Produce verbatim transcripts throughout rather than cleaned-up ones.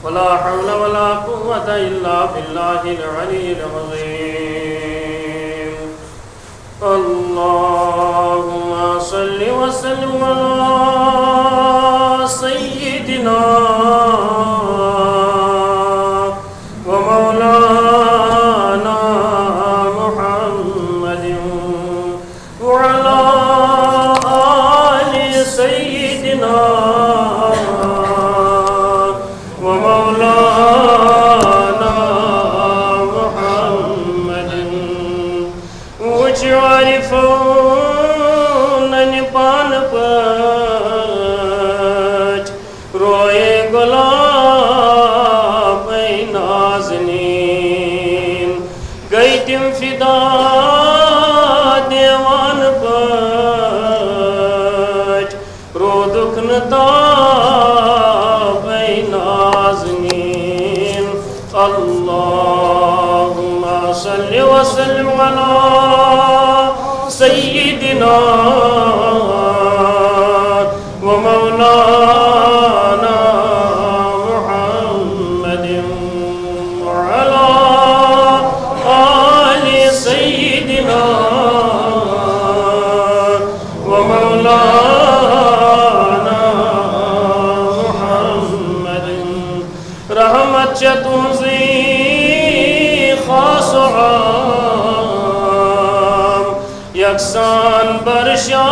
ولا حول ولا قوة إلا بالله العلي العظيم. اللهم صل وسلم على سيدنا ومولانا محمد وعلى آل سيدنا ومولانا محمد. وجعل فونا پان پاٹ روئے گلاب نازنین، گئی تم فدا دیوان پاٹ، رودک نتاب نازنین. اللهم صل وسلم على سيدنا ومولانا محمد وعلى آل سيدنا ومولانا محمد. رحمت چھ تُہنٛزٕے خاص و عام، یکسان برشا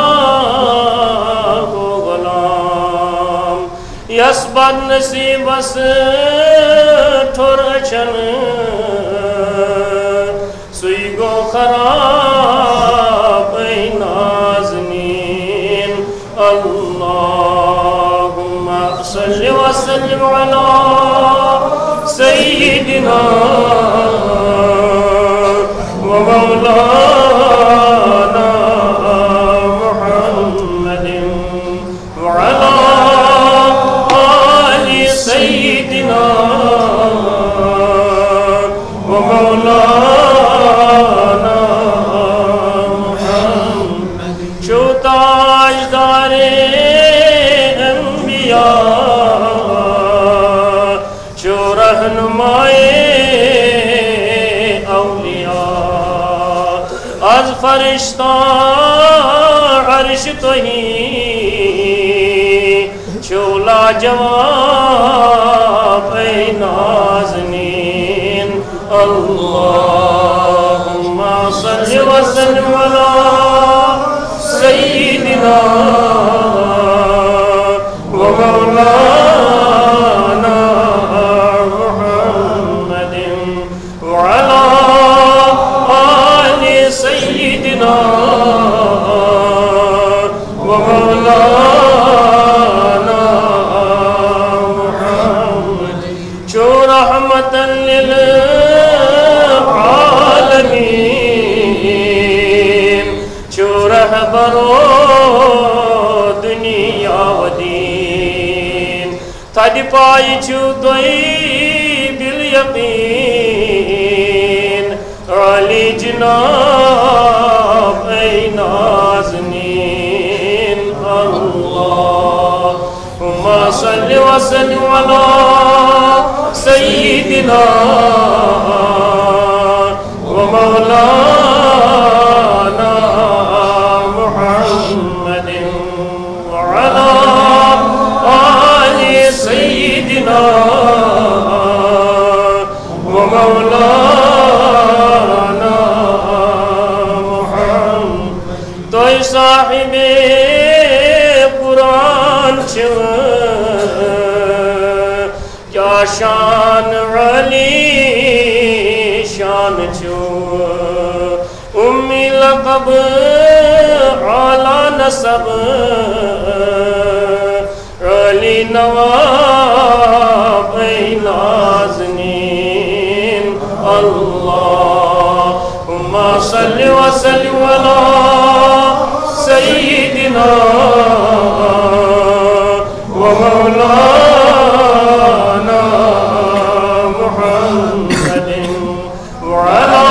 گو غلام، یس بد نصیبس ٹھوٚر أچھن، سُے گو خراب اے نازنین. اللهم صل وسلم على سيدنا ومولانا محمد وعلى آل سيدنا ومولانا محمد. چھو تاجدار انبیاء، چھو رہنمائے اولیاء، از فرشتہ عرش تہی چھو لاجواب اے نازنین. اللهم صل وسلم على سيدنا ومولانا محمد وعلى آل سيدنا ومولانا محمد. چھو رحمتاً للعالمین، چھو رہبرو دنیا و دین. تھدِ پایہِ چھِو تُہۍ بالیقین، عالی جناب اے نازنین. اللهم صل وسلم على سيدنا ومولانا محمد وعلى آل سيدنا ومولانا محمد. تُہۍ صاحبِ قرآن چھِو، کیا شان عالی شان چھو، امی لقب اعلیٰ نسب، عالی نواب اے نازنین. اللهم صل وسلم على سيدنا ومولانا محمد وعلى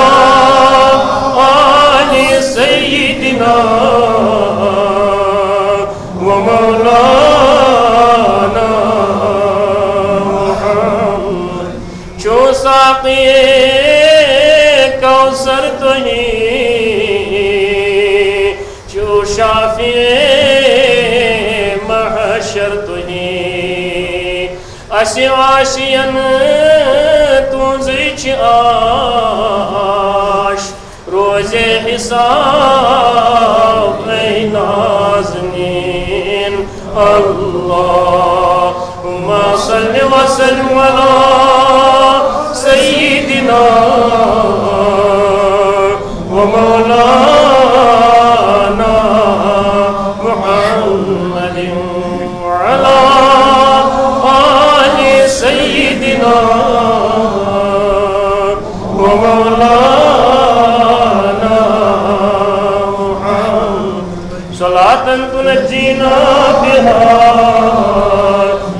آل سيدنا ومولانا محمد. اسہِ آسہِ ین تُہنٛزٕے چھِ آش، روزِ حساب اے نازنین۔ اللہم صل وسلم علی سیدنا و مولانا محمد وعلی آل سیدنا و مولانا محمد۔ صلاة تنجينا بها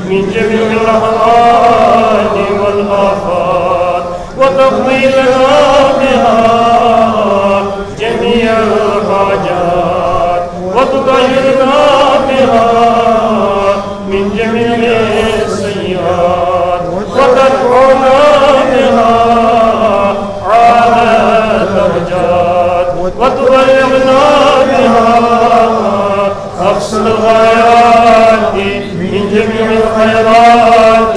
من جميع الأهوال والآفات، وتقضي لنا بها جميع الحاجات، وتطهرنا بها من جميع السيئات، وترفعنا بها أعلى الدرجات، وتبلغنا بها أقصى الغايات من جميع الخيرات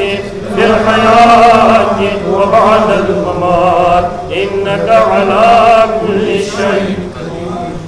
في الحياة وبعد الممات، إنك على كل شيء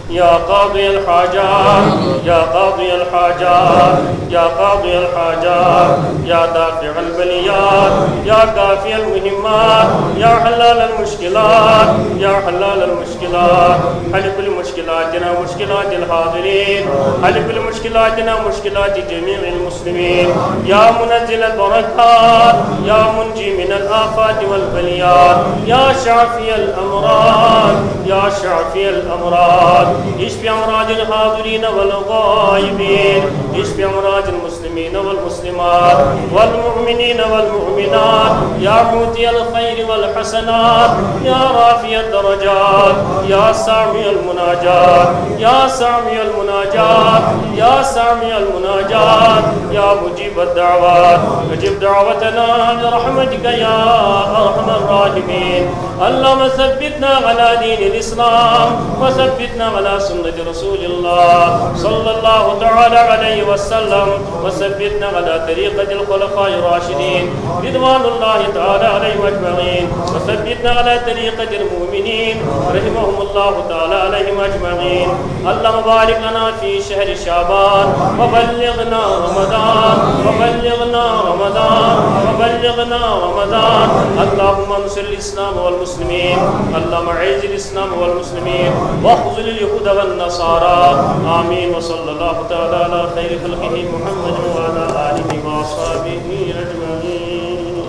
يا قاضي الحاجات، يا قاضي الحاجات، يا قاضي الحاجات، يا دافع البليات، يا كافي المهمات، يا حلال المشكلات، يا حلال المشكلات، حل كل مشكلاتنا ومشكلات الحاضرين، حل كل مشكلاتنا ومشكلات جميع المسلمين، يا منزل البركات، يا منجي من الآفات والبليات، يا شافي الأمراض، يا شافي الأمراض، اشف أمراض الحاضرين والغائبين، اشف أمراض المسلمين والمسلمات، والمؤمنين والمؤمنات، يا مؤتي الخير والحسنات، يا رافع الدرجات، يا سامع المناجات، يا سامع المناجات، يا سامع المناجات، يا مجيب الدعوات، أجب دعوتنا برحمتك يا أرحم الراحمين. اللهم ثبتنا على دين الإسلام، وثبتنا على سنة رسول الله صلى الله تعالى عليه وسلم، وثبتنا على طريقة الخلفاء الراشدين رضوان الله تعالى عليهم أجمعين، وثبتنا على طريقة المؤمنين رحمهم الله تعالى عليهم أجمعين. اللهم بارك لنا في شهر شعبان، وبلغنا رمضان، وبلغنا رمضان، وبلغنا رمضان. اللهم انصر الإسلام والمسلمين، اللهم أعز الإسلام والمسلمين، واخذل اليهود والنصارى. آمين. وصلى الله تعالى على خير خلقه محمد وعلى آله وأصحابه أجمعين.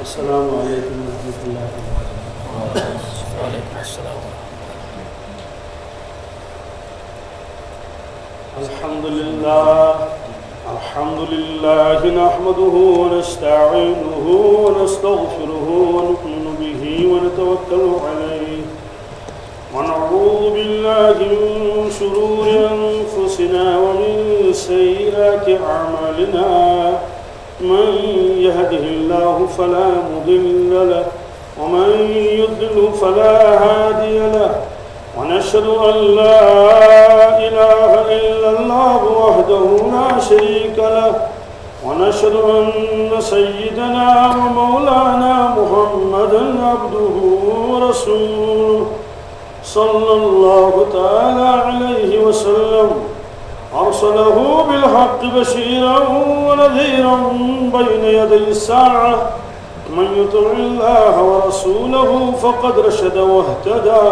السلام عليكم ورحمة الله وبركاته. وعليكم السلام ورحمة الله. الحمد لله. الحمد لله نحمده ونستعينه ونستغفره ونؤمن به ونتوكل عليه، ونعوذ بالله من شرور أنفسنا ومن سيئات أعمالنا. من يهده الله فلا مضل له، ومن يضلل فلا هادي له، ونشهد أن لا إله إلا الله وحده لا شريك له، ونشهد أن سيدنا ومولانا محمدا عبده ورسوله، صلى الله تعالى عليه وسلم، أرسله بالحق بشيرا ونذيرا بين يدي الساعة. من يطع الله ورسوله فقد رشد واهتدى،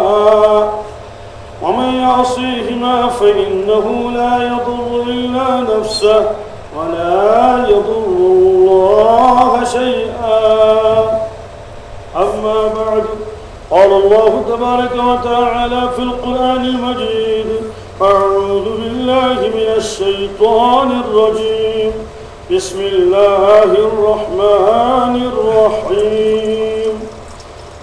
ومن يعصيهما فإنه لا يضر إلا نفسه ولا يضر الله شيئا. أما بعد، قال الله تبارك وتعالى في القرآن المجيد: أعوذ بالله من الشيطان الرجيم. بسم الله الرحمن الرحيم.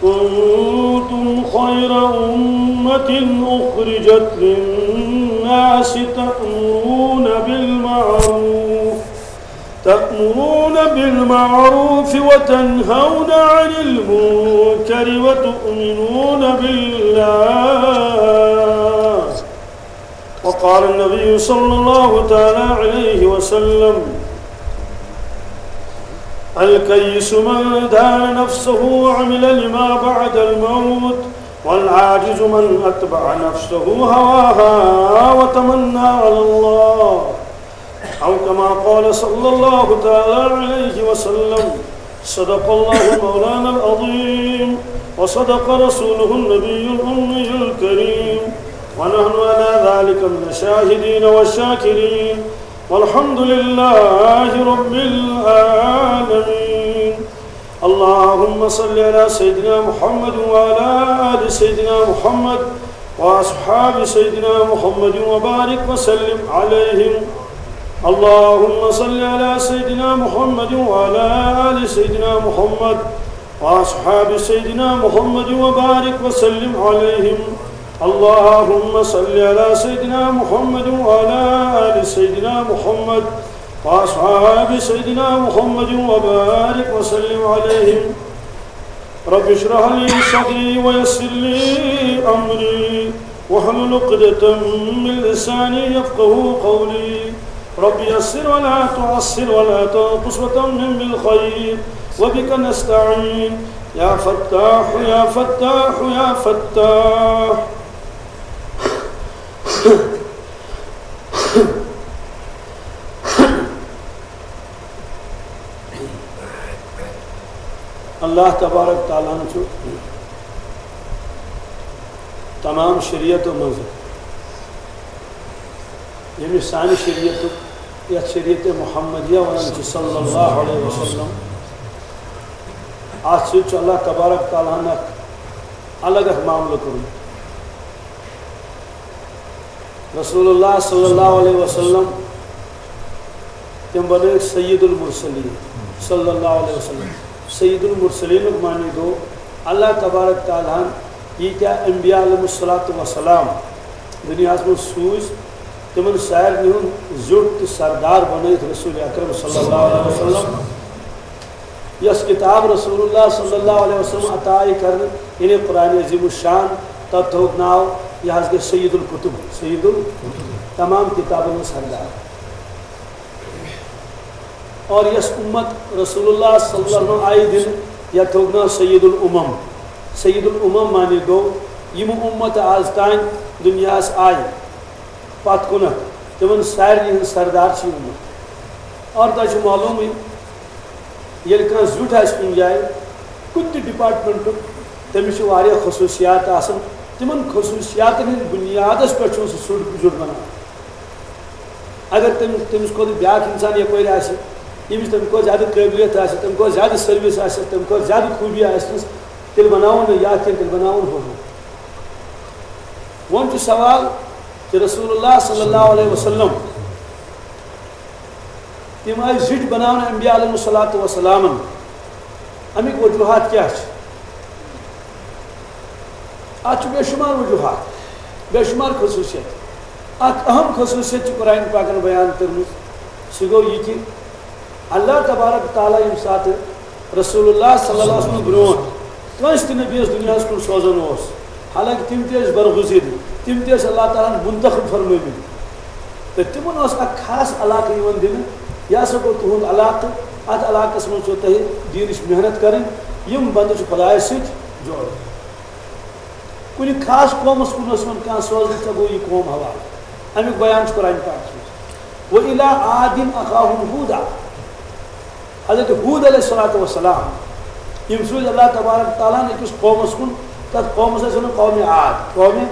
كنتم خير أمة أخرجت للناس الناس تأمرون بالمعروف تأمرون بالمعروف وتنهون عن المنكر وتؤمنون بالله. وقال النبي صلى الله تعالى عليه وسلم: الكيس من دان نفسه وعمل لما بعد الموت، والعاجز من أتبع نفسه هواها وتمنى على الله، أو كما قال صلى الله تعالى عليه وسلم. صدق الله مولانا العظيم، وصدق رسوله النبي الأمي الكريم، ونحن على ذلك من الشاهدين والشاكرين، والحمد لله رب العالمين. اللهم صل على سيدنا محمد وعلى آل سيدنا محمد وأصحاب سيدنا محمد وبارك وسلم عليهم. اللهم صل على سيدنا محمد وعلى آل سيدنا محمد وأصحاب سيدنا محمد وبارك وسلم عليهم. اللهم صل على سيدنا محمد وعلى آل سيدنا محمد وأصحاب سيدنا محمد وبارك وسلم عليهم. رب اشرح لي صدري ويسر لي أمري واحلل عقدة من لساني يفقه قولي. رب يسر ولا تعسر ولا تنقص وتمم بالخير وبك نستعين. يا فتاح يا فتاح يا فتاح. اللہ تبارک تعالیٰ ہن چھُ تمام شریعتو منٛز ییٚمہِ سانہِ شریعتُک، یَتھ شریعت محمدیہ وَنان چھِ صلی اللہ علیہ وسلم، اَتھ سۭتۍ چھُ اللہ تبارک تعالیٰ ہن اکھ الگ اکھ معاملہٕ کوٚرمُت۔ رسول اللہ صلی اللہ علیہ وسلم، تِم بنٲوِکھ سید المرسلین صلی اللہ علیہ وسلم۔ سید المرسلینُک معنی گوٚو، اللہ تبارک تعالیٰ ہن ییٖتیٛاہ انبیاء علیہم الصلوۃ والسلام دُنیاہَس منٛز سوٗزۍ، تِمن سارنٕے ہُنٛد زیُٹھ تہٕ سردار بنٲوِتھ رسول اکرم صلی اللہ علیہ وسلم۔ یۄس کتاب رسول اللہ صلی اللہ علیہ وسلم عطا آیہِ کرنہٕ، یعنی قرآن عظیم الشان، تتھ تھوٚوُکھ ناو، یہِ حظ گٔے سید الکتب، سید ال-، تمام کتابن ہُنٛد سردار۔ اور یۄس امت رسول اللہ صلی اللہ علیہ وسلم آیہِ دِنہٕ، یتھ تھوٚوُکھ ناو سید الامم۔ سید الامم معنی گوٚو، یِم امت آز تام دُنیاہس آیہِ، پتھ کُنتھ، تِمن سارنٕے ہُنٛد سردار چھُ یہِ امت۔ اور تۄہہِ چھُ معلومٕے، ییٚلہِ کانٛہہ زیُٹھ آسہِ کُنہِ جایہِ، کُنہِ تہِ ڈپارٹمنٹُک، تٔمِس چھِ واریاہ خصوٗصیات آسان۔ تِمن خصوٗصیاتن ہٕنٛدۍ بُنیادس پٮ۪ٹھ چھُ سُہ سُہ زیُٹھ بنان۔ اگر تٔمِس، تٔمِس کھۄتہٕ بیٛاکھ انسان یپٲرۍ آسہِ، ییٚمِس تَمہِ کھۄتہٕ زیادٕ قٲبلیت آسہِ، تَمہِ کھۄتہٕ زیادٕ سٔروِس آسہِ، تَمہِ کھۄتہٕ زیادٕ خوٗبی آسہِ، تیٚلہِ بناوون نہٕ یہِ اَتھ کینٛہہ، تیٚلہِ بناوون ہُہ۔ وۄنۍ چھُ سوال کہِ رسول اللہ صلی اللہ علیہ وسلم، تِم آیہِ زِٹھۍ بناونہٕ انبیاء علیہم الصلوۃ والسلامن۔ اَمِکۍ وجوہات کیٛاہ چھِ؟ اَتھ چھُ بے شُمار وجوہات، بے شُمار خصوٗصیت۔ اَکھ اہم خصوٗصیت چھِ قرآن پاکن بیان کٔرمٕژ، سُہ گوٚو یہِ کہِ اللہ تبارک تعالیٰ ییٚمہِ ساتہٕ رسول اللہ صلی اللہ علیہ وسلم برونٛٹھ کٲنٛسہِ تہِ نبیَس دُنیاہَس کُن سوزان اوس، حالانکہ تِم تہِ ٲسۍ برگزیٖدٕ، تِم تہِ ٲسۍ اللہ تعالیٰ ہَن منتخب فرمٲومٕتۍ۔ تہٕ تِمن اوس اکھ خاص علاقہٕ یِوان دِنہٕ، یہِ ہسا گوٚو تُہُنٛد علاقہٕ، اَتھ علاقس منٛز چھو تۄہہِ دیٖنٕچ محنت کَرٕنۍ، یِم بندٕ چھِ خۄدایَس سۭتۍ جوڑ۔ کُنہِ خاص قومس کُن اوس یِوان کانٛہہ سوزنہٕ، ژےٚ گوٚو یہِ قوم حوالہٕ۔ اَمیُک بیان چھُ قرآن پاکس منٛز، "وَإِلَىٰ عَادٍ أَخَاهُمْ هُودًا"۔ حضرت ہود علیہ الصلوۃ والسلام، یِم سوٗزۍ اللہ تبارک تعالیٰ ہن أکِس قومس کُن، تَتھ قومس ٲسۍ وَنان قومِ عاد، قومِ،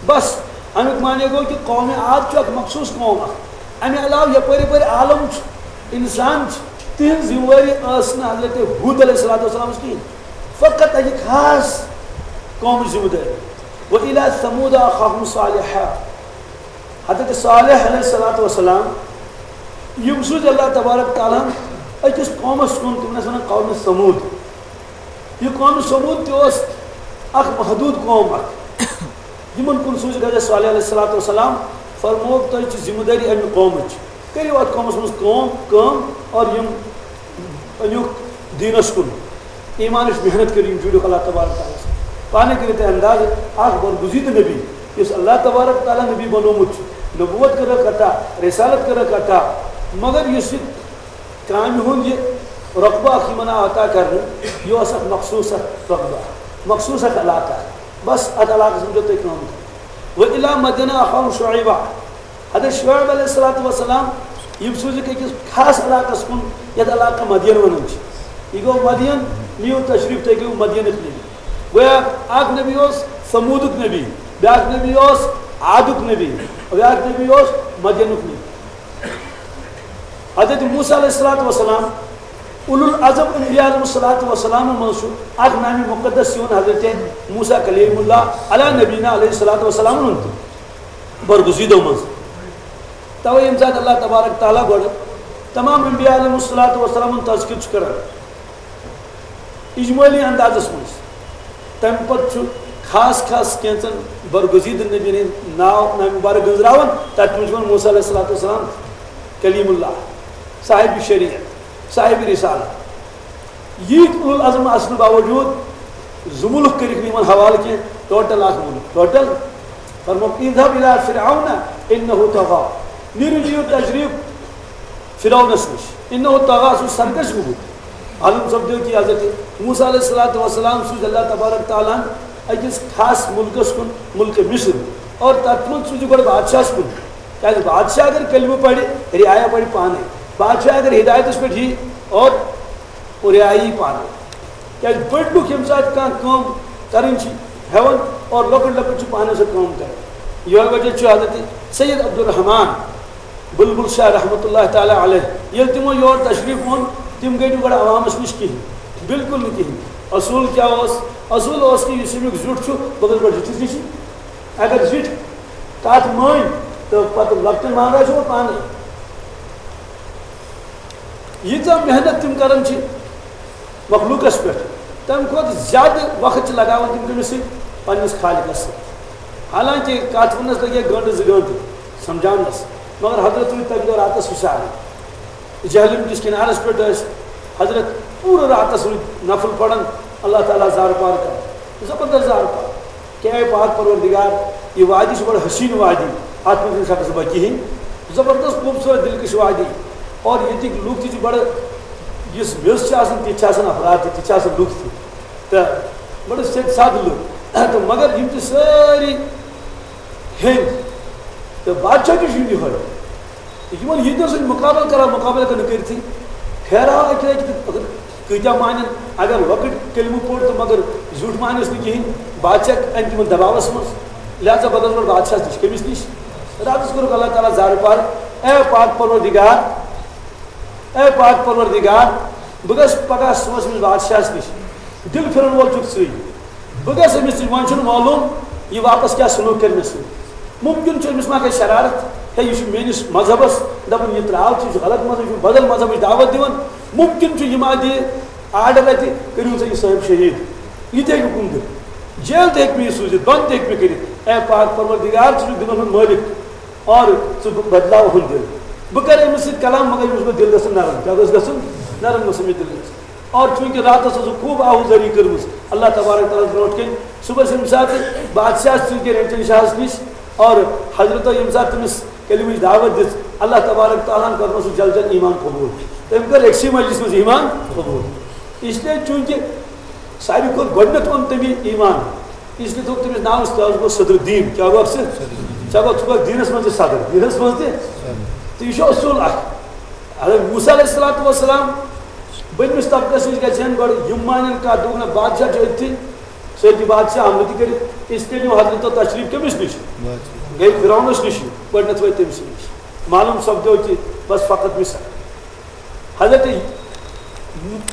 بس، اَمیُک معنی گوٚو کہِ قومِ عاد چھُ اکھ مخصوٗص قوم اکھ۔ اَمہِ علاوٕ یپٲرۍ یپٲرۍ عالم چھُ، اِنسان چھِ، تِہنٛز ذمہٕ وٲری ٲس نہٕ حضرت ہود علیہ الصلوۃ والسلامس کِہیٖنۍ، فقط اَکہِ خاص قومٕچ ذمہٕ دٲری۔ "وَإِلَىٰ ثَمُودَ أَخَاهُمْ صَالِحًا"۔ حضرت صالح علیہ الصلوۃ والسلام، یِم سوٗزۍ اللہ تبارک تعالیٰ ہن أکِس قومس کُن، تِمن ٲسۍ وَنان قومِ ثمود۔ یہِ قومِ ثمود تہِ اوس اکھ محدوٗد قوم اکھ۔ یِمن کُن سوٗزِکھ حضرت صالح علیہ الصلوۃ والسلام، فرمووُکھ، تۄہہِ چھِ ذمہٕ دٲری اَمہِ قومٕچ، کٔرِو اَتھ قومَس منٛز کٲم کٲم اور یِم أنِوُکھ دیٖنَس کُن، ایٖمانٕچ محنت کٔرِو، یِم جُڑِوُکھ اللہ تبارک تعالیٰ سۭتۍ۔ پانَے کٔرِو تُہۍ اندازٕ، اَکھ برگزیدٕ نبی، یُس اللہ تبارک تعالیٰ نبی بنوومُت چھُ، نبوت کٔرٕکھ عطا، رسالت کٔرٕکھ عطا، مگر یُس یہِ کامہِ ہُنٛد یہِ رۄقبہٕ اَکھ یِمَن آو عطا کرنہٕ، یہِ اوس اَکھ مخصوٗص اَکھ رۄقبہٕ، مخصوٗص اَکھ علاقہٕ، بس اَتھ علاقَس منٛز دیُت تۄہہِ کٲم کرنہٕ۔ وَإِلَىٰ مَدْيَنَ أَخَاهُمْ شُعَيْبًا۔ حضرت شعیب علیہ الصلوۃ والسلام، یِم سوٗزِکھ أکِس خاص علاقَس کُن، یَتھ علاقہٕ مدین وَنان چھِ۔ یہِ گوٚو مدین، نِیِو تشریٖف، تُہۍ گٔیِو مدینٕکۍ نبی۔ گویا اَکھ نبی اوس ثموٗدُک نبی، بیٛاکھ نبی اوس عادُک نبی، بیٛاکھ نبی اوس مدینُک نبی۔ حضرت موسیٰ علیہ الصلوۃ والسلام، اولو العزم انبیاء علیہم الصلوۃ والسلام منٛز چھُ اَکھ نامِ مُقدس یِوان حضرت موسیٰ کلیم اللہ علیٰ نبینا علیہ الصلوۃ والسلام ہُنٛد تہِ۔ برگزیدو منٛز۔ توے ییٚمہِ ساتہٕ اللہ تبارک تعالیٰ گۄڈٕ تمام انبیاء علیہم الصلوۃ والسلام ہُنٛد تذکر چھُ کران اجمٲلی اندازس منٛز، تمہِ پتہٕ چھُ خاص خاص کینٛژن برگزیدٕ نبین ہٕنٛدۍ ناو، ناو مبارک گٔنزراوان، تتھ منٛز چھُ یِوان موسیٰ علیہ الصلوۃ والسلام، کلیم اللہ، صاحب شریعت، صاحب رسالت۔ ییٖتۍ اولو العزم آسنہٕ باوجوٗد زٕ مُلک کٔرِکھ نہٕ یِمن حوالہٕ کینٛہہ، ٹوٹل اکھ مُلک، ٹوٹل۔ فرمووُکھ، اذهب الى فرعون انه طغى۔ نیٖرِو، دِیِو تشریٖف فرعونس نِش۔ انه طغى، سُہ چھُ سرکش گوٚمُت۔ معلوم سپدیو کہِ حضرت موسیٰ علیہ الصلوۃ والسلام سوٗز اللہ تبارک تعالیٰ ہن أکِس خاص مُلکس کُن، مُلکہِ مصر، اور تتھ منٛز سوٗزِو گۄڈٕ بادشاہس کُن۔ کیازِ بادشاہ اگر کلمہٕ پرِ، رعایا پرِ پانے۔ بادشاہ اگر ہدایتس پٮ۪ٹھ یی اور، اور رعایا یی پانے۔ کیازِ بٔڑۍ لُکھ ییٚمہِ ساتہٕ کانٛہہ کٲم کرٕنۍ چھِ ہٮ۪وان اور لۄکٕٹۍ لۄکٕٹۍ چھِ پانَے سۄ کٲم کران۔ یِہوٚے وجہ چھُ حضرت سید عبدالرحمان بلبل شاہ رحمتہ اللہ تعالیٰ علیہ، ییٚلہِ تِمو یور تشریٖف اوٚن، تِم گٔے نہٕ گۄڈٕ عوامَس نِش کِہیٖنۍ، بالکل نہٕ کِہیٖنۍ۔ اصوٗل کیٛاہ اوس؟ اصوٗل اوس کہِ یُس اَمیُک زیُٹھ چھُ، بہٕ گژھٕ گۄڈٕ زِٹھِس نِش۔ اگر زِٹھۍ کَتھ مٲنۍ تہٕ پَتہٕ لۄکٹٮ۪ن مانراوِ سُہ پانَے۔ ییٖژاہ محنت تِم کران چھِ مخلوٗقس پٮ۪ٹھ، تَمہِ کھۄتہٕ زیادٕ وقت چھِ لگاوان تِم کٔمِس سۭتۍ؟ پننِس خالقس سۭتۍ۔ حالانکہ کتھ وننس لگہِ گٲنٹہٕ زٕ گٲنٹہٕ سمجھاونس، مگر حضرت روٗدۍ تمہِ دۄہ راتس ہُشارے۔ جہلم کِس کنارس پٮ۪ٹھ ٲسۍ حضرت پوٗرٕ راتس روٗدۍ نفل پران، اللہ تعالیٰ زارٕ پار کران، زبردست زارٕ پار۔ کہ اے پاک پروردگار، یہ وادی چھِ بڑٕ حسین وادی، اتھ منٛز چھُنہٕ شخص بہ کِہیٖنۍ، زبردست خوٗبصوٗرت دلکش وادی، اور ییٚتِکۍ لُکھ تہِ چھِ بڑٕ، یُس میٚژ چھِ آسان، تِتھۍ چھِ آسان افراد تہِ، تِتھۍ چھِ آسان لُکھ تہِ، تہٕ بڑٕ سیٚدۍ سادٕ لُکھ۔ تہٕ مگر یِم چھِ سٲری ہیٚنٛدۍ، تہٕ بادشاہ تہِ چھُ یِہوٚے۔ تہٕ یِمن ییٖتیو سۭتۍ مُقابلہٕ کران، مُقابلہٕ کرنہٕ کٔرتھٕے پھیراو اَکہِ لَٹہِ تہٕ کۭتیٛاہ مانن؟ اگر لۄکٕٹۍ کلمہٕ پوٚر تہٕ مگر زیُٹھ مانس نہٕ کِہیٖنۍ، بادشاہ اَنہِ تِمن دباوس منٛز۔ لہذا پتہٕ اوس گۄڈٕ بادشاہس نِش، کٔمِس نِش؟ راتس کوٚرُکھ اللہ تعالیٰ زارٕ پار، اے پاک پروردگار، اے پاک پروردگار، بہٕ گژھٕ پگاہ صُبحس أمِس بادشاہس نِش، دِل پھِرن وول چھُکھ ژٕے۔ بہٕ گژھٕ أمِس نِش، وۄنۍ چھُنہٕ معلوٗم یہِ واپس کیٛاہ سلوٗک کرِ مےٚ سۭتۍ۔ مُمکِن چھُ أمِس ما کرِ شرارت، ہے، یہِ چھُ میٲنِس مذہبس دپان، یہِ ترٛاو ژٕ، یہِ چھُ غلط مذہب، یہِ چھُ بدل مذہبٕچ دعوت دِوان۔ مُمکِن چھُ یہِ ما دِیہِ آرڈر اَتہِ، کٔرِو سا یہِ صٲحب شہیٖد، یہِ تہِ ہیٚکہِ حُکُم دِتھ۔ جیل تہِ ہیٚکہِ مےٚ یہِ سوٗزِتھ، بنٛد تہِ ہیٚکہِ مےٚ کٔرِتھ۔ اے پاک پروردگار، ژٕ چھُکھ دِلن ہُنٛد مٲلِک۔ اور ژٕ بدلاو ہُنٛد دِل۔ بہٕ کرٕ أمِس سۭتۍ کلام، مگر أمِس گوٚژھ دِل گژھُن نرم۔ کیٛاہ گوٚژھ گژھُن؟ نرم گوٚژھ أمِس دِل گژھُن۔ اور چوٗنٛکہِ راتس ٲسٕکھ خوٗب آہوٗزٲری کٔرمٕژ اللہ تبارک تعالیٰ ہس برونٛٹھ کَنہِ، صُبحس ییٚمہِ ساتہٕ بادشاہس ژٕ گٔے رٔٹِن شاہس نِش، اور حضرتو ییٚمہِ ساتہٕ تٔمِس کلمٕچ دعوت دِژ، اللہ تبارک تعالیٰ ہن کوٚرمُت سُہ جل جل ایمان قبوٗل۔ تٔمۍ کٔر أکسٕے مجلس منٛز ایمان قبوٗل۔ اس لیے چوٗنٛکہِ ساروی کھۄتہٕ گۄڈٕنٮ۪تھ اوٚن تٔمی ایمان۔ اس لیے تھوٚو تٔمِس ناو، تٔمِس گوٚو صدر الدین۔ کیٛاہ گوٚو اَکھ سۭتۍ؟ ژےٚ گوٚو، ژٕ گوٚو دیٖنَس منٛز تہِ صدر، دیٖنَس منٛز تہِ۔ تہٕ یہِ چھُ اصوٗل اَکھ۔ اگر موسیٰ علیہ الصلوۃ والسلام بٔنمِس طبقس نِش گژھِ ہن گۄڈٕ، یِم مانن کَتھ، دوٚپُکھ، نہ، بادشاہ چھُ أتھی، سۭتی بادشاہ حملہٕ تہِ کٔرِتھ۔ اس لیے نیوٗ حضرت تشریٖف کٔمِس نِش؟ گٔے فرعونس نِش، گۄڈٕنٮ۪تھ وٲتۍ تٔمۍ سٕے نِش۔ معلوٗم سپدیو کہِ بس فقط مثال۔ حضرت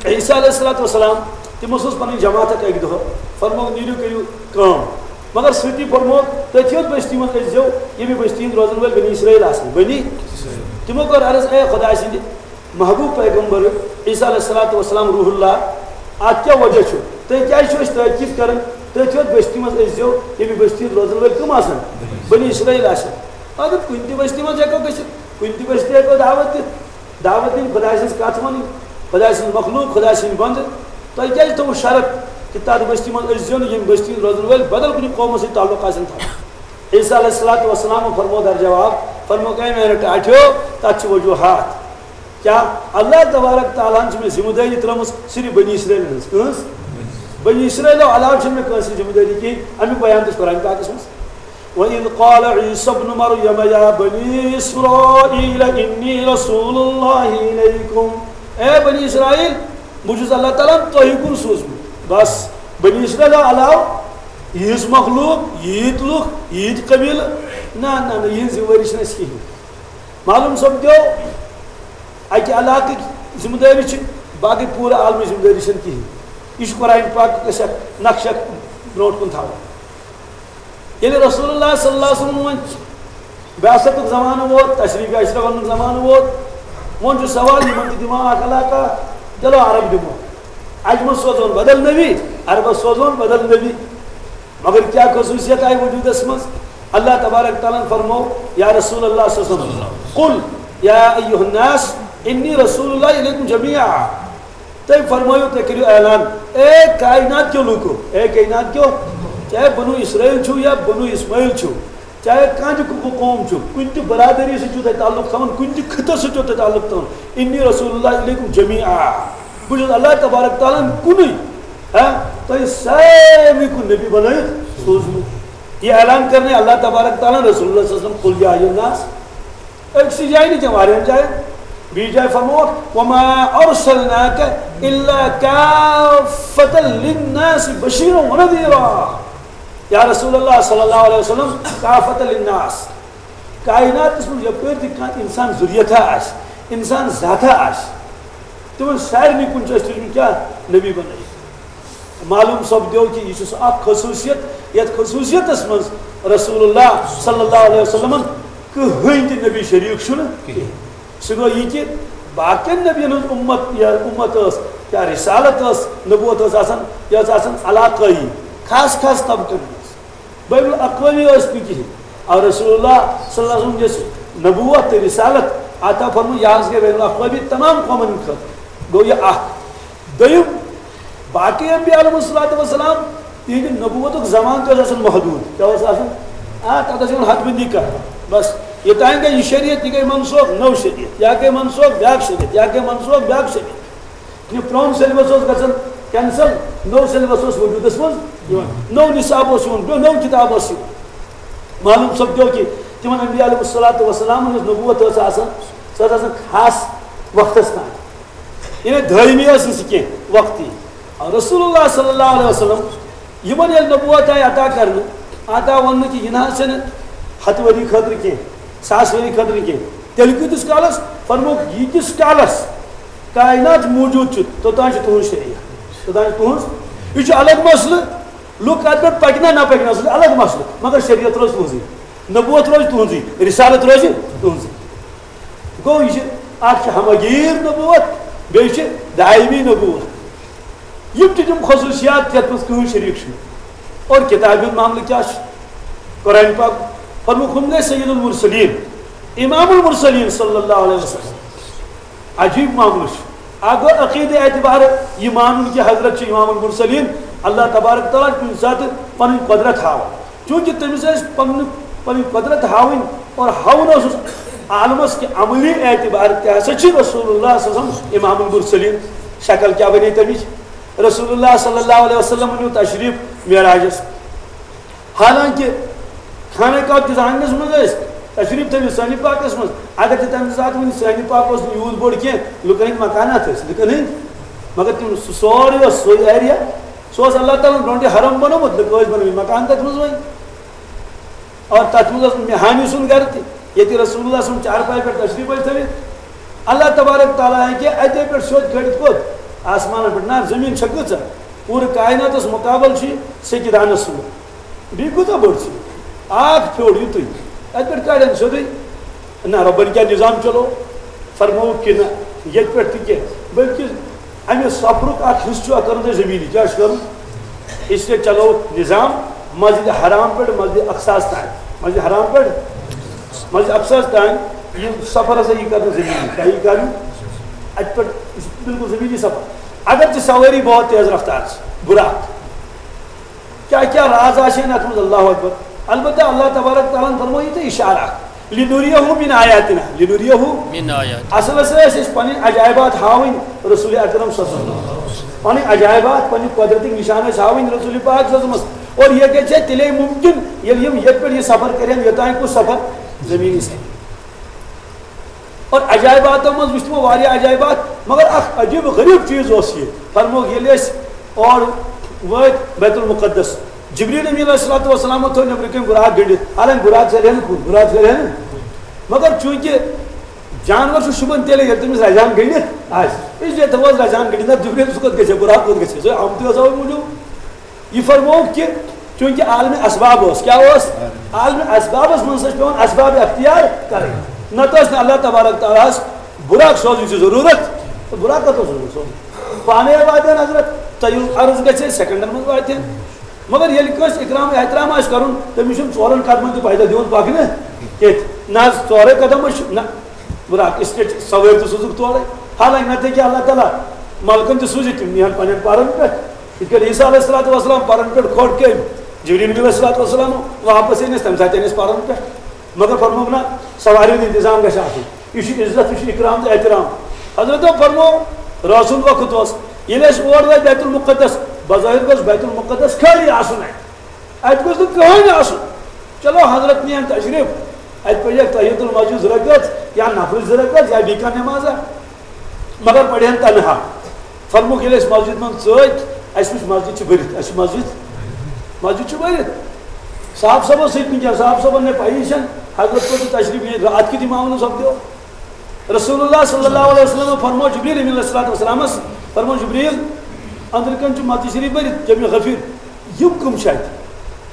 عیسیٰ علیہ الصلوۃ والسلام، تِمو سوٗز پنٕنۍ جماعت اکھ اکہِ دۄہ، فرمووُکھ، "نیٖرِو، کٔرِو کٲم۔" مگر سۭتی فرمووُکھ، "تٔتھۍ یوت بستی منٛز أژۍزیو، ییٚمہِ بستی ہٕنٛدۍ روزن وٲلۍ بنی اسرائیل آسن۔" بنی؟ تِمو کٔر عرض، "اے خۄداے سٕنٛدِ محبوب پیغمبر عیسیٰ علیہ الصلوۃ والسلام روح اللہ، اتھ کیٛاہ وجہ چھُ؟ تُہۍ کیٛازِ چھِو أسۍ تٲکید کران؟ تٔتھۍ یوت بستی منٛز أژۍزیو، ییٚمہِ بستی ہٕنٛدۍ روزن وٲلۍ کٕم آسن؟ بنی اسرائیل آسن۔" اگر کُنہِ تہِ بستی منٛز ہٮ۪کو گٔژھِتھ، کُنہِ تہِ بستی ہٮ۪کو دعوت دِتھ، دعوت دِنۍ، خۄداے سٕنٛز کَتھ وَنٕنۍ، خۄداے سٕنٛز مخلوق، خۄداے سٕنٛدۍ بنٛدٕ۔ تۄہہِ کیٛازِ تھوٚوُ شرط کہِ تَتھ بستی منٛز أسۍ زیو نہٕ، ییٚمہِ بستی ہٕنٛدۍ روزن وٲلۍ بدل کُنہِ قومَس سۭتۍ تعلق آسن تھاوان؟ عیسیٰ علیہ الصلوٰۃ والسلام فرموو در جواب، فرموو، "اے میانیو ٹاٹھیو، تَتھ چھِ وجوہات۔" کیا؟ اللہ تبارک تعالیٰ ہن چھِ مےٚ ذمہ دٲری ترٲومٕژ صرف بنی اسرائیل ہٕنٛز۔ کٕہٕنٛز؟ بنی اسرائیلو علاوٕ چھِنہٕ مےٚ کٲنٛسہِ ذمہ دٲری کِہیٖنۍ۔ اَمیُک بیان تہِ چھُ قرآن پاکس منٛز۔ وَإِذْ قَالَ عِيسَى ابْنُ مَرْيَمَ يَا بَنِي إِسْرَائِيلَ إِنِّي رَسُولُ اللَّهِ إِلَيْكُمْ۔ اے بنی اسرائیل، بہٕ چھُس اللہ تعالیٰ ہن تۄہہِ کُن سوٗزمُت۔ بس، بنی اسرائیلو علاوٕ یِہٕنٛز مخلوق، ییٖتۍ لُکھ، ییٖتۍ قبیٖلہٕ، نہ، نہ، نہ، یِہٕنٛز ذمہٕ وٲری چھِنہٕ اَسہِ کِہیٖنۍ۔ معلوم سپدیو، اکہِ علاقٕکۍ ذمہٕ دٲری چھِ، باقٕے پوٗرٕ عالمٕچ ذمہٕ دٲری چھَنہٕ کِہیٖنۍ۔ یہِ چھُ قرآن پاک اَسہِ اکھ نقشہٕ برونٛٹھ کُن تھاوان۔ ییٚلہِ رسول اللہ صلی اللہ علیہ وسلم وۄنۍ بعثتُک زمانہٕ ووت، تشریٖف اشرف اَننُک زمانہٕ ووت، وۄنۍ چھُ سوال، یِمن تہِ دِمو اکھ علاقہ، چلو عرب دِمو، عجمس سوزون بدل نبی، عربس سوزون بدل نبی۔ مگر کیا خصوصیت آئی وجودس منٛز؟ اللہ تبارک تعالیٰ ہن فرمو، یا رسول اللہ صلی اللہ علیہ وسلم، قل یا ایھا الناس انی رسول اللہ الیکم جمیعا۔ تُہۍ فرمٲیِو، تُہۍ کٔرِو اعلان، اے کائنات کیو لوٗکو، اے کائنات کیو، چاہے بنو اسرائیل چھُو یا بنو اسماعیل چھُو، چاہے کانٛہہ تہِ قو-، قوم چھُ، کُنہِ تہِ برادری سۭتۍ چھُو تۄہہِ تعلق تھاوُن، کُنہِ تہِ خطس سۭتۍ چھُو تۄہہِ تعلق تھاوُن، انی رسول اللہ الیکم جمیعا۔ بہٕ چھُس اللہ تبارک تعالیٰ ہن کُنُے، ہاں، تۄہہِ سارنٕے کُن نبی بنٲیِتھ سوٗزمُت۔ یہِ اعلان کرنے اللہ تبارک تعالیٰ ہن رسول اللہ صلی اللہ علیہ وسلم، قل یا ایھا الناس۔ أکسٕے جایہِ نہٕ کینٛہہ، واریاہن جاین۔ بیٚیہِ جایہِ فرمووُکھ، وما ارسلناک الا کافة للناس بشیرا ونذیرا۔ یا رسول اللہ صلی اللہ علیہ وسلم، کافة للناس۔ کائناتس منٛز یپٲرۍ تہِ کانٛہہ انسان ذریتھا آسہِ، انسان ذاتھا آسہِ، تِمن سارنٕے کُن چھُ اَسہِ تُجمُت کیٛاہ؟ نبی بنٲیِتھ۔ معلوم سپدیو کہِ یہِ چھُ سُہ اکھ خصوٗصیت، یتھ خصوٗصیتس منٛز رسول اللہ صلی اللہ علیہ وسلمن کٕہٕنۍ تہِ نبی شریٖک چھُنہٕ کِہیٖنۍ۔ سُہ گوٚو یہِ کہِ باقین نبین ہٕنٛز اُمت یا اُمت ٲس یا رسالت ٲس، نبوت ٲس آسان، یہِ ٲس آسان علاقٲیی، خاص خاص طبقن منٛز۔ بین الاقوامی ٲس نہٕ کِہیٖنۍ۔ اور رسول اللہ صلی اللہ علیہ وسلم یۄس نبوت تہٕ رسالت عطا فرمٲو، یہِ حظ گٔے بین الاقوامی تمام قومن ہٕنٛدِ خٲطرٕ۔ گوٚو یہِ اکھ۔ دوٚیِم، باقٕے انبیاء علیہم الصلوۃ والسلام، تِہنٛدِ نبوتُک زمانہٕ تہِ اوس آسان محدوٗد۔ کیٛاہ اوس آسان؟ آ، تَتھ ٲس یِوان حد بندی کرنہٕ۔ بس، یوٚتام گٔے یہِ شریعت، یہِ گٔے منسوخ، نٔو شریعت، یا گٔے منسوخ، بیٛاکھ شریعت، یا گٔے منسوخ، بیٛاکھ شریعت۔ یہِ پرون سیلبس اوس گژھان کینسل، نوٚو سیلبس اوس وجوٗدس منٛز یِوان، نوٚو نصاب اوس یِوان، بیٚیہِ نوٚو کِتاب ٲس یِوان۔ معلوم سپدیو کہِ تِمن انبیاء علیہم الصلوۃ والسلام ہٕنٛز نبوت ٲس آسان، سۄ ٲس آسان خاص وقتس تام، یعنی دٲیمی ٲس نہٕ سۄ کینٛہہ، وقتی۔ اور رسول اللہ صلی اللہ علیہ وسلم یِمن ییٚلہِ نبوت آیہِ عطا کرنہٕ، عطا وَننہٕ کہِ یہِ نہ حظ چھَنہٕ ہَتھ ؤری خٲطرٕ کینٛہہ، ساس ؤری خٲطرٕ کینٛہہ، تیٚلہِ کۭتِس کالس؟ فرمووُکھ، ییٖتِس کالس کائنات موجود چھُ، توٚتام چھُ تُہُنٛد شریعت، توٚتام چھُ تُہُنٛز۔ یہِ چھُ الگ مسلہٕ، لُکھ اَتھ پٮ۪ٹھ پَکنہ نہ پَکنہ، سُہ چھُ الگ مسلہٕ، مگر شریعت روزِ تُہٕنٛزٕے، نبوت روزِ تُہٕنٛزٕے، رسالت روزِ تُہٕنٛزٕے۔ گوٚو، یہِ چھِ، اَکھ چھِ ہمگیر نبوت، بیٚیہِ چھِ دائمی نبوت۔ یِم تہِ تِم خصوٗصیات یَتھ منٛز کٕہٕنۍ شریٖک چھُنہٕ۔ اور کِتابہِ ہُنٛد معاملہٕ کیٛاہ چھُ؟ قرآن پاک فرمووُکھ، ہُم گٔے سید المرسلین، امام المرسلین صلی اللہ علیہ وسلم۔ عجیٖب معاملہٕ چھُ۔ اَکھ گوٚو عقیٖدٕ اعتبار یہِ مانُن کہِ حضرت چھِ امام المرسلین، اللہ تبارک تعالیٰ چھُ کُنہِ ساتہٕ پنٕنۍ قۄدرت ہاوان۔ چونکہ تٔمِس ٲسۍ پننہِ، پنٕنۍ قۄدرت ہاوٕنۍ اور ہاوُن اوسُس عالمس کہِ عملی اعتبار تہِ ہسا چھِ رسول اللہ صلی اللہ علیہ وسلم امام المرسلین۔ شکل کیٛاہ بنے تٔمِچ؟ رسول اللہ صلی اللہ علیہ وسلم نیوٗ تشریٖف معراجس۔ حالانکہ خانہ کعبہ کِس آنگنس منٛز ٲسۍ تشریٖف تھٲوِتھ سٲنہِ پاکس منٛز۔ اگر تہِ تمہِ ساتہٕ وُنہِ سٲنہِ پاک اوس نہٕ یوٗت بوٚڑ کینٛہہ، لُکن ہٕنٛدۍ مکانات ٲسۍ، لُکن ہٕنٛدۍ، مگر تِم سُہ سورُے اوس سُے ایریا۔ سُہ اوس اللہ تعالیٰ ہن برونٛٹھٕے حرم بنوومُت، لُکو ٲسۍ بنٲومٕتۍ مکان تتھ منٛز وۄنۍ۔ اور تتھ منٛز اوس مہانی سُنٛد گرٕ تہِ، ییٚتہِ رسول اللہ صلی اللہ علیہ وسلم چارپایہِ پٮ۪ٹھ تشریٖف ٲسۍ تھٲوِتھ۔ اللہ تبارک تعالیٰ ہیٚکہِ اتے پٮ۪ٹھ سیوٚد کھٲلِتھ کوٚت؟ آسمانن پٮ۪ٹھ۔ نہ، زٔمیٖن چھےٚ کۭژاہ؟ پوٗرٕ کائناتس مقابل چھُ یہِ سیٚکہِ دانس سُمبل۔ بیٚیہِ کۭژاہ بٔڑ چھِ؟ اکھ پھیوٚر یُتُے۔ اتہِ پٮ۪ٹھ کڑن سیوٚدُے۔ نہ، رۄبن کیٛاہ نظام چلو؟ فرمووُکھ کہِ نہ، ییٚتہِ پٮ۪ٹھ تہِ کینٛہہ، بلکہِ امہِ سفرُک اکھ حصہٕ چھُ اَتھ کرُن تۄہہِ زٔمیٖنی۔ کیٛاہ چھُ کرُن؟ اس لیے چلو نظام مسجد حرام پٮ۪ٹھ مسجد اقصاہس تام۔ مسجد حرام پٮ۪ٹھ منٛز افسوس تام، یہِ سفر ہسا یی کرنہٕ زمینی، کیٛاہ یی کرنہٕ؟ اتہِ پٮ۪ٹھ، یہِ چھُ بالکل زمینی سفر۔ اگر تہِ سوٲری بہت تیز رفتار چھِ، براق، کیٛاہ کیٛاہ راز آسہِ ہن اتھ منٛز، اللہ اکبر۔ البتہ اللہ تبارک تعالیٰ ہن فرموو یہِ تہٕ اشارہ اکھ، لِنُریَہُ مِن آیاتِنا، لِنُریَہُ۔ من آیات۔ اصل ہسا ٲسۍ أسۍ پنٕنۍ عجائبات ہاوٕنۍ رسول اکرم صلی اللہ علیہ وسلم، پنٕنۍ عجائبات، پنٕنۍ قدرتٕکۍ نشان ٲسۍ ہاوٕنۍ رسول پاک صلی اللہ علیہ وسلمس۔ اور یہِ گژھِ ہے تیٚلے ممکن، ییٚلہِ یِم ییٚتہِ پٮ۪ٹھ یہِ سفر کرن، یوٚتام کُس سفر؟ زمینی سفر۔ اور عجائباتو منٛز وٕچھ تِمو واریاہ عجائبات، مگر اکھ عجیب و غریب چیز اوس یہِ۔ فرمووُکھ، ییٚلہِ أسۍ اور وٲتۍ بیت المقدس، جبریل امین علیہ الصلوۃ والسلام تھوٚو نیٚبرٕ کَنۍ براق گٔنڈِتھ، حالانکہ براق ژَلہِ ہا نہٕ کُن، براق ژَلہِ ہا نہٕ۔ مگر چوٗنٛکہِ جانور چھُ شوٗبان تیٚلے، ییٚلہِ تٔمِس رجحان گٔنڈِتھ آسہِ۔ اس لیے تھوٚوہَس رجحان گٔنڈِتھ، نہ جبریل سُہ کوٚت گژھِ ہا، براق کوٚت گژھِ ہا، سُہ آمتُے اوس اَوَے موٗجوٗب۔ یہِ فرمووُکھ کہِ چوٗنٛکہِ عالمِ اسباب اوس، کیٛاہ اوس؟ عالمِ اسبابس منٛز ٲسۍ پٮ۪وان اسباب اختیار کرٕنۍ، نتہٕ ٲس نہٕ اللہ تبارک تعالیٰ ہس براق سوزنٕچ ضروٗرت۔ تہٕ براق کتھ اوس سوزُن؟ سوزُن پانے واتہِ ہن حضرت، تۄہہِ یُس عرض گژھِ ہے، سیکنڈن منٛز واتہِ ہن۔ مگر ییٚلہِ کٲنٛسہِ اکرام احترام آسہِ کرُن، تٔمِس چھُنہٕ ژورن قدمن تہِ پیدل دِوان پکنہٕ کینٛہہ۔ نہ حظ، ژورے قدم حظ چھِ، نہ، براق، اس لیے چھِ سوٲرۍ تہِ سوزُکھ تورے۔ حالانکہ نتہٕ ہیٚکہِ اللہ تعالیٰ ملکن تہِ سوٗزِتھ، تِم نِہن پننٮ۪ن پرن پٮ۪ٹھ۔ یِتھ کٲٹھۍ عیسیٰ علیہ الصلوۃ والسلام پرن پٮ۪ٹھ کھوٚٹ کٔمۍ؟ جبریل نبی علیہ الصلوۃ والسلام۔ واپس ییٚلہِ أسۍ تَمہِ ساتہٕ أنۍ أسۍ پرن پٮ۪ٹھ۔ مگر فرمووُکھ نہ، سوارِ ہُنٛد انتظام گژھِ آسُن۔ یہِ چھُ عزت، یہِ چھُ اکرام تہٕ احترام۔ حضرتو فرموو، رٲژ ہُنٛد وقت اوس، ییٚلہِ أسۍ اور وٲتۍ بیت المقدس، بظٲہر گوٚژھ بیت المقدس خٲلی آسُن اَتہِ۔ اَتہِ گوٚژھ نہٕ کٕہٕنۍ آسُن۔ چلو، حضرت نِیَن تشریٖف، اَتہِ پَرِ تحیت المسجد زٕ رکعت یا نفلٕچ زٕ رکعت یا بیٚیہِ کانٛہہ نمازا۔ مگر پرہن تنہا۔ فرمووُکھ، ییٚلہِ أسۍ مسجد منٛز ژٲتۍ، اَسہِ وٕچھ مسجد چھِ بٔرِتھ، اَسہِ چھِ مسجد، مسجد چھِ بٔرِتھ۔ صاحب صٲبَس سۭتۍ نہٕ کینٛہہ، صاحب صٲبَن نے پَیی چھَنہٕ، حضرت کوٚر تشریٖف یہِ راتھ کیُتھ اِمامَن سپدیو۔ رسول اللہ صلی اللہ علیہ وسلم فرموو جبریل امین علیہ الصلوۃ والسلامَس، فرموو، جبریل، أنٛدرٕ کَنۍ چھُ مسجد شریٖف بٔرِتھ، جمع غفیر، یِم کٕم چھِ اَتہِ؟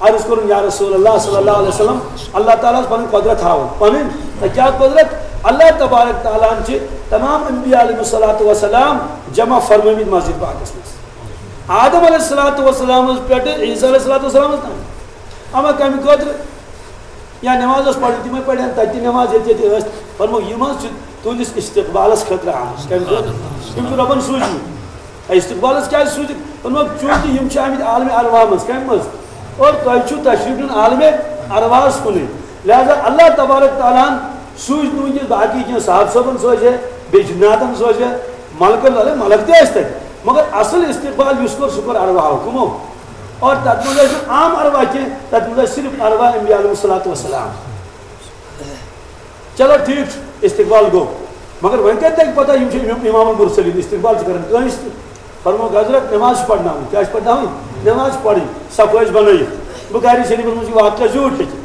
عرض کوٚرُن، یا رسول اللہ صلی اللہ علیہ وسلم، اللہ تعالیٰ ہَس پَنٕنۍ قۄدرت ہاوان۔ پَنٕنۍ؟ تہٕ کیٛاہ قۄدرت؟ اللہ تبارک تعالیٰ ہَن چھِ تمام انبیاء علیہم الصلوۃ والسلام جمع فرمٲومٕتۍ مسجد پاکَس منٛز۔ آدم علیہ الصلوۃ والسلامَس پٮ۪ٹھٕ عیسیٰ علیہ الصلوۃ والسلامَس تام۔ اما کَمہِ خٲطرٕ؟ یا نماز ٲس پَرٕنۍ، تِمَے پَرِ ہَن تَتہِ تہِ نماز، ییٚتہِ ییٚتہِ ٲسۍ۔ فرمووُکھ، یِم حظ چھِ تُہٕنٛدِس استقبالَس خٲطرٕ آمٕتۍ۔ کَمہِ خٲطرٕ؟ یِم چھِ رۄبَن سوٗزمٕتۍ۔ استقبالس کیٛازِ سوٗزِتھ؟ دوٚپمَکھ، چوٗنٛکہِ یِم چھِ آمٕتۍ عالمِ ارواح منٛز۔ کَمہِ منٛز؟ اور تۄہہِ چھُو تشریٖف نیُن عالمِ ارواحس کُنُے۔ لہذا اللہ تبارک تعالیٰ ہن سوٗزۍ نہٕ وٕنکیٚس باقٕے کینٛہہ، صاحب صٲبن سوزِ ہے، بیٚیہِ جناتن سوزِ ہے، ملکن، ملک تہِ ٲسۍ تَتہِ۔ مگر اصل استقبال یُس کوٚر، سُہ کوٚر ارواحو۔ کٕمو؟ اور تَتھ منٛز ٲسۍ نہٕ عام ارواح کینٛہہ، تَتھ منٛز ٲسۍ صرف ارواح انبیاء علیہم الصلوۃ والسلام۔ چلو ٹھیک چھُ، استقبال گوٚو۔ مگر وۄنۍ کتہِ لگہِ پتہ یِم چھِ امام، امام المرسلین، استقبال چھِ کران کٲنٛسہِ تہِ؟ فرمووُکھ، حضرت، نماز چھِ پرناوٕنۍ۔ کیٛاہ چھِ پرناوٕنۍ؟ نماز چھِ پرٕنۍ۔ صف ٲسۍ بنٲیِتھ۔ بخاری شریفس منٛز چھُ واقعہ زیوٗٹھ لیکھِتھ۔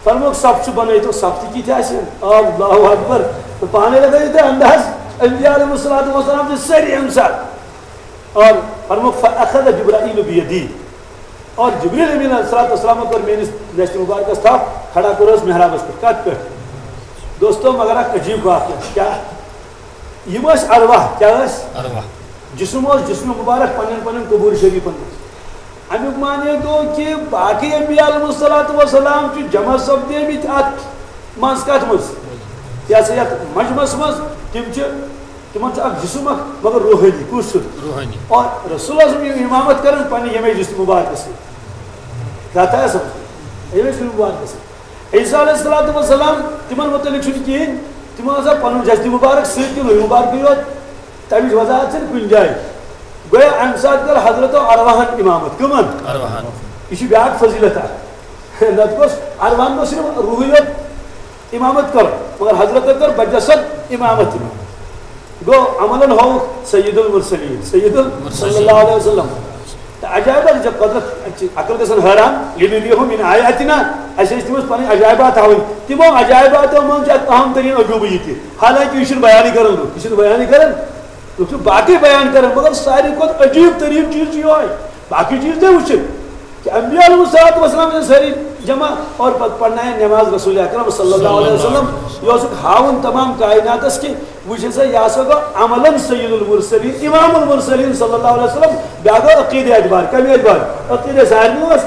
فرمووُکھ، صف چھُ بنٲیِتھ، اور صف تہِ کِتھۍ آسن؟ اللہ اکبر۔ تہٕ پانے لگٲیِو تُہۍ انداز، انبیاء علیہم الصلوۃ والسلام چھِ سٲری امہِ ساتہٕ۔ اور فرمووُکھ، فاخذ جبرائیل بیدی۔ اور جبریل امین علیہ الصلوۃ والسلام کوٚر میٲنِس دستِ مبارکس تھپھ، کھڑا کوٚرہس محرابس پٮ۪ٹھ۔ کتھ پٮ۪ٹھ؟ دوستو، مگر اکھ عجیب واقعہ۔ کیٛاہ؟ یِم ٲسۍ ارواح۔ کیٛاہ ٲسۍ؟ ارواح۔ جسم اوس جسم مبارک پننٮ۪ن پننٮ۪ن قبور شریفن منٛز۔ امیُک معنی گوٚو کہِ باقٕے انبیاء علیہم الصلوۃ والسلام چھِ جمع سپدیمٕتۍ اتھ منٛز۔ کتھ منٛز؟ یہِ ہسا یتھ مجمس منٛز۔ تِم چھِ، تِمن چھُ اکھ جسم اکھ، مگر روحٲنی۔ کُس چھُ؟ روحٲنی۔ اور رسول اللہ صلی اللہ علیہ وسلم یِم امامت کران پننہِ ییٚمے جسم مبارکس سۭتۍ۔ کتھ آیا سمجھ؟ ییٚمے جسم مبارکس سۭتۍ۔ عیسیٰ علیہ الصلوۃ والسلام، تِمن متعلق چھُنہٕ کِہیٖنۍ۔ تِمو ہسا پنُن جسد مبارک سۭتۍ تہِ روح مبارکٕے یوت۔ تَمِچ وضاحت چھَنہٕ کُنہِ جایہِ۔ گویا اَمہِ ساتہٕ کٔر حضرت ارواحن امامت۔ کٕمن؟ ارواحن۔ یہِ چھِ بیٛاکھ فضیلت اکھ۔ نتہٕ گوٚژھ ارواحن گوٚژھ صرف روحٕے یوت امامت کٔر، مگر حضرت کٔر بجسد امامت۔ گوٚو عملن ہووُکھ سید المرسلین، سید ال-، صلی اللہ علیہ وسلم۔ تہٕ عجائبات چھِ قدرت، اَتہِ چھِ عقل گژھان حٲران۔ لِنُریَہُ مِن آیاتِنا، اَسہِ ٲسۍ تِمَن پَنٕنۍ عجائبات ہاوٕنۍ۔ تِمو عجائباتو منٛز چھُ اَکھ اہم تریٖن عجوٗبہٕ یہِ تہِ۔ حالانکہ یہِ چھُنہٕ بیانٕے کران لُکھ، یہِ چھِنہٕ بیانٕے کران۔ لُکھ چھِ باقٕے بیان کران، مگر ساروی کھۄتہٕ عجیٖب تریٖن چیٖز چھُ یِہوٚے۔ باقٕے چیٖز تہِ وٕچھِتھ۔ کہ انبیاء علیہم الصلوۃ والسلام چھِ سٲری جمع اور پتہٕ پرنایہِ نماز رسول اکرم صلی اللہ علیہ وسلم۔ یہِ اوسُکھ ہاوُن تمام کائناتس کہ وٕچھ سا، یہِ ہسا گوٚو عملاً سید المرسلین، امام المرسلین صلی اللہ علیہ وسلم۔ بیٛاکھ گوٚو عقیدٕ اعتبار۔ کمہِ اعتبار؟ عقیدٕ سارنٕے اوس،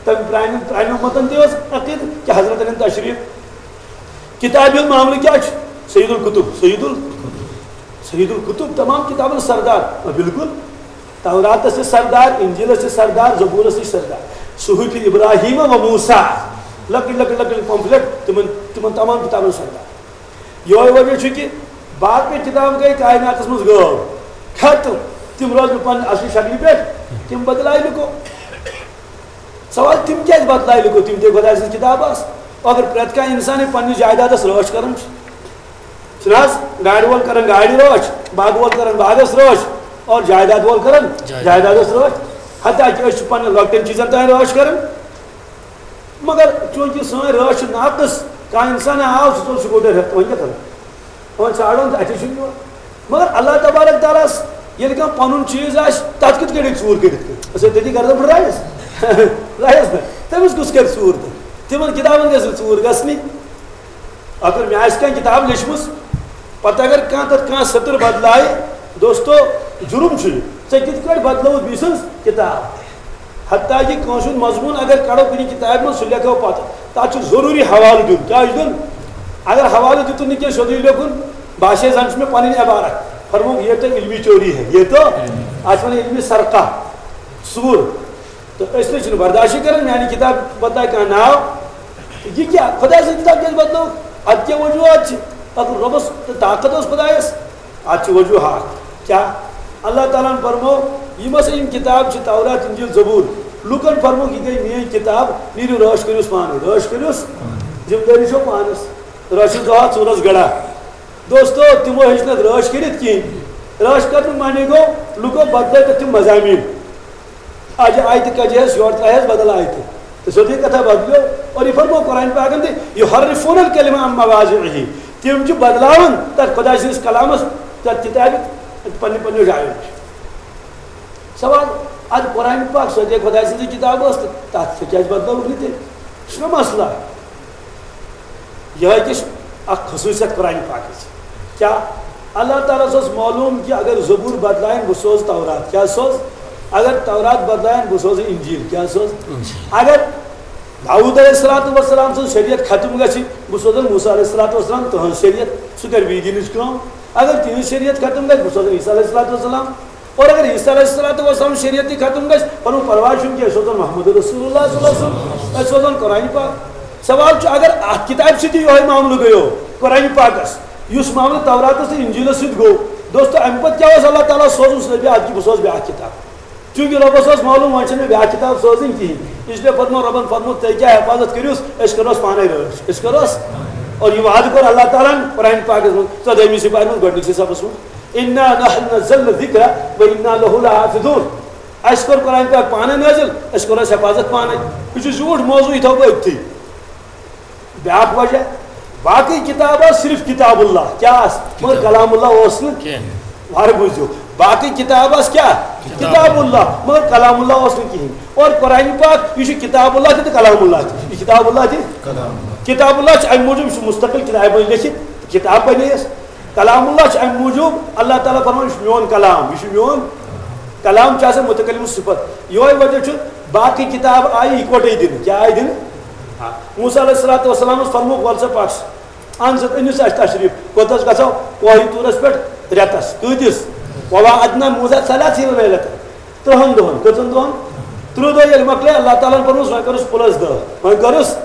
تمہِ پرانہِ، پرانیو متن تہِ اوس عقیدٕ کہ حضرت انن تشریف۔ کتابہِ ہُنٛد معاملہٕ کیٛاہ چھُ؟ سید الکتب، سید ال-، سید الکتب، تمام کتابن سردار۔ آ، بالکل۔ توراتس چھِ سردار، انجیلس چھِ سردار، زبورس چھِ سردار۔ صحف ابراہیم و موسیٰ، لۄکٕٹۍ لۄکٕٹۍ لۄکٕٹۍ پمفلٹ، تِمن، تِمن تمام کتابن سردار۔ یہوے وجہ چھُ کہِ باقٕے کتاب گٔے کائناتس منٛز غٲب، ختم۔ تِم روزٕ نہٕ پننہِ اصلی شکلہِ پٮ۪ٹھ، تِم بدلایہِ لُکو۔ سوال، تِم کیازِ بدلایہِ لُکو؟ تِم تہِ خۄداے سٕنٛز کِتاب آسہٕ۔ اگر پرٛٮ۪تھ کانٛہہ اِنسانٕے پننِس جایدادس رٲچھ کران چھُ، چھُنہٕ حظ؟ گاڑِ وول کران گاڑِ رٲچھ، باغہٕ وول کران باغس رٲچھ، اور جایداد وول کران جایداد۔ جایدادس رٲچھ۔ حتیٰ کہِ أسۍ چھِ پننٮ۪ن لۄکٹٮ۪ن چیٖزن تام رٲچھ کران۔ مگر چوٗنٛکہِ سٲنۍ رٲچھ چھِ ناقص، کانٛہہ اِنسان آو، سُہ ژوٚل سکوٗٹر ہٮ۪تھ، وۄنۍ کیٛاہ کرو؟ وۄنۍ ژھانٛڈو نہٕ، اَتھِ چھُنہٕ یِوان۔ مگر اللہ تبارک تعالیٰ ہس ییٚلہِ کانٛہہ پنُن چیٖز آسہِ، تتھ کِتھ کٔنۍ ہیٚکہِ ژوٗر کٔرِتھ کانٛہہ؟ أسۍ ہے تٔتی گردن پھٕٹرایس۔ لایس نہ۔ تٔمِس کُس کرِ ژوٗر تہٕ؟ تِمن کِتابن گژھِ نہٕ ژوٗر گژھنٕے۔ اگر مےٚ آسہِ کانٛہہ کِتاب لیٚچھمٕژ، پتہٕ اگر کانٛہہ تتھ کانٛہہ سطر بدلایہِ، دوستو، جُرم چھُ یہِ۔ ژےٚ کِتھ کٲٹھۍ بدلٲوٕتھ بیٚیہِ سٕنٛز کِتاب؟ حتیٰ کہِ کٲنٛسہِ ہُنٛد مضموٗن اگر کڑو کُنہِ کِتابہِ منٛز، سُہ لیکھو پتہٕ، تتھ چھُ ضروٗری حوالہٕ دیُن۔ کیٛاہ چھُ دیُن؟ اگر حوالہٕ دیُتُن نہٕ کینٛہہ، سیوٚدُے لیکھُن، باسے زن چھُ مےٚ پنٕنۍ عبارت۔ فرمووُکھ، یہِ تو علمی چوری ہے، یہ تو، اتھ ونان علمی سرقہ، ژوٗر۔ تہٕ أسۍ نہٕ چھِنہٕ برداشٕے کران، میانہِ کِتابہِ بدلایہِ کانٛہہ ناو۔ یہِ کیٛاہ؟ خۄداے سٕنٛز کِتاب کیٛازِ بدلٲو؟ اتھ کیٛاہ وجوہات چھِ؟ اتھ رۄبس تہٕ طاقت اوس خۄدایس۔ اتھ چھِ وجوہات۔ کیٛاہ؟ اللہ تعالیٰ ہن فرموو، یِم ہسا یِم کِتاب چھِ، تورات، انجیل، زبور، لُکن فرمووُکھ، یہِ گٔے میٲنۍ کِتاب، نیٖرِو رٲچھ کٔرِوس پانے، رٲچھ کٔرِوس، ذمہٕ دٲری چھو پانس، رٲچھِو دۄہا ژوٗرس گڑا۔ دوستو، تِمو ہیٚچھ نہٕ رٲچھ کٔرِتھ کِہیٖنۍ۔ رٲچھ کرنہٕ معنی گوٚو، لُکو بدلٲے تَتھ تِم مضامین۔ اجہِ آیتہِ کجہِ ہس یورٕ ترٛایہِ ہس بدل آیتہِ۔ تہٕ سیوٚدُے کتھا بدلیو۔ اور یہِ فرموو قرآن پاکن تہِ، "یحرفون الکلمہ عن مواضعہ"۔ تِم چھِ بدلاوان تتھ خۄداے سٕنٛدِس کلامس، تتھ کتابہِ پننہِ پننیو جایو نِش۔ سوال، ادٕ قرآن پاک سیوٚدُے خۄداے سٕنٛزٕے کتاب ٲس تہٕ تتھ تہِ کیازِ بدلٲوٕکھ نہٕ تیٚلہِ؟ یہِ چھُنہ مسلہٕ۔ یہے تہِ چھِ اکھ خصوٗصیت قرآن پاکٕچ۔ کیٛاہ؟ اللہ تعالیٰ ہس اوس معلوم کہِ اگر زبور بدلایَن، بہٕ سوزٕ تورات۔ کیٛاہ سوزٕ؟ اگر تورات بدلایَن، بہٕ سوزٕ انجیل۔ کیٛاہ سوزٕ؟ انجیل۔ اگر داؤد علیہ الصلوۃ والسلام سٕنٛز شریعت ختم گژھِ، بہٕ سوزن موسیٰ علیہ الصلوۃ والسلام تُہنٛز شریعت، سُہ کرِ بیٚیہِ دِنٕچ کٲم۔ اگر تِہنٛز شریعت ختم گژھِ، بہٕ سوزن عیسیٰ علیہ الصلوۃ والسلام۔ اور اگر عیسیٰ علیہ الصلوۃ والسلام شریعت تہِ ختم گژھِ، پنُن پرواے چھُنہٕ کینٛہہ، أسۍ سوزن محمد رسول اللہ صلی اللہ علیہ وسلم، أسۍ سوزن قرآن پاک۔ سوال چھُ، اگر اتھ کتابہِ سۭتۍ تہِ یِہوٚے معاملہٕ گٔیو، قرآن پاکس، یُس معاملہٕ توراتس تہٕ انجیلس سۭتۍ گوٚو، دوستو، امہِ پتہٕ کیٛاہ اوس اللہ تعالیٰ سوزُن؟ سُہ دپہِ، ادٕ کہِ بہٕ سوزٕ بیٛاکھ کتاب۔ چونکہ رۄبس اوس معلوم، وۄنۍ چھنہٕ مےٚ بیٛاکھ کتاب سوزٕنۍ کِہیٖنۍ، اس لیے فرموو رۄبن، فرموو، تُہۍ کیٛاہ حفاظت کٔرِوس، أسۍ کرہوس پانے رٲچھ، أسۍ کرہوس۔ اور یہِ وعدٕ کوٚر اللہ تعالیٰ ہن قرآن پاکس منٛز ژۄدٲہمہِ سپارِ منٛز گۄڈٕنِکسٕے صفس منٛز، "انا نحن نزلنا الذکر و انا لہ لحافظون"۔ اسہِ کوٚر قرآن پاک پانے نٲزِل، أسۍ کرہوس حفاظت پانے۔ یہِ چھُ زیوٗٹھ موضوع، یہِ تھاوو بہٕ أتھی۔ بیٛاکھ وجہ، باقٕے کتاب آسہٕ صرف کتاب اللہ، کیٛاہ آسہٕ؟ مگر کلام اللہ اوس نہٕ۔ کینٛہہ۔ وارٕ بوٗزِو، باقٕے کتاب آسہٕ کیٛاہ؟ کتاب۔ کتاب اللہ، مگر کلام اللہ اوس نہٕ کِہیٖنۍ۔ اور قرآن پاک، یہِ چھُ کتاب اللہ تہِ تہٕ کلام اللہ تہِ۔ یہِ چھُ کتاب اللہ تہِ۔ کلام اللہ۔ کتاب اللہ چھُ اَمہِ موٗجوٗب، یہِ چھُ مستقل کتابہِ منٛز لیٚکھِتھ، کتاب بنے یَس۔ کلام اللہ چھُ اَمہِ موٗجوٗب، اللہ تعالیٰ فرماوان، یہِ چھُ میون کلام، یہِ چھُ میون کلام، چھُ آسان متکلم صفت۔ یِہوٚے وجہ چھُ، باقٕے کتاب آیہِ یِکوَٹَے دِنہٕ۔ کیٛاہ آیہِ دِنہٕ؟ آ، موسیٰ علیہ الصلوۃ والسلامس فرمووُکھ، "وَلہٕ سا پَکھ، اَن سا، أنِو سا اَسہِ تشریٖف۔" کوٚت حظ گژھو؟ کوہِ طوٗرس پٮ۪ٹھ رٮ۪تس۔ کۭتِس؟ "وَوَعَدْنَا مُوسَىٰ ثَلَاثِينَ لَيْلَةً"۔ تٕرٛہن دۄہن۔ کٔژن دۄہن؟ تٕرٛہ دۄہ ییٚلہِ مۄکلے، اللہ تعالیٰ ہن فرمووُس، وۄنۍ کٔرٕس plus دَہ۔ وۄنۍ کٔرٕس؟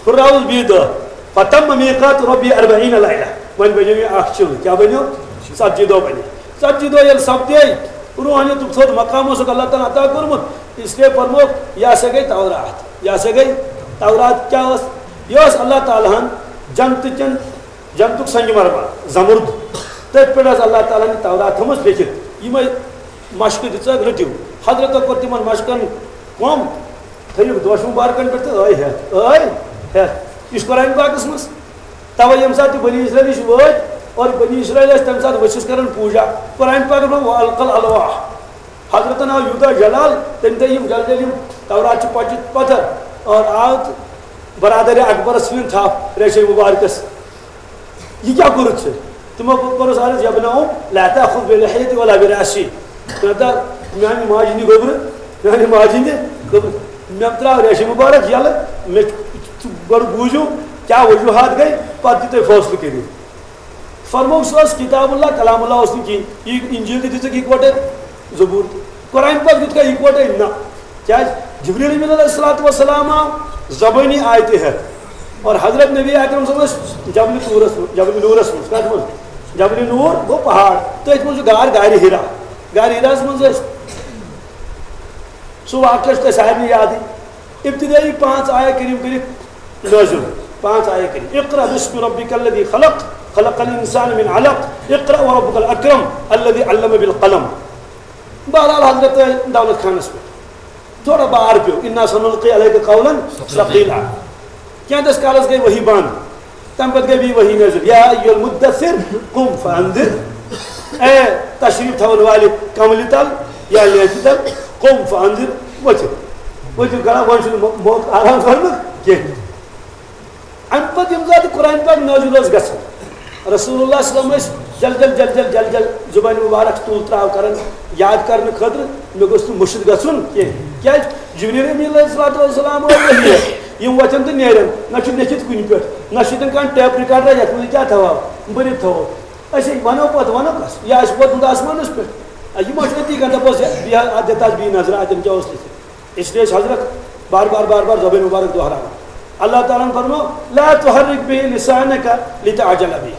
ہُراوُس بیٚیہِ دَہ۔ "فَتَمَّ مِيقَاتُ رَبِّي أَرْبَعِينَ لَيْلَةً"۔ وۄنۍ بَنیو یہِ اَکھ چِل۔ کیٛاہ بَنیو؟ ژَتجی دۄہ بَنے۔ ژَتجی دۄہ ییٚلہِ سَپدے، روحانیتُک تھوٚد مقام اوسُکھ اللہ تعالیٰ عطا کوٚرمُت، اس لیے فرمووُکھ، یہِ ہسا گٔے تورات۔ یہِ ہسا گٔے تورات۔ کیٛاہ ٲس؟ یہِ ٲس اللہ تعالیٰ ہن جنتہٕ کٮ۪ن، جنتُک سنگ مرمر، زمرد، تٔتھۍ پٮ۪ٹھ ٲس اللہ تعالیٰ ہن یہِ تورات تھٲومٕژ لیکھِتھ۔ یِمے مشقہٕ دِژٕکھ، رٔٹِو۔ حضرتو کوٚر تِمن مشقن کم، تھٲیِکھ دوش مبارکن پٮ۪ٹھ تہٕ ٲے ہٮ۪تھ، ٲے ہٮ۪تھ۔ یہِ چھُ قرآن پاکس منٛز۔ توے ییٚمہِ ساتہٕ تہِ بنی اسرائیل نِش وٲتۍ اور بنی اسرائیل ٲسۍ تَمہِ ساتہٕ ؤسِس کران پوٗجا، قرآن پاکن ووٚن، "وَأَلْقَى الْأَلْوَاحَ"۔ حضرتن آو یوٗتاہ جلال، تٔمۍ تھٲے یِم جلد جلد یِم تورات چھِ پچہِ پتھر اور آو تہٕ برادر اکبرس ژھٕنِن تھپھ ریشے مبارکس۔ "یہِ کیٛاہ کوٚرُتھ ژےٚ؟" تِمو کوٚرُس عرض، "یا ابن ام، لا تأخذ بلحيتي ولا برأسي"۔ ژٕ نہ ترٛاو میانہِ ماجہِ ہِنٛدِ گوٚبرٕ، میانہِ ماجہِ ہِنٛدِ گوٚبرٕ۔ مےٚ ترٛاو ریشہِ مُبارک یَلہٕ، مےٚ چھُ، ژٕ گۄڈٕ بوٗزِو، کیٛاہ وجوہات گٔے، پتہٕ دِیِو تُہۍ فٲصلہٕ کٔرِتھ۔ فرمووُکھ، سُہ اوس کتاب اللہ، کلام اللہ اوس نہٕ کِہیٖنۍ۔ یہِ انجیل تہِ دِژٕکھ یکوٹے، زبور تہِ۔ قرآن پاک دِتُکھا یکوٹے؟ نہ۔ کیٛازِ؟ جبریل امین علیہ الصلوۃ والسلام آو زبٲنی آیتہِ ہٮ۪تھ۔ اور حضرت نبی اکرم صٲب ٲسۍ جبل طورس منٛز، جبل نورس منٛز۔ کتھ منٛز؟ جبل نور گوٚو پہاڑ۔ تٔتھۍ منٛز چھُ غار، غارِ حرا۔ غارِ حراہس منٛز ٲسۍ۔ سُہ واقعہ چھُ تۄہہِ سارنٕے یادٕے۔ ابتدٲیی پانٛژھ آیہ کریم کٔرِکھ نٲزِل۔ پانٛژھ آیہ کریم۔ اقرأ باسم ربک الذی خلق، خلق الانسان من علق، اقرأ وربک الاکرم الذی علم بالقلم۔ بہرحال حضرت دولت خانس پٮ۪ٹھ تھوڑا بار پیوٚو، انا سنلقی علیک قولا ثقیلا۔ کینٛہہ دِس کالس گٔے وحی بنٛد۔ تَمہِ پَتہٕ گٔے بیٚیہِ وحی نٲزِل، یا ایھا المدثر قم فانذر، اے تشریف تھاوَن والہِ کملہِ تل یا لیفہِ تل، قم فانذر، ؤتھِو، ؤتھِو کران، وۄنۍ چھُنہٕ مو-، موقعہٕ آرام کرنُک کینٛہہ۔ اَمہِ پَتہٕ ییٚمہِ ساتہٕ قرآن پاک نٲزِل اوس گژھان، رسول اللہ صلی اللہ علیہ وسلم ٲسۍ جل جل جل جل جل جل زُبانہِ مُبارک تُل ترٛاو کران یاد کرنہٕ خٲطرٕ، مےٚ گوٚژھ نہٕ مٔشِتھ گژھُن کینٛہہ۔ کیٛازِ؟ جبریل امین علیہ الصلوۃ والسلام اوس وحی۔ یِم وۄتھن تہٕ نیرن، نہ چھُ لیکھِتھ کُنہِ پٮ۪ٹھ، نہ چھُ تِم کانٛہہ ٹیپ ریکارڈا یتھ منٛز یہِ کیٛاہ تھاوہو، بٔرِتھ تھاوو۔ أسۍ ہے ونو پتہٕ، ونو کس؟ یہِ آسہِ ووتمُت آسمانس پٮ۪ٹھ۔ آ، یہِ ما چھُ أتی کانٛہہ دپوس، یہِ، یہِ ہا-، اتھ دِتھ آسہِ بیٚیہِ نظرہ، اتٮ۪ن کیٛاہ اوس لیکھِتھ؟ اس لیے چھِ حضرت بار بار بار بار زبٲنۍ مبارک دۄہراوان۔ اللہ تعالیٰ ہن فرموو، لا تحرک به لسانک لتعجل به۔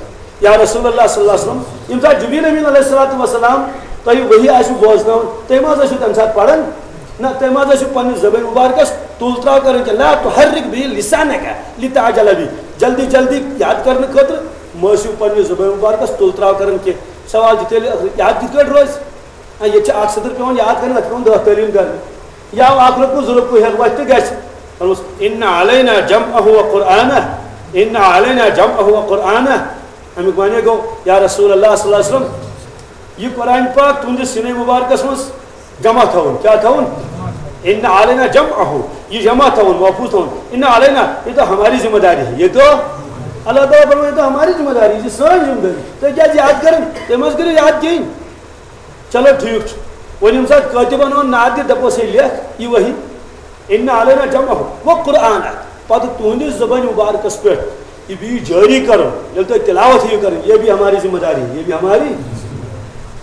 یا رسول اللہ صلی اللہ علیہ وسلم، ییٚمہِ ساتہٕ جبریل امین علیہ الصلوۃ والسلام تۄہہِ وحی آسِو بوزناوان، تُہۍ ما حظ ٲسِو تَمہِ ساتہٕ پران؟ نہ، تُہۍ ما حظ ٲسِو پننِس زبٲنۍ مبارکس تُل ترٛاو کران کینٛہہ؟ لا تحرک به لسانک لتعجل به۔ جلدی جلدی یاد کرنہٕ خٲطرٕ مہ ٲسِو پننِس زبٲنۍ مبارکس تُل ترٛاو کران کینٛہہ۔ سوال چھُ تیٚلہِ، یاد کِتھ کٲٹھۍ روزِ؟ آ، ییٚتہِ چھِ اکھ سطر پٮ۪وان یاد کرٕنۍ، تَتھ چھِ پٮ۪وان دَہ تعلیٖم کرنہِ۔ یا اکھ رُکوٗ، زٕ رُکوٗ ہٮ۪تھ وۄتھِ تہٕ گژھِ۔ فرمووُس، ان علینا جمعہ و قرآنہ، ان علینا جمعہ و قرآنہ۔ اَمیُک معنی گوٚو، یا رسول اللہ صلی اللہ علیہ وسلم، یہِ قرآن پاک تُہنٛدِس سینے مبارکس منٛز جمع تھاوُن۔ کیٛاہ تھاوُن؟ ان علینا جمعہ، یہِ جمع تھاوُن، محفوظ تھاوُن۔ ان علینا، یہ تو ہماری ذمہ داری ہے۔ یہ تو اللہ تعالیٰ فرمایا، یہ تو ہماری ذمہ داری ہے، یہ سٲنۍ ذمہ داری۔ تُہۍ کیٛازِ یاد کران؟ تُہۍ ما حظ کٔرِو یاد کِہیٖنۍ۔ چلو ٹھیٖک چھُ۔ وۄنۍ ییٚمہِ ساتہٕ کٲتِبن ووٚن نعت دِ، دَپوس ہے لیکھ یہِ وحی۔ ان علینا جمعہ و قرآنہ۔ پتہٕ تُہنٛدِس زبٲنۍ مبارکس پٮ۪ٹھ یہِ بیٚیہِ جٲری کرُن، ییٚلہِ تُہۍ تلاوت ہیٚیِو کرٕنۍ، یہ بھی ہماری ذمہ داری ہے، یہ بھی ہماری۔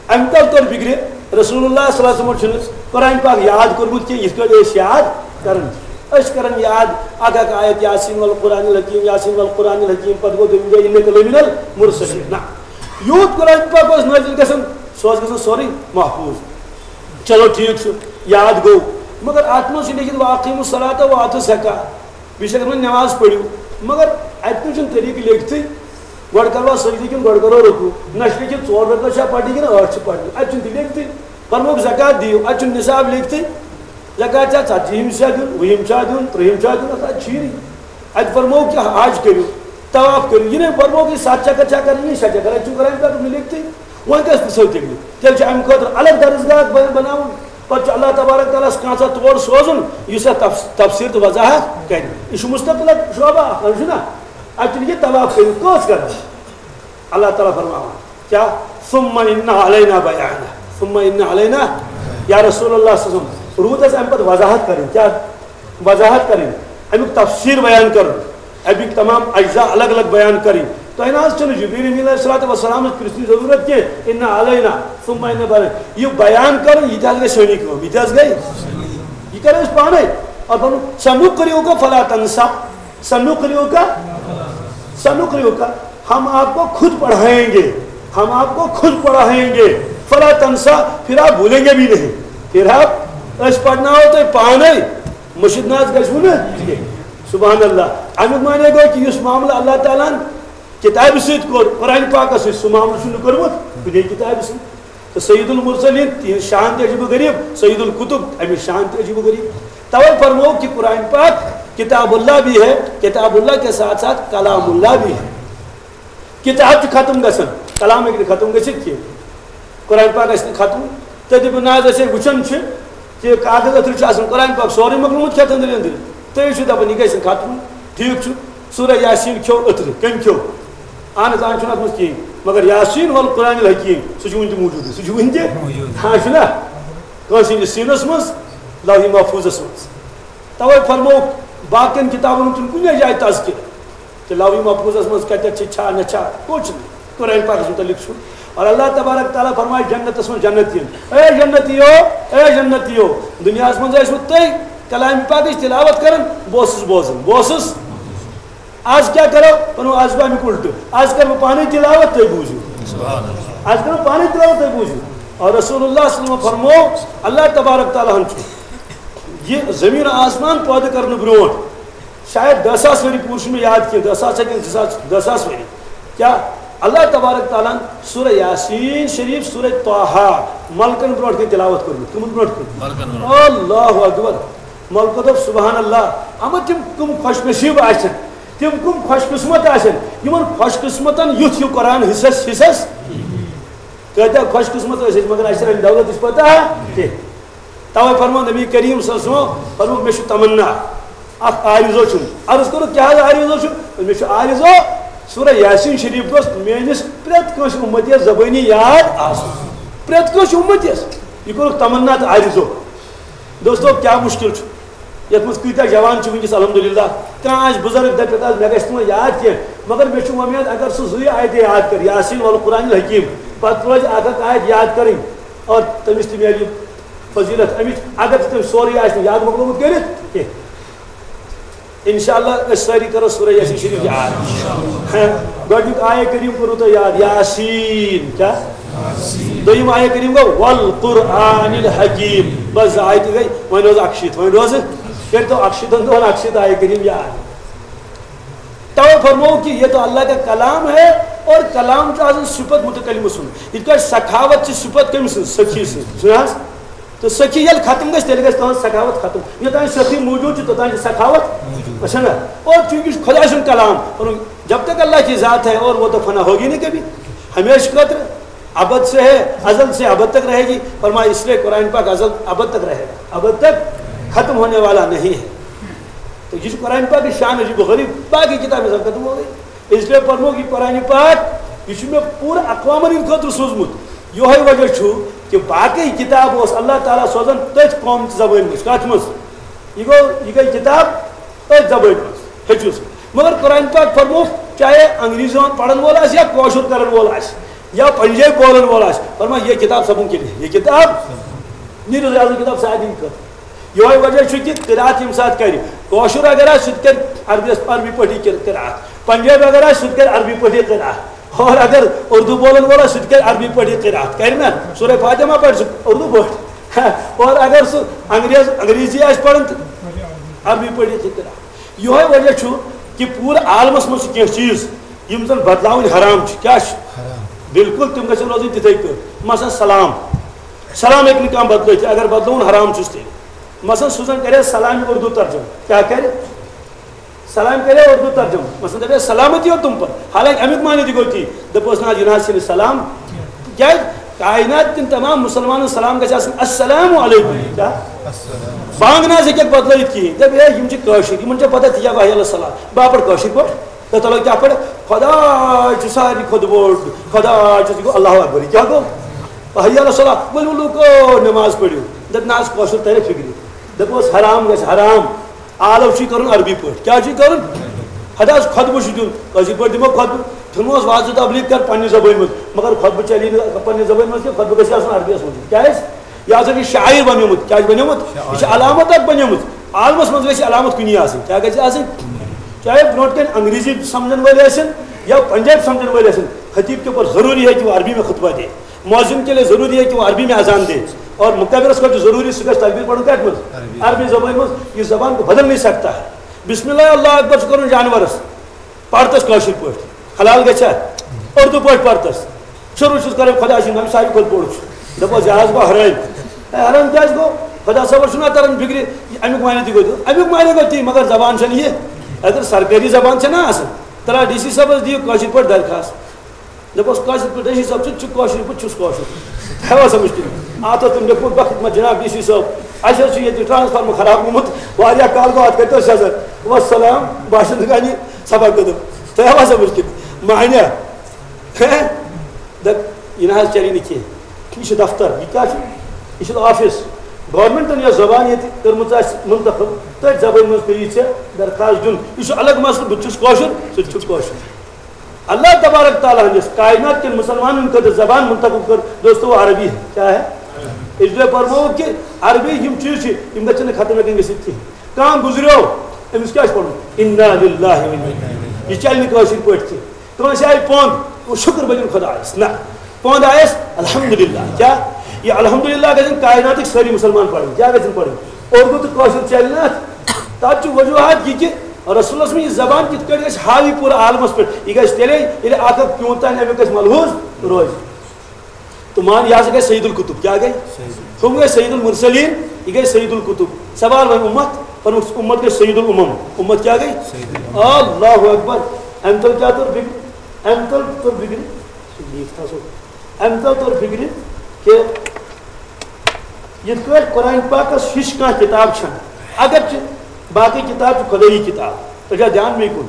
اَمہِ تل توٚر فِکرِ، رسول اللہ صلی اللہ علیہ وسلم چھُنہٕ قرآن پاک یاد کوٚرمُت کینٛہہ، یِتھ کٲٹھۍ أسۍ یاد کران چھِ۔ أسۍ چھِ کران یاد اکھ اکھ آیت، یاسین والقرآن الحکیم، یاسین والقرآن الحکیم، پتہٕ گوٚو دوٚیِم جاے انک لمن المرسلین۔ نہ، یوٗت قرآن پاک اوس نٲزِل گژھان، سُہ اوس گژھان سورُے محفوظ۔ چلو ٹھیٖک چھُ، یاد گوٚو، مگر اتھ منٛز چھُ لیکھِتھ واقیموا الصلاۃ و آتوا الزکاۃ، بیٚیہِ چھِ اَتھ منٛز نماز پٔرِو، مگر اَتہِ نہٕ چھُنہٕ طریٖقہٕ لیکھتھٕے، گۄڈٕ کروا سجدٕ کِنہٕ گۄڈٕ کرو رکوع، نہ چھُ لیکھِتھ ژور رکعت چھا پرنہِ کِنہٕ ٲٹھ چھِ پرنہِ، اَتہِ چھُنہٕ تہِ لیکھتھٕے۔ فرمووُکھ زکوٰۃ دِیِو، اَتہِ چھُنہٕ نصاب لیکھتھٕے، زکوٰۃ چھا ژتجیٖہِم چھا دیُن، وُہِم چھا دیُن، ترٛہِم چھا دیُن، اَتھ، اَتہِ چھُے نہٕ۔ اَتہِ فرمووُکھ کہِ حج کٔرِو، طواف کٔرِو، یہِ نہٕ فرمووُکھ یہِ ستھ چکر چھا کرٕنۍ، یہِ شےٚ چکر، اَتہِ چھُنہٕ قرآن پاکَس منٛز لیکھتھٕے۔ وۄنۍ کیٛاہ پرٛژھو تیٚلہِ؟ تیٚلہِ چھُ اَمہِ خٲطرٕ الگ درسگاہ بَ-، بَناوُن۔ پَتہٕ چھُ اللہ تبارک تعالیٰ ہَس کانٛژھا تور سوزُن، یُس اَتھ تف-، تفسیٖر تہٕ وضاحت کَرِ۔ یہِ چھُ مستقل اکھ شعبہٕ اکھ، اَہَن چھُ نا؟ اَتہِ چھُنہٕ یہِ طواف کٔرِو، کٔژ کَران؟ اللہ تعالیٰ فرماوان، کیٛاہ؟ ثم ان علینا بیانہ، ثم ان علینا، یا رسول اللہ صلی اللہ علیہ وسلم، روٗد اَسہِ اَمہِ پَتہٕ وضاحت کَرٕنۍ، کیٛاہ؟ وضاحت کَرٕنۍ، اَمیُک تفسیٖر بیان کَرُن، اَمِکۍ تمام اجزا الگ الگ بیان کَرٕنۍ۔ تۄہہِ نہ حظ چھُنہٕ جبریل امین علیہ الصلوۃ والسلامَس پرٛژھنٕچ ضروٗرت کینٛہہ، ان علینا ثم ان بیان، یہِ بیان کَرُن، یہِ تہِ حظ گٔے سٲنی کٲم، یہِ تہِ حظ گٔے، یہِ کَرو أسۍ پانَے۔ اور فرموو، سنقرئک فلا تنسیٰ، سنقرئک، سنقرئک، ہم آپ کو خود پڑھائیں گے، ہم آپ کو خود پڑھائیں گے، فلا تنسیٰ، پھر آپ بھولیں گے بھی نہیں، پھر آپ، أسۍ پرناوو تۄہہِ پانے، مٔشِتھ نہ حظ گژھِوٕ نہٕ کینٛہہ۔ سبحان اللہ۔ اَمیُک معنی گوٚو کہِ یُس معاملہٕ اللہ تعالیٰ ہن کِتابہِ سۭتۍ کوٚر، قرآن پاکس سۭتۍ، سُہ معاملہٕ چھُنہٕ کوٚرمُت کُنے کِتابہِ سۭتۍ۔ تو سید المرسلین، تِہنٛز شان تہِ عجیب و غریب، سید القطب، اَمِچ شان تہِ عجیب و غریب۔ توے فرموو کہ قرآن پاک کتاب اللہ بھی ہے، کتاب اللہ کے ساتھ ساتھ کلام اللہ بھی ہے۔ کتاب چھِ ختم گژھان، کلام ہیٚکہِ نہٕ ختم گٔژھِتھ کینٛہہ۔ قرآن پاک گژھِ نہٕ ختم۔ تُہۍ دٔپِو، نہ حظ، أسۍ ہے وٕچھان چھِ کہ کاغذ أتھٕر چھُ آسان، قرآن پاک سورُے مۄکلومُت کھٮ۪تھ أنٛدرۍ أنٛدرۍ۔ تُہۍ چھِو دَپان، یہِ گژھِ نہٕ ختم۔ ٹھیٖک چھُ، سورہ یاسین کھیوٚو أتھٕر، کٔمۍ کھیوٚو؟ اہن حظ، اہن چھُنہٕ اَتھ منٛز کِہیٖنۍ۔ مگر یاسین والقرآن الحکیم، سُہ چھُ وٕنہِ تہِ موٗجوٗدٕے، سُہ چھُ وٕنہِ تہِ، ہاں، چھُنہ؟ کٲنٛسہِ ہِنٛدِس سیٖنَس منٛز، لوحِ محفوٗظَس منٛز۔ تَوَے فرمووُکھ، باقیَن کِتابَن ہُنٛد چھُنہٕ کُنے جایہِ تذکرٕ۔ لوی محفوظس منٛز کتٮ۪تھ چھِ، چھا نہ چھا، کوٚت چھِ؟ قرآن پاکس متعلق چھُ۔ اور اللہ تبارک تعالیٰ فرمایہِ جنتس منٛز جنتین، اے جنتیو، اے جنتیو، دُنیاہس منٛز ٲسوٕ تُہۍ کلام پاکٕچ تلاوت کران، بہٕ اوسُس بوزان، بہٕ اوسُس۔ آز کیٛاہ کرو؟ پنُن آز گوٚو امیُک الٹہٕ، آز کرٕ بہٕ پانے تلاوت، تُہۍ بوٗزِو۔ آز کرٕ بہٕ پانے تلاوت، تُہۍ بوٗزِو۔ اور رسول اللہ صلی اللہ علیہ وسلم فرموو، اللہ تبارک تعالیٰ ہن چھُ یہِ زمین آسمان پٲدٕ کرنہٕ برونٛٹھ شاید دہ ساس ؤری، پوٗرٕ چھُنہٕ مےٚ یاد کینٛہہ، دہ ساس ہا کِنہٕ زٕ ساس، دہ ساس ؤری۔ کیٛاہ اللہ تبارک تعالیٰ ہن سورہ یاسین شریف، سورہ طٰہٰ ملکن برونٛٹھ کَنہِ تلاوت کوٚرمُت؟ کٕمن برونٛٹھ کَنہِ؟ ملکن برونٛٹھ۔ اللہ اکبر۔ ملکو دوٚپ، سبحان اللہ، اما تِم کٕم خۄش نصیٖب آسن، تِم کٕم خۄش قسمت آسن، یِمن خۄش قسمتن یُتھ ہیوٗ قرآن حصس، حصس۔ کۭتیٛاہ خۄش قسمت ٲسۍ أسۍ، مگر اَسہِ چھَنہٕ اَمہِ دولتٕچ پتہ کینٛہہ۔ توے فرمو نبی کریم صلی اللہ علیہ وسلم، فرمو، مےٚ چھُ تمنا، اکھ آرزو چھُم۔ عرض کوٚرُکھ، کیٛاہ حظ آرزو چھُ؟ مےٚ چھُ آرزو، سورہ یاسین شریف گوٚژھ میٲنِس پرٛٮ۪تھ کٲنٛسہِ اُمتی یَس زبٲنی یاد آسُن۔ پرٛٮ۪تھ کٲنٛسہِ اُمتی یَس۔ یہِ کوٚرُکھ تمنا تہٕ آرزو۔ دوستو، کیٛاہ مُشکِل چھُ؟ یَتھ منٛز کۭتیٛاہ جوان چھِ وٕنکیٚس، الحمدللہ۔ کانٛہہ آسہِ بُزرگ، دَپہِ، "پَتہٕ آز مےٚ گژھِ نہٕ وۄنۍ یاد کینٛہہ، مگر مےٚ چھُ وۄمید، اگر سُہ زٕے آیتہٕ یاد کَرِ، یاسین والقرآن الحکیم، پَتہٕ روزِ اَکھ اَکھ آیت یاد کَرٕنۍ، اور تٔمِس تہِ میلہِ فضیلت اَمِچ، اگر تہِ تٔمۍ سورُے آسہِ نہٕ یاد مۄکلومُت کٔرِتھ کینٛہہ۔" انشاءاللہ أسۍ سٲری کرو سورہ یاسین شریف یاد۔ ہاں، گۄڈٕنیُک آیہ کریم کوٚروٕ تۄہہِ یاد، یاسین۔ کیٛاہ؟ دوٚیِم آیہ کریم گوٚو والقرآن الحکیم۔ بس زٕ آیتہٕ گٔے، وۄنۍ روزٕ اَکشیٖتھ، وۄنۍ روزٕ، کٔرۍتو اَکشیٖتھن دۄہن اَکشیٖتھ آیہ کریم یاد۔ توے فرموو کہ یہ تو اللہ کا کلام ہے اور کلام چھُ آسان صفت متکلمہٕ سُنٛد۔ یِتھ پٲٹھۍ سخاوت چھِ صفت کٔمۍ سٕنٛز؟ سخی سٕنٛز۔ چھُنہٕ حظ؟ تہٕ سخی ییٚلہِ ختم گژھِ، تیٚلہِ گژھِ تُہٕنٛز سخاوت ختم۔ یوٚتام سخی موٗجوٗد چھُ، توٚتام چھُ سخاوت۔ اچھا نا؟ اور چوٗنٛکہِ یہِ چھُ خۄداے سُنٛد کلام، اور جب تک اللہ کی ذات ہے اور وہ تو فنا ہوگی نہیں کبھی، ہمیشہ خٲطرٕ، ابد سے ہے، ازل سے ابد تک رہے گی۔ فرمایا، اس لیے قرآن پاک ازل ابد تک رہے گا، ابد تک ختم ہونے والا نہیں ہے۔ تو یہ قرآن پاک کی شان عجیب و غریب، باقی کتابیں سب ختم ہو گئی۔ اس لیے پرموکھ یہ قرآن پاک، یہ چھُ مےٚ پوٗرٕ اقوامن ہٕنٛدِ خٲطرٕ سوٗزمُت۔ یِہوٚے وجہ چھُ کہ باقٕے کِتاب اوس اللہ تعالیٰ سوزان تٔتھۍ قوم چہِ زبٲنۍ منٛز۔ کتھ منٛز؟ یہِ گوٚو، یہِ گٔے کِتاب تٔتھۍ زبٲنۍ منٛز، ہیٚچھِو سُہ۔ مگر قرآن پاک فرموو، چاہے انگریزی پرن وول آسہِ یا کٲشُر کرن وول آسہِ یا پنجٲبۍ بولن وول آسہِ، فرمایا، یہ کتاب سبوں کے لیے، یہ کتاب، نیٖرِو اعظم کتاب سارنٕے خٲطرٕ۔ یِہوٚے وجہ چھُ کہِ قرات ییٚمہِ ساتہٕ کرِ، کٲشُر اگر آسہِ، سُہ تہِ کرِ عربی، عربی پٲٹھی کر-، قرات۔ پنجابی اگر آسہِ، سُہ تہِ کرِ عربی پٲٹھی قرات۔ اور اگر اردو بولن وول آسہِ، سُہ تہِ کرِ عربی پٲٹھی قرات۔ کرِ نا؟ سورہ فاتحہ ما پرِ سُہ اردو پٲٹھۍ؟ اور اگر سُہ انگریز، انگریزی آسہِ پران تہٕ عربی پٲٹھی تہِ قرات۔ یِہوٚے وجہ چھُ کہِ پوٗرٕ عالمس منٛز چھِ کینٛہہ چیٖز، یِم زن بدلاوٕنۍ حرام چھِ۔ کیٛاہ چھِ؟ حرام۔ بالکل تِم گژھن روزٕنۍ تِتھے پٲٹھۍ۔ مثلاً سلام۔ سلام ہیٚکہِ نہٕ کانٛہہ بدلٲوِتھ، اگر بدلووُن حرام چھُس تیٚلہِ۔ مثلاً سُہ زن کرِ سلام اردو ترجمہٕ، کیٛاہ کرِ؟ سلام کرِ اردو ترجمہٕ، مثلاً دپہِ سلامتی ہو تم پر، حالانکہ امیُک معنی تہِ گوٚو تی، دپوس نہ حظ، یہِ نہ حظ چھِنہٕ سلام۔ کیٛازِ؟ کائنات کٮ۪ن تمام مسلمانن سلام گژھِ آسُن السلام علیکم۔ کیٛاہ؟ بانگ نہ حظ ہیٚکٮ۪کھ بدلٲوِتھ کِہیٖنۍ۔ دپہِ ہے، یِم چھِ کٲشِر، یِمن چھےٚ پتہ تہِ یہِ گوٚو ہی السلام۔ بہٕ ہا پرٕ کٲشِر پٲٹھۍ۔ تہٕ تلو کیٛاہ پٲٹھۍ؟ خۄداے چھُ ساروی کھۄتہٕ بوٚڑ، خۄداے چھُ، یہِ گوٚو اللہ اکبر، یہِ کیٛاہ گوٚو؟ حی علی الصلاۃ، ؤلِو لوٗکو نماز پٔرِو۔ دَپہِ نہ حظ، کٲشُر ترِ فِکرِ۔ دَپوس حرام گژھِ حرام، آلو چھُے کَرُن عربی پٲٹھۍ۔ کیٛاہ چھُے کَرُن؟ ہَتہٕ حظ خۄطبہٕ چھُ دیُن، کٲشِر پٲٹھۍ دِمو خۄطبہٕ۔ ژھٕنوس وازٕ تبلیغ کَر پنٛنہِ زبٲنۍ منٛز، مگر خۄطبہٕ چلی نہٕ پنٛنہِ زبٲنۍ منٛز کینٛہہ، خۄطبہٕ گژھِ آسُن عربیَس منٛز۔ کیٛازِ؟ یہِ ہسا چھُ شاعر بنیومُت۔ کیٛازِ بنیومُت؟ یہِ چھِ علامت اکھ بنیمٕژ۔ عالمس منٛز گژھِ علامت کُنی آسٕنۍ۔ کیٛاہ گژھِ آسٕنۍ؟ چاہے برونٛٹھ کَنہِ انگریزی سمجھن وٲلۍ ٲسِن یا پنجابی سمجھن وٲلۍ ٲسِن، خطیب کے اوپر ضروری ہے کہ وہ عربی میں خطبہ دے، مؤذن کے لیے ضروری ہے کہ وہ عربی میں اذان دے، اور مکبرس خٲطرٕ چھُ ضروری سُہ گژھِ تکبیر پرُن کتھ منٛز؟ عربی۔ عربی زبٲنۍ منٛز۔ یہ زبان کو بدل نہیں سکتا ہے۔ بسم اللہ اللہ اکبر چھُ کرُن جانورس، پرتس کٲشِر پٲٹھۍ۔ حلال گژھِ ہا؟ اردو پٲٹھۍ پرتس۔ شروع چھُس کران خۄداے سُنٛد ناو، ساروی کھۄتہٕ بوٚڑ چھُ۔ دَپوس، یہِ حظ گوٚو حرٲمۍ۔ ہے، حرام کیٛازِ گوٚو؟ خۄدا صٲبَس چھُنہ تَران فِکرِ، یہِ اَمیُک معنی تہِ گوٚو دیُن۔ اَمیُک معنی گوٚو تی، مگر زبان چھَنہٕ یہِ۔ اگر سرکٲری زبان چھَنہ آسان، تَلہ ڈی سی صٲبَس دِیِو کٲشِر پٲٹھۍ درخاست۔ دَپوس، کٲشِر پٲٹھۍ، ڈی سی صٲب، ژٕ تہِ چھُکھ کٲشِر، بہٕ تہِ چھُس کٲشُر۔ تۄہہِ آسان مُشکِل۔ اَتھ اوس تٔمۍ لیوٚکھمُت، بخت ما جناب ڈی سی صٲب، اَسہِ حظ چھُ ییٚتہِ ٹرانسفارمر خراب گوٚمُت، واریاہ کال گوٚو، اَتھ کٔرۍتو سیٚزر۔ وَسلام، باشندٕ گانی صفا قدم۔ تۄہہِ آسان مُشکِل۔ معنی دَپ، یہِ نہ حظ چَلہِ نہٕ کینٛہہ۔ یہِ چھُ دفتر، یہِ کیٛاہ چھُ؟ یہِ چھُ آفس۔ گورنمنٹن یۄس زبان ییٚتہِ کٔرمٕژ آسہِ منتخب، تٔتھۍ زبٲنۍ منٛز پیٚیہِ ژےٚ درخاست دیُن۔ یہِ چھُ الگ مسلہٕ، بہٕ تہِ چھُس کٲشُر، سُہ تہِ چھُ کٲشُر۔ اللہ تبارک تعالیٰ ہٕنٛدِس کائنات کٮ۪ن مسلمانن خٲطرٕ زبان منتخب کٔر، دوستو، عربی ہے۔ کیا ہے؟ اس لیے فرموو کہ عربی یِم چیٖز چھِ، یِم گژھن نہٕ ختم ہٮ۪کٕنۍ گٔژھِتھ کِہیٖنۍ۔ کانٛہہ گُزریو، أمِس کیٛاہ چھُ پَرُن؟ انا للہ و انا الیہ۔ یہِ چلہِ نہٕ کٲشِر پٲٹھۍ کینٛہہ۔ کٲنٛسہِ آیہِ پونٛد، گوٚو شُکر بٔلِن خۄدایَس۔ نہ، پونٛد آیَس الحمدللہ۔ کیٛاہ؟ یہِ الحمدللہ گژھن کائناتٕکۍ سٲری مُسلمان پَرٕنۍ۔ کیٛاہ گژھن پَرٕنۍ؟ اردو تہٕ کٲشُر چلہِ نہٕ اَتھ۔ تَتھ چھُ وجوہات یہِ کہِ رسولس منٛز یہِ زبان کِتھ کٲٹھۍ گژھِ حاوی پوٗرٕ عالمس پٮ۪ٹھ؟ یہِ گژھِ تیٚلے ییٚلہِ اکھ اکھ پیوٗنٛت تام اَمیُک گژھِ ملحوظ روزِ۔ تہٕ مان، یہِ ہسا گژھِ سید القطب۔ کیٛاہ گٔے؟ ہُم گٔے سید المرسلین، یہِ گٔے سید القطب۔ سوال وۄنۍ اُمت، پنُن اُمت گٔے سید الامم۔ اُمت کیٛاہ گٔے؟ اللہ اکبر۔ اَمہِ تل کیٛاہ توٚر فِکرِ؟ اَمہِ تل توٚر فِکرِ، سُہ لیٖکھ تھا سُہ۔ اَمہِ تل توٚر فِکرِ کہِ یِتھ کٲٹھۍ قرآن پاکس ہِش کانٛہہ کِتاب چھَنہٕ، اگرچہِ باقٕے کِتاب چھِ خۄدٲیی کِتاب، تۄہہِ چھا دھیان مےٚ کُن؟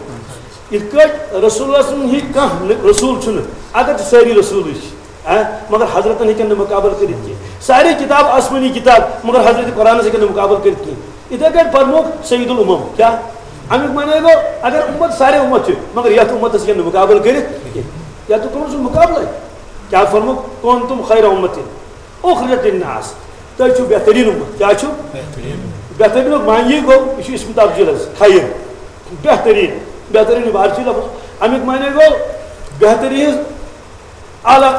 یِتھ کٲٹھۍ رسول اللہ صلی اللہ علیہ وسلم ہِوۍ کانٛہہ نہٕ رسول چھُنہٕ، اگرچہِ سٲری رسولٕے چھِ، ہاں، مگر حضرتن ہیٚکن نہٕ مُقابلہٕ کٔرِتھ کینٛہہ۔ سارے کِتاب آسمٲنی کِتاب، مگر حضرت قرآنس ہیٚکن نہٕ مُقابلہٕ کٔرِتھ کینٛہہ۔ یِتھے کٲٹھۍ فرمووُکھ سید الامم۔ کیٛاہ؟ اَمیُک معنی گوٚو، اگر اُمت سارے اُمت چھِ، مگر یَتھ اُمتس ہیٚکن نہٕ مُقابلہٕ کٔرِتھ کینٛہہ۔ یَتھ تُہۍ کوٚرُکھ سُہ مُقابلَے۔ کیٛاہ فرمووُکھ؟ کنتم خیر امتِ اخرجت للناس، تُہۍ چھِو بہتریٖن اُمت۔ کیٛاہ چھِو؟ بہتریٖن۔ بہتریٖنُک معنی گوٚو، یہِ چھُ اسم تفضیل حظ، خیر۔ بہتریٖن، بہتریٖن عبارت چھِ لفظ۔ اَمیُک معنی گوٚو بہتریٖن، اعلیٰ،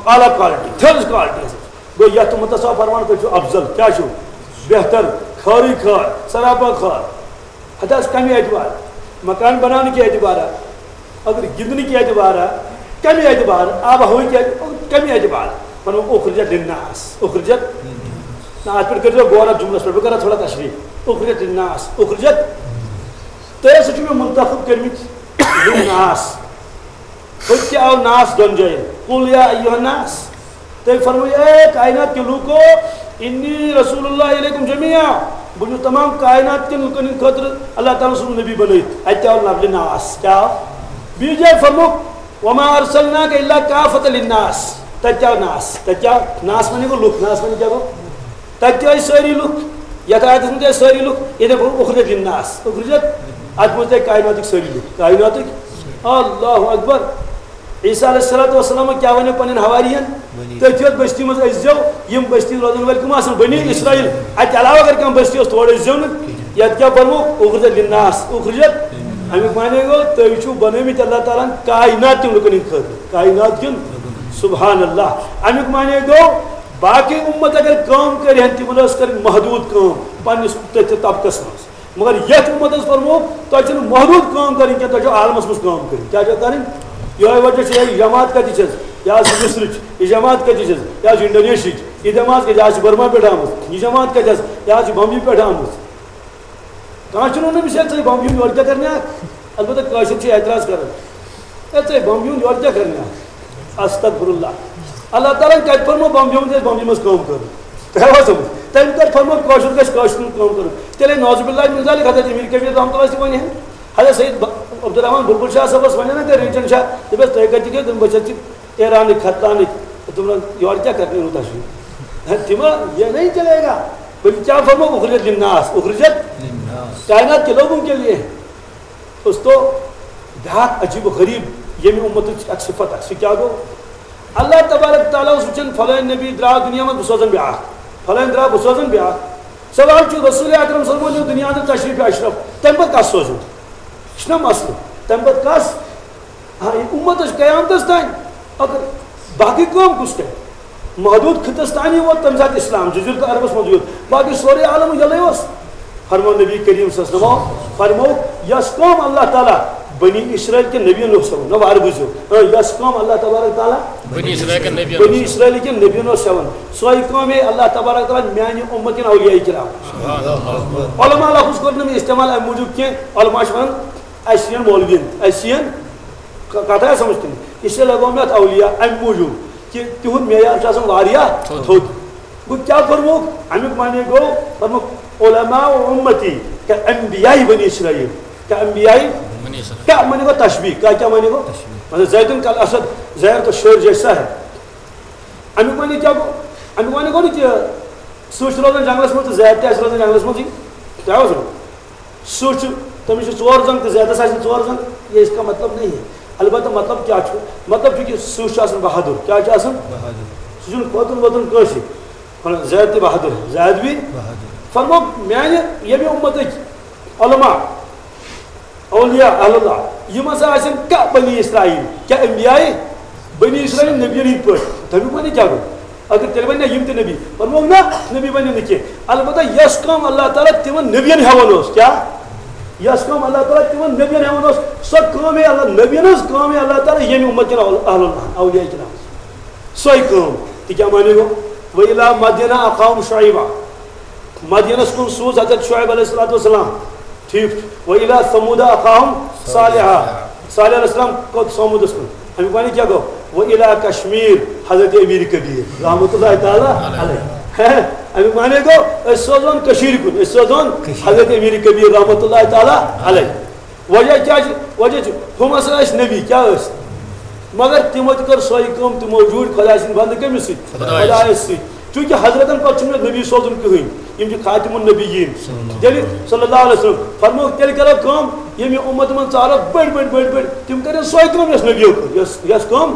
اعلیٰ quality، تھٔز quality حظ۔ گوٚو یَتھ اُمتَس آو فرمان، تُہۍ چھِو افضل۔ کیٛاہ چھِو؟ بہتر، خٲرٕے خٲر، سراپا خٲر۔ ہتہٕ حظ کَمہِ اعتبار؟ مکان بناونہٕ کہِ اعتبارا؟ اگر گِنٛدنہٕ کہِ اعتبارا؟ کَمہِ اعتبار؟ آب و ہوہٕکۍ اعتبار؟ کَمہِ اعتبار؟ وَنو اخرجت للناس۔ اخرجت؟ نہ، اَتھ پٮ۪ٹھ کٔرۍزیو غور اَتھ جملس پٮ۪ٹھ، بہٕ کَرٕ اَتھ تھوڑا تشریح۔ اخرجت للناس، اخرجت۔ تُہۍ ہسا چھِو مےٚ منتخب کٔرمٕتۍ للناس۔ ہُتہِ تہِ آو ناس دۄن جاین۔ قل یا ایھا الناس۔ تٔمۍ فرموو، اے کائنات کیو لوٗکو، انی رسول اللہ الیکم جمیعا۔ بہٕ چھُس تمام کائنات کٮ۪ن لُکن ہٕنٛدِ خٲطرٕ اللہ تعالیٰ سُنٛد نبی بنٲوِتھ۔ اَتہِ تہِ آو لفظِ ناس۔ کیٛاہ آو؟ بیٚیِس جایہِ فرمووُکھ، وما ارسلناک الا کافۃ للناس۔ تَتہِ تہِ آو ناس۔ تَتہِ کیٛاہ آو؟ ناس معنی گوٚو لُکھ۔ ناس معنی کیٛاہ گوٚو؟ تَتہِ تہِ ٲسۍ سٲری لُکھ۔ یَتھ آیتَس منٛز تہِ ٲسۍ سٲری لُکھ۔ ییٚتہِ فرمووُکھ اخرجت للناس۔ اخرجت، اَتھ منٛز تہِ آیہِ کائناتٕکۍ سٲری لُکھ۔ کائناتٕکۍ۔ اللہ اکبر۔ عیسیٰ علیہ الصلوۃ والسلام کیٛاہ وَنیو پنٛنٮ۪ن حواریَن؟ بنی۔ تٔتھۍ یوت بستی منٛز ٲسۍ زیو، یِم بستی روزن وٲلۍ کٕم آسن؟ بنی اسرائیل۔ اَتہِ علاوٕ اگر کانٛہہ بستی ٲس، تورٕ ٲسۍ زیو نہٕ۔ کِہیٖنۍ۔ یَتھ کیٛاہ فرمووُکھ؟ اخرجت للناس، اخرجت۔ اَمیُک معنی گوٚو، تُہۍ چھِو بنٲومٕتۍ اللہ تعالیٰ ہن کائنات کٮ۪ن لُکن ہٕنٛدِ خٲطرٕ، کائنات کٮ۪ن۔ سبحان اللہ۔ اَمیُک معنی گوٚو، باقٕے اُمت اگر کٲم کرِ ہن، تِمن ٲس کرٕنۍ محدوٗد کٲم پننِس تٔتھۍ طبقس منٛز۔ مگر یتھ اُمتس فرموو، تۄہہِ چھنہٕ محدوٗد کٲم کرٕنۍ کینٛہہ، تۄہہِ چھو عالمس منٛز کٲم کرٕنۍ۔ کیٛاہ چھو کرٕنۍ؟ یِہوٚے وجہ چھُ، یہِ جماعت کتہِ چھس؟ یہِ حظ چھِ مصرٕچ۔ یہِ جماعت کتہِ چھس؟ یہِ حظ چھِ انڈونیشیاہٕچ۔ یہِ جماعت کتہِ؟ یہِ حظ چھِ برما پٮ۪ٹھ آمٕژ۔ یہِ جماعت کتہِ حظ؟ یہِ حظ چھِ بمبی پٮ۪ٹھ آمٕژ۔ کانٛہہ چھُنہٕ وَنان، أمِس ہے ژٕے بمبی ہُنٛد، یورٕ کیٛاہ کرنہِ آکھ؟ البتہ کٲشِر چھِ اعتراض کران، ہے ژٕے بمبی ہُنٛد، یورٕ کیٛاہ کرنہِ آکھ؟ استغفر اللہ۔ اللہ تعالیٰ ہن کتہِ فرموو بمبی ہُنٛد، ییٚلہِ بمبی منٛز کٲم کٔر؟ تۄہہِ آوا سمجھ؟ تٔمۍ کتہِ فرموو کٲشُر گژھِ کٲشرِ ہُنٛد کٲم کرُن؟ تیٚلے نعوذ باللہ من ذالک حضرت امیر کبیر رحمتہ اللہ تہِ ونہِ ہے۔ حضرت سید ب-، عبدالرحمان بلبل شاہ صٲبس ونہِ نا، تۄہہِ رنجن شاہ، دٔپِس تُہۍ کتہِ چھِو؟ بہٕ چھَس ایرانٕکۍ، ختلانٕکۍ۔ تِمن یورٕ کیٛاہ کرنہِ یوٗتاہ چھُ؟ ہے، تِمن یہ نہیں چلے گا۔ بلکہ کیا فرمو؟ اخرجت للناس، اخرجت للناس۔ کائنات کے لوگوں کے لیے۔ دوستو، بیٛاکھ عجیب و غریب ییٚمہِ اُمتٕچ اکھ صفت اکھ، سُہ کیٛاہ گوٚو؟ اللہ تبارک تعالیٰ اوس وٕچھان، فلٲنۍ نبی درٛاو دُنیا منٛز، بہٕ سوزن بیٛاکھ، فلٲنۍ درٛاو، بہٕ سوزن بیٛاکھ۔ سوال چھُ، رسول اکرم صلی اللہ علیہ وسلم نیوٗ دُنیا اندر تشریف اشرف، تمہِ پتہٕ کس سوزُن؟ یہِ چھُنہ مسلہٕ، تمہِ پتہٕ کس؟ ہاں، یہِ اُمتس قیامتس تام۔ اگر باقٕے کٲم کُس کرِ؟ محدوٗد خطس تانی ووت تمہِ ساتہٕ اسلام، جزیرت عربس منٛز یوت، باقٕے سورُے عالم یلے اوس۔ فرموو نبی کریم صلی اللہ علیہ وسلم، فرموو، یۄس کٲم اللہ تعالیٰ بنی اسرائیل کٮ۪ن نبین اوس ہٮ۪وان، نہ وارٕ بوٗزِو، ہاں، یۄس کٲم اللہ تبارک تعالیٰ بنی اسرائیل کٮ۪ن نبین بنی اوس اسرائیل کٮ۪ن نبین اوس ہٮ۪وان، سۄے کٲم ہے اللہ تبارک تعالیٰ میانہِ اُمتٕکٮ۪ن اولیاء کرام۔ علماء لفظ کوٚر نہٕ مےٚ استعمال امہِ موٗجوٗب کینٛہہ، علماء چھِ ونان، اَسہِ یِن مولوین، اَسہِ یِن ک-، کتھ آیا سمجھ تُہۍ؟ اس لیے لگاو مےٚ اتھ اولیاء امہِ موٗجوٗب کہِ تِہُنٛد معیار چھُ آسان واریاہ تھوٚد۔ تھوٚد۔ گوٚو کیٛاہ فرمووُکھ؟ امیُک معنی گوٚو، فرمووُکھ، علماء امتی کا انبیاء بنی اسرائیل، کا انبیاء، بنی اسرائیل۔ کیٛاہ معنی گوٚو؟ تشبیہ۔ کیٛاہ، کیٛاہ معنی گوٚو؟ تشبیہ۔ مطلب زیدن کل اسد، زید تو شیر جیسا ہے۔ امیُک معنی کیٛاہ گوٚو؟ امیُک معنی گوٚو نہٕ کہِ سٕہہ چھُ روزان جنگلس منٛز تہٕ زیادٕ تہِ آسہِ روزان جنگلس منٛزٕے۔ کیٛاہ اوس وَنان؟ سٕہہ چھُ، تٔمِس چھِ ژور زنٛگ تہٕ زیادَس آسن ژور زنٛگ، یہِ اِس کا مطلب نہیں ہے۔ البتہ مطلب کیٛاہ چھُ؟ مطلب چھُ کہِ سٕہہ چھُ آسان بہادُر۔ کیٛاہ چھُ آسان؟ بہادُر۔ سُہ چھُنہٕ کھوژُن ووژُن کٲنٛسہِ۔ وَنان زیادٕ تہِ بہادُر، زیادٕ بھی بہادُر۔ فرموو، میٛانہِ ییٚمہِ اُمتٕکۍ علماء، اولیاء، اہل اللہ، یِم ہسا آسن کانٛہہ بنی اسرائیل، کیٛاہ انبیاء؟ بنی اسرائیل نبیَن ہٕنٛدۍ پٲٹھۍ۔ تَمیُک معنی کیٛاہ گوٚو؟ اگر تیٚلہِ وَنہِ نہ یِم تہِ نبی، فرموو نہ، نبی بَنن نہٕ کینٛہہ۔ البتہ یۄس کٲم اللہ تعالیٰ تِمن نبیَن ہٮ۪وان اوس، کیٛاہ؟ یۄس کٲم اللہ تعالیٰ تِمن نبیَن ہٮ۪وان اوس، سۄ کٲمے اللہ، نبیَن ہٕنٛز کٲمے اللہ تعالیٰ ییٚمہِ اُمت کٮ۪ن اہل، اہل اللہ، اولیاء کرام۔ سۄے کٲم۔ تہِ کیٛاہ معنی گوٚو؟ وَإِلَىٰ مَدْيَنَ أَخَاهُمْ شُعَيْبًا۔ مدینس کُن سوٗز حضرت شعیب علیہ الصلوۃ والسلام۔ ٹھیک چھُ۔ وَإِلَىٰ ثَمُودَ أَخَاهُمْ صَالِحًا۔ صالح علیہ السلام کوٚت؟ ثمودس کُن۔ اَمیُک معنی کیٛاہ گوٚو؟ وَإِلَىٰ کَشْمِيرَ، حضرت امیر کبیر رحمۃ اللہ تعالیٰ علیہ۔ اَمیُک معنی گوٚو، أسۍ سوزون کٔشیٖرِ کُن، أسۍ سوزون کٔشیٖرِ۔ حضرت امیر کبیر رحمۃ اللہ تعالیٰ علیہ۔ وجہ کیٛاہ چھُ؟ وجہ چھُ، ہُم ہسا ٲسۍ نبی، کیٛاہ ٲسۍ؟ مگر تِمو تہِ کٔر سۄے کٲم، تِمو جوٗڑۍ خۄداے سٕنٛدۍ بنٛدٕ کٔمِس سۭتۍ؟ خۄدایَس۔ خۄدایَس سۭتۍ۔ چوٗنٛکہِ حضرتن پتہٕ چھُنہٕ مےٚ نبی سوزُن کٕہٕنۍ، یِم چھِ خاتم النبیٖن۔ صلی اللہ علیہ وسلم۔ فرمووُکھ، تیٚلہِ کرو کٲم، ییٚمہِ اُمت منٛز ژارو بٔڑۍ بٔڑۍ بٔڑۍ بٔڑۍ، تِم کرن سۄے کٲم یۄس نبیو کٔر، یۄس، یۄس کٲم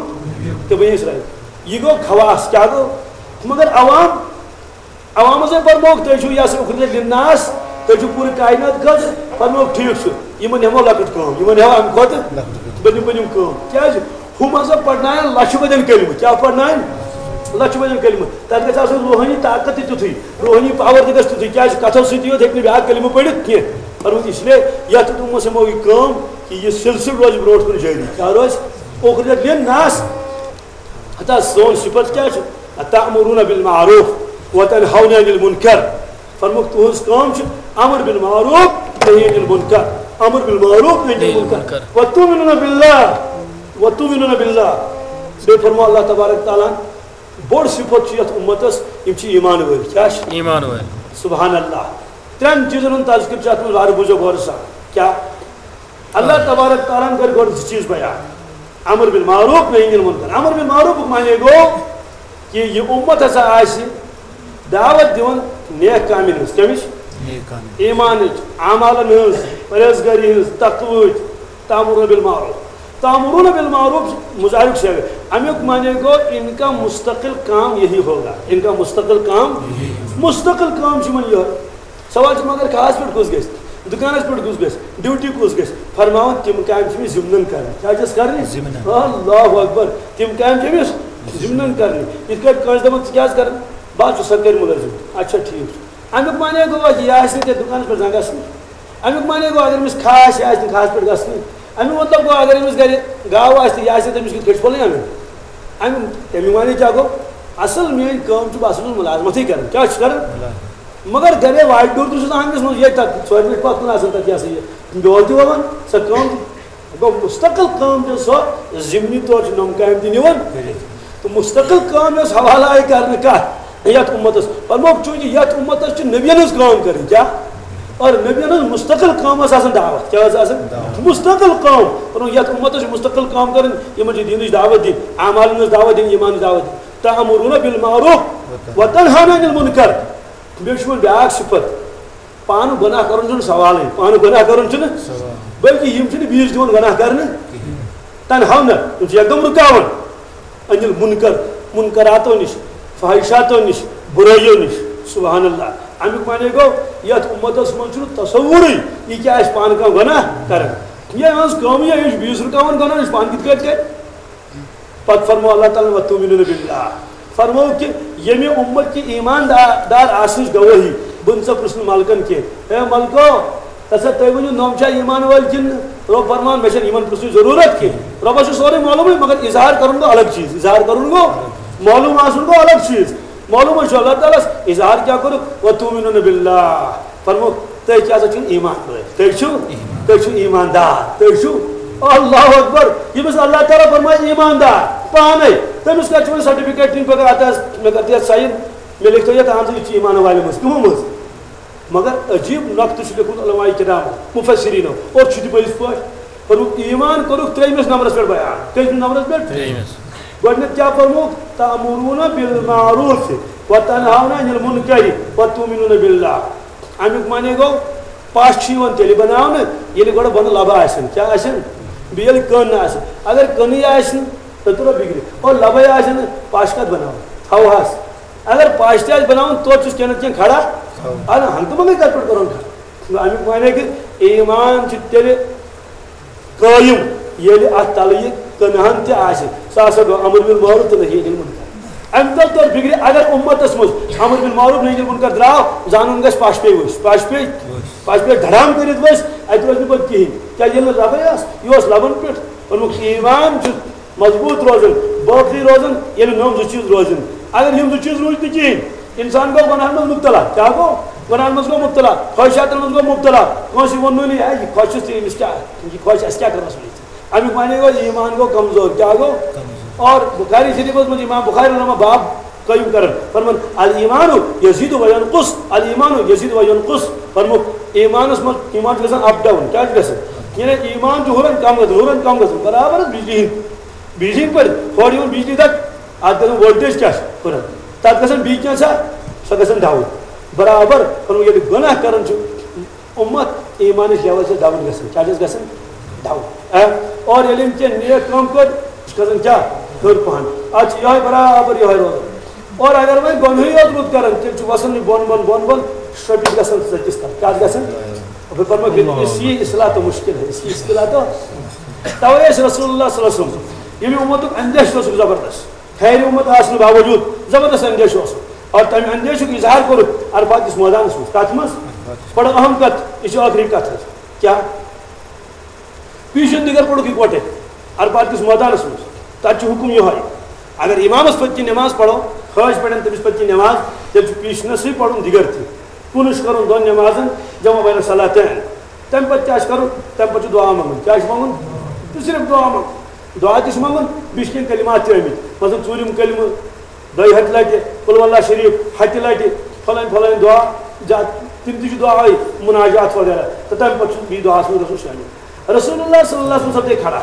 تہٕ بنی اسرائیل۔ یہِ گوٚو خواص، کیٛاہ گوٚو؟ مگر عوام، عوامس ہے فرمووُکھ، تُہۍ چھِو یس اخرجت للناس، تُہۍ چھِو پوٗرٕ کائنات خٲطرٕ، فرمووُکھ، ٹھیٖک چھُ، یِمن ہٮ۪مو لۄکٕٹ کٲم، یِمن ہٮ۪مو امہِ کھۄتہٕ بٔنِم بٔنِم کٲم۔ کیٛازِ؟ ہُم ہسا پرناون لچھِ بٔدٮ۪ن کلمہٕ۔ کیٛاہ پرناون؟ لچھِ بٔدٮ۪ن کلمہٕ۔ تتھ گژھِ آسُن روحٲنی طاقت تہِ تیُتھُے، روحٲنی پاور تہِ گژھِ تیُتھُے۔ کیٛازِ؟ کتھو سۭتی یوت ہیٚکہِ نہٕ بیٛاکھ کلمہٕ پٔرِتھ کینٛہہ۔ فرمووُکھ، اس لیے یتھ اُمتس ہٮ۪مو یہِ کٲم کہِ یہِ سلسلہٕ روزِ برونٛٹھ کُن جٲری۔ کیٛاہ روزِ؟ اخرجت للناس۔ ہتا سون صفت کیٛاہ چھُ؟ أتأمرون بالمعروف وتنهون عن المنكر۔ فرمووُکھ، تُہٕنٛز کٲم چھِ امر بالمعروف، نہی عن المنکر۔ امر بالمعروف، نہی عن المنکر۔ وتؤمنون باللہ، وتؤمنون باللہ۔ بیٚیہِ فرموو اللہ تبارک تعالیٰ ہن، بوٚڑ صفت چھُ یتھ اُمتس، یِم چھِ ایمان وٲلۍ۔ کیٛاہ چھِ؟ ایمان وٲلۍ۔ سبحان اللہ۔ ترٛٮ۪ن چیٖزن ہُنٛد تذکر چھُ اتھ منٛز، وارٕ بوٗزِو غورٕ سان۔ کیٛاہ؟ اللہ تبارک تعالیٰ ہن کٔرۍ گۄڈٕ زٕ چیٖز بیان۔ امر بالمعروف، نہی عن المنکر۔ امر بالمعروفُک معنی گوٚو کہِ یہِ اُمت ہسا آسہِ دعوت دِوان نیک کامٮ۪ن ہٕنٛز۔ کمِچ؟ نیک کامٮ۪ن۔ ایمانٕچ، اعمالن ہٕنٛز، پرہیزگٲری ہٕنٛز، تقوہٕچ، تأمرون بالمعروف۔ تأمرون بالمعروف مضارعُک صیغہ۔ امیُک معنی گوٚو، ان کا مستقل کام یہی ہوگا۔ ان کا مستقل کام، مستقل کام چھُ یِمن یِہوٚے۔ سوال چھُ، مگر کھہَس پٮ۪ٹھ کُس گژھِ؟ دُکانَس پٮ۪ٹھ کُس گژھِ؟ ڈیوٹی کُس گژھِ؟ فرماوان، تِم کامہِ چھِ أمِس ضِمنَن کَرٕنۍ۔ کیٛاہ چھَس کَرٕنۍ؟ ضِمنَن۔ اللہ اکبر۔ تِم کامہِ چھِ أمِس ضِمنَن کَرٕنۍ۔ یِتھ کٲٹھۍ کٲنٛسہِ دَپان، ژٕ کیٛازِ کَران؟ بہٕ حظ چھُس سرکٲرۍ مُلٲزِم۔ اچھا، ٹھیٖک چھُ۔ اَمیُک معنی گوٚو، یہِ آسہِ نہٕ تیٚلہِ دُکانَس پٮ۪ٹھ زنٛگَس نہٕ۔ اَمیُک معنی گوٚو، اگر أمِس کھہَس، یہِ آسہِ نہٕ کھہَس پٮ۪ٹھ گژھنٕے۔ اَمیُک مطلب گوٚو، اگر أمِس گَرِ گاو آسہِ تہٕ یہِ آسہِ نہٕ تٔمِس کِتھ کٔٹھۍ پھوٚلٕے اَنٕنۍ۔ اَمیُک، تَمیُک معنی کیٛاہ گوٚو؟ اَصٕل میٛٲنۍ کٲم چھِ، بہٕ ہسا چھُس مُلازمَتٕے کَران۔ کیٛاہ چھُس کَران؟ مُلازمت۔ مگر گَرے واٹہِ ڈوٗر تہِ چھُس نہٕ آنٛگنَس منٛز، ییٚتہِ تَتھ ژورِ بَجہِ پَتھ کُن آسان تَتہِ، یہِ ہسا یہِ بیول تہِ وَوان، سۄ کٲم تہِ۔ گوٚو مُستقل کٲم چھِ سۄ، ضِمنی طور چھِ نۄم کامہِ تہِ نِوان۔ کٔرِتھ۔ تہٕ مُستقل کٲم یۄس حوالہٕ آیہِ کَرنہٕ کَتھ؟ یَتھ اُمَتَس۔ فرمووُکھ، چوٗنٛکہِ یَتھ اُمَتَس چھِ نبیَن ہٕنٛز کٲم کَرٕنۍ۔ کیٛاہ؟ اور نبیَن ہٕنٛز مُستقل کٲم ٲس آسان دعوت۔ کیٛاہ ٲس آسان؟ دعوت۔ مُستقل کٲم۔ فرمووُکھ، یَتھ اُمَتَس چھِ مُستقل کٲم کَرٕنۍ، یِمَن چھِ دیٖنٕچ دعوت دِنۍ، اعمالَن ہٕنٛز دعوت دِنۍ، ایٖمانٕچ دعوت دِنۍ۔ تأمرون بالمعروف وتنهون عن المنکر۔ بیٚیہِ چھُ وۄنۍ بیٛاکھ صفت۔ پانہٕ گۄناہ کرُن چھُنہٕ سوالٕے، پانہٕ گۄناہ کرُن چھُنہٕ، سوال۔ بلکہِ یِم چھِنہٕ بیٚیِس دِوان گۄناہ کرنہٕ۔ کِہیٖنۍ۔ تنہون، یِم چھِ یکدم رُکاوان۔ عن المنکر، منکراتو نِش، فحشاتو نِش، بُرٲیو نِش۔ سبحان اللہ۔ اَمیُک معنی گوٚو، یَتھ اُمتَس منٛز چھُنہٕ تصورٕے، یہِ کیٛاہ آسہِ پانہٕ کانٛہہ گۄناہ کران۔ یہِ یِہٕنٛز کٲمٕے، یہِ چھُ بیٚیِس رُکاوان گۄناہ نِش، پانہٕ کِتھ کٲٹھۍ کرِ؟ پتہٕ فرموو اللہ تعالیٰ ہن، "وتؤمنون باللہ"، فرموو کہِ ییٚمہِ اُمت کہِ ایمان دا-، دار آسنٕچ گوٲہی، بہٕ نہٕ ژےٚ پرٛژھنہٕ ملکن کینٛہہ، "اے ملکو، تسا تُہۍ ؤنِو، نۄم چھا ایمان وٲلۍ کِنہٕ نہٕ؟" رۄب فرمان، "مےٚ چھَنہٕ یِمن پرٛژھنٕچ ضروٗرت کینٛہہ۔" رۄبس چھُ سورُے معلومٕے، مگر اظہار کرُن گوٚو الگ چیٖز، اظہار کرُن گوٚو، معلوم آسُن گوٚو الگ چیٖز۔ معلوم چھُ اللہ تعالیٰ ہس، اظہار کیٛاہ کوٚرُکھ؟ "وتؤمنون باللہ"۔ فرموو، تُہۍ کیٛاہ سا چھِو ایمان وٲلۍ؟ تُہۍ چھِو، ایمان۔ تُہۍ چھِو ایماندار۔ تُہۍ چھِو، اللہ اکبر، ییٚمِس اللہ تعالیٰ فرمایہِ ایماندار پانے، تٔمِس کَتہِ چھُ وۄنۍ سرٹیفکیٹ دِنۍ؟ پگاہ اَتھ آسہِ، مےٚ کَتہِ یَتھ ساین، مےٚ لیکھتو یَتھ، اہن سا، یہِ چھُ ایمان والٮ۪ن منٛز۔ کٕمو منٛز؟ مگر عجیب نۄقطہٕ چھُ لیوٚکھمُت علماء کرامو، مفسریٖنو، اور چھُ تہِ پٔزۍ پٲٹھۍ۔ فرمووُکھ، ایمان کوٚرُکھ ترٛیٚیمِس نمبرس پٮ۪ٹھ بیان۔ کٔژمِس نمبرس پٮ۪ٹھ؟ ترٛیٚیمِس۔ گۄڈٕنٮ۪تھ کیٛاہ فرمووُکھ؟ تأمرون بالمعروف وتنهون عن المنکر وتؤمنون باللہ۔ اَمیُک معنی گوٚو، پَش چھُ یِوان تیٚلہِ بَناونہٕ، ییٚلہِ گۄڈٕ بۄنہٕ لَبہٕ آسن۔ کیٛاہ آسن؟ بیٚیہِ ییٚلہِ کٔن آسن۔ اگر کٔنٕے آسہِ نہٕ، تیٚلہِ تُلو بِگڑِ۔ اور لَبَے آسن نہٕ، پَش کَتھ بَناوو؟ ہَوہَس۔ اگر پَش تہِ آسہِ بَناوُن، توتہِ چھُس کینٛہہ نَتہٕ کینٛہہ کھڑا۔ اَدٕ ہنٛگتہٕ منٛگَے کَتہِ پٮ۪ٹھ کَرون کھڑا؟ اَمیُک معنی گٔے، ایمان چھُ تیٚلہِ قٲیِم، ییٚلہِ اَتھ تَلہٕ یہِ کٕنہَن تہِ آسہِ، سُہ ہسا گوٚو امر بالمعروف تہٕ نہی عن المنکر۔ اَمہِ تَل توٚر فِکرِ، اگر اُمتَس منٛز امر بالمعروف نہی عن المنکر درٛاو، زانُن گژھِ پَش پیٚیہِ ؤسۍ، پَش پیٚیہِ، پَش پیٚیہِ دھڑام کٔرِتھ ؤسۍ، اَتہِ روزِ نہٕ پَتہٕ کِہیٖنۍ۔ کیٛازِ ییٚلہِ نہٕ لَبَے آسہٕ، یہِ اوس لَبَن پٮ۪ٹھ۔ ووٚنمُت، ایمان چھُ مضبوٗط روزان، باقٕے روزان، ییٚلہِ نوٚم زٕ چیٖز روزن۔ اگر یِم زٕ چیٖز روٗدۍ نہٕ کِہیٖنۍ، انسان گوٚو گۄناہن منٛز مبتلا۔ کیٛاہ گوٚو؟ گۄناہن منٛز گوٚو مبتلا، خواہشاتن منٛز گوٚو مبتلا۔ کٲنٛسہِ ووٚنُے نہٕ، "ہے، یہِ خۄش چھُس تہٕ أمِس کیٛاہ، یہِ خۄش، اَسہِ کیٛاہ کَرنَس وۄنۍ؟" اَمیُک معنی گوٚو، ایمان گوٚو کمزور۔ کیٛاہ گوٚو؟ کمزور۔ اور بخاری شریفس منٛز امام بخاری رحمہ باب قٲیِم کران، فرمان، "الایمان یزید و ینقص، الایمان یزید و ینقص۔" فرمو، ایمانس منٛز، ایمان چھُ گژھان up down۔ کیٛاہ چھُ گژھان؟ یعنی ایمان چھُ ہُران کم گژھان، ہُران کم گژھان، برابر حظ بجلی ہِنٛدۍ، بجلی ہِنٛدۍ پٲٹھۍ، ہورٕ یِوان بجلی دَگ، اَتھ گژھان voltage کیٛاہ چھُ ہُران، تَتھ گژھان بیٚیہِ کینٛہہ سا، سۄ گژھان down۔ برابر، فرمو، ییٚلہِ گۄناہ کران چھُ اُمت، ایمانٕچ level چھِ down گژھان۔ کیٛاہ چھِ گژھان؟ Down۔ اے، اور ییٚلہِ أمۍ کینٛہہ نیک کٲم کٔر، یہِ چھُ کھسان کیٛاہ؟ ہیوٚر پہن۔ اَتھ چھِ یِہوٚے برابر یِہوٚے روزان۔ اور اگر وۄنۍ گۄنہٕے یوت رُت کران، تیٚلہِ چھُ وَسان یہِ بۄن بۄن بۄن بۄن، شرٛپِتھ گژھان ژٔٹِس تَل۔ کیٛاہ چھِ گژھان؟ بہٕ فرماو، پھر اس کی اصلاح تو مشکل ہے، اس کی اصلاح تو۔ تَوَے ٲسۍ رسول اللہ صلی اللہ علیہ وسلم، ییٚمہِ اُمتُک اندیشہٕ اوسُکھ زبردست۔ خیر اُمت آسنہٕ باوجوٗد زبردست اندیشہٕ اوسُکھ۔ اور تَمہِ اندیشُک اظہار کوٚرُکھ عرفات کِس مٲدانَس منٛز۔ کَتھ منٛز؟ بڑٕ اہم کَتھ، یہِ چھِ ٲخری کَتھ حظ۔ کیٛاہ؟ پیٖشن دِگر پوٚرُکھ یِکوَٹَے عرفات کِس مٲدانَس منٛز۔ تَتہِ چھُ حُکُم یِہوٚے، اگر اِمامَس پٔتۍ کِنۍ نٮ۪ماز پَرو، حٲج پَرن تٔمِس پٔتۍ کِنۍ نٮ۪ماز، تیٚلہِ چھُ پیٖشنَسٕے پَرُن دِگر تہِ۔ کُنُس چھُ کَرُن دۄن نٮ۪مازَن جمع بین الصلاتین۔ تَمہِ پَتہٕ کیٛاہ چھُ کَرُن؟ تَمہِ پَتہٕ چھُ دُعا منٛگُن۔ کیٛاہ چھُ منٛگُن؟ تہٕ صرف دُعا منٛگُن۔ دُعا تہِ چھُ منٛگُن، بیٚیہِ چھِ کینٛہہ کلمات تہِ آمٕتۍ۔ مثلاً ژوٗرِم کلمہٕ، دۄیہِ ہَتہِ لَٹہِ قل ہو اللہ شریٖف، ہَتہِ لَٹہِ فلٲنۍ فلٲنۍ دُعا، زیادٕ تِم تہِ چھِ دُعا، مناجات وغیرہ۔ تہٕ تَمہِ پَتہٕ چھُ بیٚیہِ دُعاہَس منٛز گژھُن شٲمِل۔ رسول اللہ صلی اللہ علیہ وسلم سپدے کھڑا۔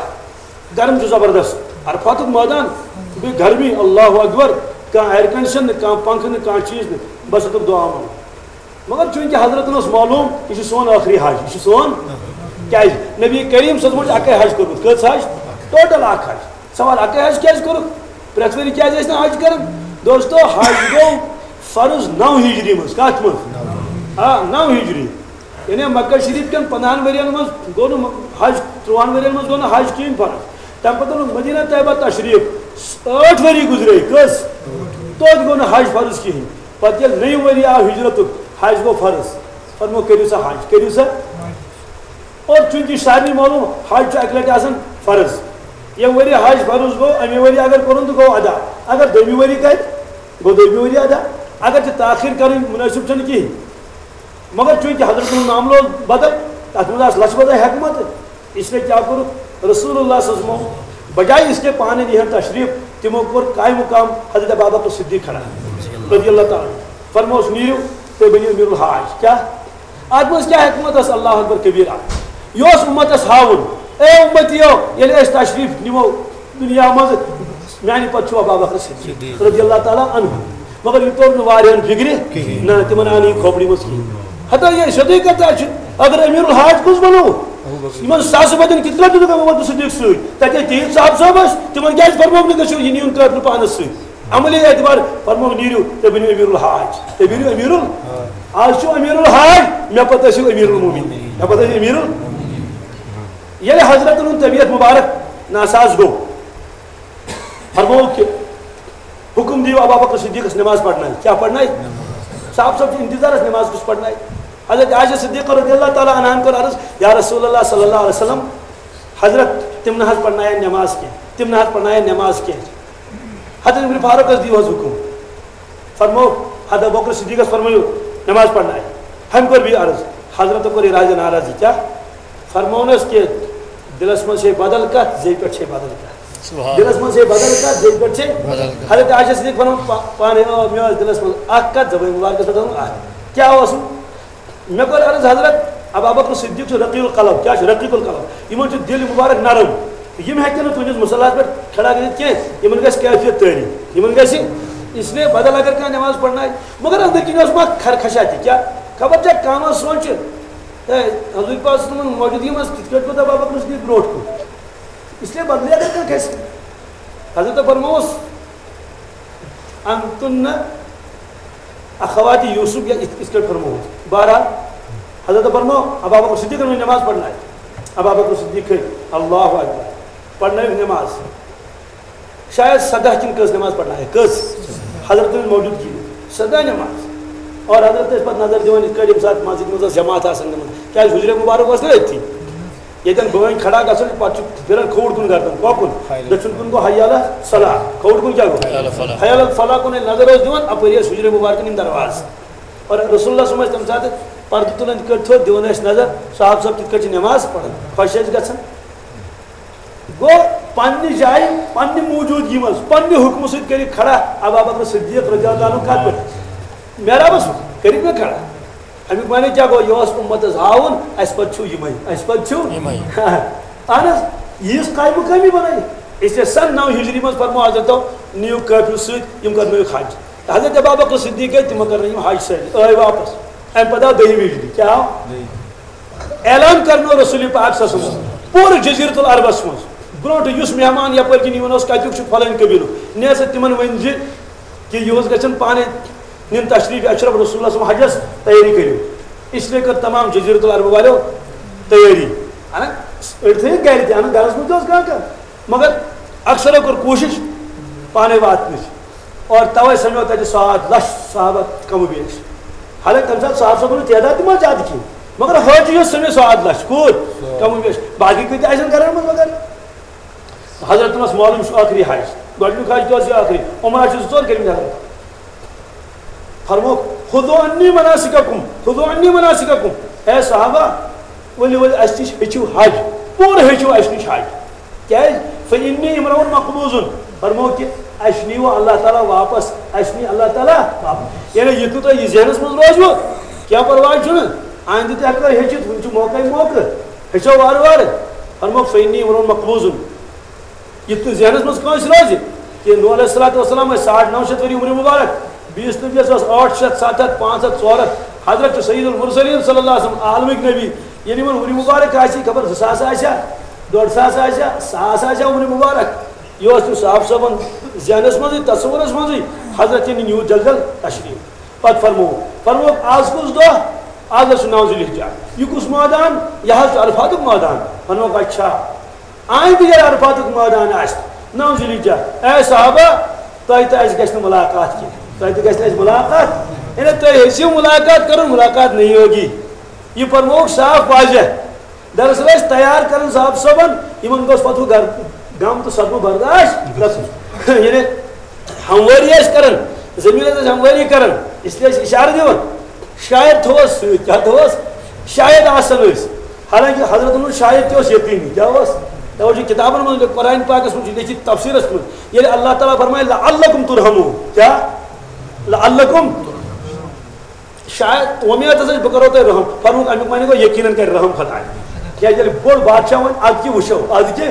گرم چھُ زبردست، عرفاتُک مٲدان، بیٚیہِ گرمی، اللہ اکبر، کانٛہہ air condition نہٕ، کانٛہہ پنکھہٕ نہٕ، کانٛہہ چیٖز نہٕ، بس ہیوٚتُکھ دُعا منٛگُن۔ مگر چوٗنٛکہِ حضرتن اوس معلوٗم، یہِ چھُ سون ٲخری حج، یہِ چھُ سون، کیٛازِ؟ نبی کریم صٲبن چھُ اَکٕے حج کوٚرمُت، کٔژ حج؟ Total اَکھ حج۔ سوال، اَکٕے حج کیٛازِ کوٚرُکھ؟ پرٛٮ۪تھ ؤری کیٛازِ ٲسۍ نہٕ حج کران؟ دوستو، حج گوٚو فرض نَو ہجری منٛز۔ کَتھ منٛز؟ آ، نَو ہجری۔ یعنی مکہ شریف کٮ۪ن پنٛدہَن ؤرین منٛز گوٚو نہٕ حج، تُرٛوہَن ؤرین منٛز گوٚو نہٕ حج کِہیٖنۍ فرض۔ تَمہِ پَتہٕ اوٚنُکھ مدینہ طیبہ تشریٖف، ٲٹھ ؤری گُزرے، کٔژ؟ توتہِ گوٚو نہٕ حج فرض کِہیٖنۍ۔ پَتہٕ ییٚلہِ نٔیِم ؤری آو ہجرتُک، حج گوٚو فرض۔ فرمو، کٔرِو سا حج، کٔرِو سا۔ اور چوٗنٛکہِ یہِ چھُ سارنٕے معلوٗم، حج چھُ اَکہِ لَٹہِ آسان فرض۔ ییٚمہِ ؤری حج فرض گوٚو، اَمے ؤری اگر کوٚرُن تہٕ گوٚو ادا۔ اگر دوٚیمہِ ؤری کرِ، گوٚو دوٚیمہِ ؤری ادا۔ اگر چھِ تاخیر کَرٕنۍ، مُنٲسِب چھُنہٕ کِہیٖنۍ۔ مگر چوٗنٛکہِ حضرت سُنٛد معاملہٕ اوس بدل، تَتھ منٛز آسہٕ لَچھِ بَدٲے حکمت، اس لیے کیٛاہ کوٚرُکھ؟ رسول اللہ صلی اللہ علیہ وسلم بجائے اس کے پانہٕ نِہَن تشریٖف، تِمو کوٚر قائم مقام حضرت ابابکر صدیق کھڑا رضی اللہ تعالیٰ عنہ۔ فرموس، "نیٖرِو تُہۍ بٔنِو امیر الحاج۔" کیٛاہ؟ اَتھ منٛز کیٛاہ حکمت ٲس؟ اللہ اکبر کبیرہ۔ یہِ اوس اُمتَس ہاوُن، اے اُمتیو، ییٚلہِ أسۍ تشریٖف نِمو دُنیا منٛز، میانہِ پتہٕ چھُ ابا بکر صدیق صدیق۔ رضی اللہ تعالیٰ عنہ۔ مگر یہِ توٚر نہٕ واریاہن فِکرِ کِہیٖنۍ۔ نہ، تِمن آو نہٕ یہِ کھوپڑِ منٛز کِہیٖنۍ۔ ہتا یہِ سیوٚدُے کتھ چھِ، اگر امیر الحاج کُس بنو؟ ابو بکر۔ یِمن ساسہٕ بَدٮ۪ن کِتھ پٲٹھۍ دیُتُکھ ابو بکر صدیق سۭتۍ؟ تَتہِ ٲسۍ تِہِنٛدۍ صاحب صٲب ٲسۍ، تِمن کیٛازِ فرمووُکھ نہٕ گٔژھِو یہِ نِیُن کٲفلہٕ پانس سۭتۍ؟ عملی اعتبار فرمووُکھ، "نیٖرِو تُہۍ بٔنِو امیر الحاج، تُہۍ بٔنِو امیر ال-، آز چھُ امیر الحاج، مےٚ پتہٕ ٲسِو امیر المومنین، مےٚ پتہٕ ٲسِو امیر ال-" ییٚلہِ حضرتن ہُنٛد طبیعت مبارک ناساز گوٚو، فرمووُکھ کہِ حُکُم دِیِو ابا بکر صدیقس نماز پرنایہِ۔ کیٛاہ پرنایہِ؟ صاحب صٲب چھِ انتظارس نماز کُس پرنایہِ۔ حضرت عائشہ صدیقہ رضی اللہ تعالیٰ عنہن کوٚر عرض، "یا رسول اللہ صلی اللہ علیہ وسلم، حضرت تِم نہ حظ پرناین نماز کینٛہہ، تِم نہ حظ پرناین نماز کینٛہہ۔" حضرت ابن فاروقس دِیِو حظ حُکُم۔ فرموو، حضرت ابوبکر صدیقس فرمٲیِو نماز پرنایہِ۔ ہُمۍ کوٚر بیٚیہِ عرض، حضرتو کوٚر یہِ راجہ ناراض، یہِ کیٛاہ؟ فرموونس کہِ دِلس منٛز چھے بدل کتھ، زیٚوِ پٮ۪ٹھ چھے بدل کتھ۔ سبحان۔ دِلس منٛز چھے بدل کتھ، زیٚوِ پٮ۪ٹھ چھے۔ بدل کتھ۔ حضرت عائشہ صدیق فرماوان پا-، پانے، آ، مےٚ ٲس دِلس منٛز اکھ کتھ، زبٲنۍ مبارکس پٮ۪ٹھ ٲس اکھ۔ کیٛاہ اوسُم؟ مےٚ کوٚر عرض، حضرت ابا بکر صدیق چھُ رقیق القلب۔ کیٛاہ چھُ رقیق القلب؟ یِمن چھُ دِل مبارک نرم۔ یِم ہیٚکن نہٕ تُہنٛدِس مُصلحس پٮ۪ٹھ کھڑا گٔژھِتھ کینٛہہ۔ یِمن گژھِ کیفیت تٲری۔ یِمن گژھِ اس لیے بدل اگر کانٛہہ نماز پرنایہِ، مگر أنٛدرۍ کِنۍ اوس ما خرخشہ تہِ؟ کیٛاہ خبر چھا کانٛہہ ما سونٛچہِ، ہے، حضور پاک صلی اللہ علیہ وسلم موجودگی منٛز کِتھ کٲٹھۍ کوٚر ابو بکر صدیق برونٛٹھ کُن؟ اس لیے بدلٕے اگر کانٛہہ کھسہِ۔ حضرت فرمووُس، "انتن اخوات یوسف"، یا یِتھ، یِتھ کٲٹھۍ فرمووُس۔ بہرحال، حضرت فرموو، ابو بکر صدیقن ہٕنٛز نماز پرنایہِ۔ ابو بکر صدیق کھٔتۍ، اللہ اکبر، پرنٲوِکھ نماز۔ شاید سداہ کِنہٕ کٔژ نماز پرنایکھ؟ کٔژ؟ حضرت موجودگی منٛز سداہ نماز۔ اور حضرت ٲسۍ پتہٕ نظر دِوان، یِتھ کٲٹھۍ ییٚمہِ ساتہٕ مسجد منٛز ٲس جماعت آسان گٔمٕژ، کیازِ حجرے مبارک اوس نہ أتھی۔ ییٚتٮ۪ن بٲنۍ کھڑا گژھان چھِ، پتہٕ چھُ پھِران کھووُر کُن گردن، کۄکُن؟ دٔچھُن کُن گوٚو حی علی صلاح، کھووُر کُن کیٛاہ گوٚو؟ حی علی فلاح۔ حی علی فلاح کُن ییٚلہِ نظر اوس دِوان، اپٲری ٲسۍ حجرے مبارکن یِم دروازٕ۔ اور رسول اللہ صلی اللہ علیہ وسلم ٲسۍ تَمہِ ساتہٕ پردٕ تُلان، یِتھ کٲٹھۍ تھوٚد دِوان ٲسۍ نظر، صاحب صٲب کِتھ کٲٹھۍ چھِ نماز پران، خۄش ٲسۍ گژھان۔ گوٚو پننہِ جایہِ، پننہِ موجودگی منٛز، پننہِ حُکمہٕ سۭتۍ کٔرِکھ کھڑا ابا بکر صدیق رضی اللہ عنہ کتھ پٮ۪ٹھ؟ محرابس منٛز کٔرِکھ مےٚ کھڑا۔ اَمیُک معنی کیٛاہ گوٚو؟ یہِ اوس اُمتس ہاوُن، اَسہِ پتہٕ چھُو یِمے، اَسہِ پتہٕ چھُو۔ یِمے۔ اہن حظ، ییٖژ قائم مقٲمی بنٲیِتھ۔ اس لیے سن نو ہجری منٛز فرموو حضرتو، نِیِو قٲفلہٕ سۭتۍ، یِم کرنٲیِکھ حج۔ حضرت ابا بکر صدیق گٔے، تِمو کرنٲے یِم حج سٲری، ٲے واپس۔ اَمہِ پتہٕ آو دٔہِم ہجری۔ کیٛاہ آو؟ اعلان کرنوو رسول پاک صلی اللہ علیہ وسلم پوٗرٕ جزیرت العربس منٛز۔ برونٛٹھ یُس مہمان یپٲرۍ کِنۍ یِوان اوس، کتیُک چھُ فلٲنۍ قبیلُک، نیر سا تِمن ؤنۍ زِ کہِ یِہُس گژھن پانے نِن تشریف اشرف رسول اللہ صلی اللہ علیہ وسلم حجس، تیٲری کٔرِو۔ اس لیے کٔر تمام جزیرت العرب والٮ۪و تیٲری۔ اہن، أڑۍ تھٲیِکھ گرِ تہِ، اہن، گرس منٛز تہِ اوس کانٛہہ کانٛہہ، مگر اکثرو کٔر کوٗشش پانے واتنٕچ۔ اور توے سمیو تتہِ ساڑ لچھ صحابہ کم و بیش۔ حالانکہ تمہِ ساتہٕ صحابہٕ صٲبن ہُنٛد تعداد تہِ ما زیادٕ کینٛہہ، مگر حٲجی یوت سمیو ساڑ لچھ۔ کوٗت؟ کم و بیش۔ باقی کۭتیاہ آسن گرن منٛز مگر؟ حضرتن اوس معلوم، یہِ چھُ ٲخری حج۔ گۄڈٕنیُک حج تہِ اوس یہِ ٲخری۔ عمرہ چھِ زٕ ژور کٔرمٕتۍ حضرت۔ فرمووُکھ، "خُذُوا عَنِّی مَنَاسِکَکُم، خُذُوا عَنِّی مَنَاسِکَکُم۔" اے صحابہ، ؤلِو، ؤلِو، اَسہِ نِش ہیٚچھِو حج۔ پوٗرٕ ہیٚچھِو اَسہِ نِش حج۔ کیٛازِ؟ "فَإِنِّی اِمْرَؤُن مَقْبُوضٌ۔" فرموو کہِ اَسہِ نِیِو اللہ تعالیٰ واپس، اَسہِ نِیہِ اللہ تعالیٰ واپس۔ یعنی یہِ تہِ تۄہہِ یہِ ذہنَس منٛز روزِوٕ، کینٛہہ پرواے چھُنہٕ، آیندٕ تہِ ہٮ۪کو ہیٚچھِتھ، وٕنہِ چھُ موقعے موقعہٕ، ہیٚچھو وارٕ وارٕ۔ فرموو، "فَإِنِّی اِمْرَؤُن مَقْبُوضٌ۔" یہِ تہِ ذہنس منٛز کٲنٛسہِ روزِ کہِ نوح علیہ الصلوۃ والسلام ٲسۍ ساڑ نو شیٚتھ ؤری عمر مبارک، بیٚیِس نبیَس ٲس ٲٹھ شیٚتھ، ستھ ہتھ، پانٛژھ ہتھ، ژور ہتھ، حضرت چھُ سید المرسلین صلی اللہ علیہ وسلم، عالمٕکۍ نبی، ییٚلہِ یِمن عمر مبارک آسہِ خبر زٕ ساس آسیا، ڈۄڈ ساس آسیا، ساس آسیا عمر مبارک، یہِ اوس تٔمۍ صاحب صٲبن ذہنس منٛزٕے، تصورس منٛزٕے، حضرت یعنی نیوٗ جلد جلد تشریف۔ پتہٕ فرموو، فرمووُکھ، "آز کُس دۄہ؟" "آز حظ چھُ نو ذی الحجہ۔" "یہِ کُس مٲدان؟" "یہِ حظ چھُ عرفاتُک مٲدان۔" فرمووُکھ، "اچھا۔" آیندٕ ییٚلہِ عرفاتُک مٲدان آسہِ، نو ذی الحجہ، اے صحابہ، تۄہہِ تہٕ اَسہِ گژھِ نہٕ مُلاقات کینٛہہ، تۄہہِ تہِ گژھِ نہٕ اَسہِ مُلاقات، یعنی تۄہہِ ہیٚژِو مُلاقات کَرُن، مُلاقات نہیں ہوگی۔ یہِ فرمووُکھ صاف واضح۔ دراصل ٲسۍ تیار کَران صاحب صٲبَن، یِمَن گوٚژھ پَتہٕ ہُہ گَر-، غم تہٕ صدمہٕ برداش گژھُن۔ یعنی ہموٲری ٲسۍ کَران، زٔمیٖنَس ٲسۍ ہموٲری کَران، اس لیے ٲسۍ اِشارٕ دِوان۔ شاید تھوٚوس سۭتۍ، کیٛاہ تھوٚوس؟ شاید آسَن أسۍ۔ حالانکہ حضرت عمر شاید تہِ اوس یقینی۔ کیٛاہ اوس؟ توجہ کتابن منٛز لیوٚکھ، قرآن پاکس منٛز چھُ لیکھِتھ تفسیرس منٛز، ییٚلہِ اللہ تعالیٰ فرمایہِ، "لعلکم ترحمون"، کیٛاہ؟ لعلکم۔ شاید اُمید ہسا چھِ بہٕ کرو تۄہہِ رحم۔ فرمووُکھ، اَمیُک معنی گوٚو یقیناً کرِ رحم خداے۔ کیٛازِ ییٚلہِ بوٚڑ بادشاہ وَنہِ، "اَدٕ کہِ وٕچھو، اَدٕ کہِ"،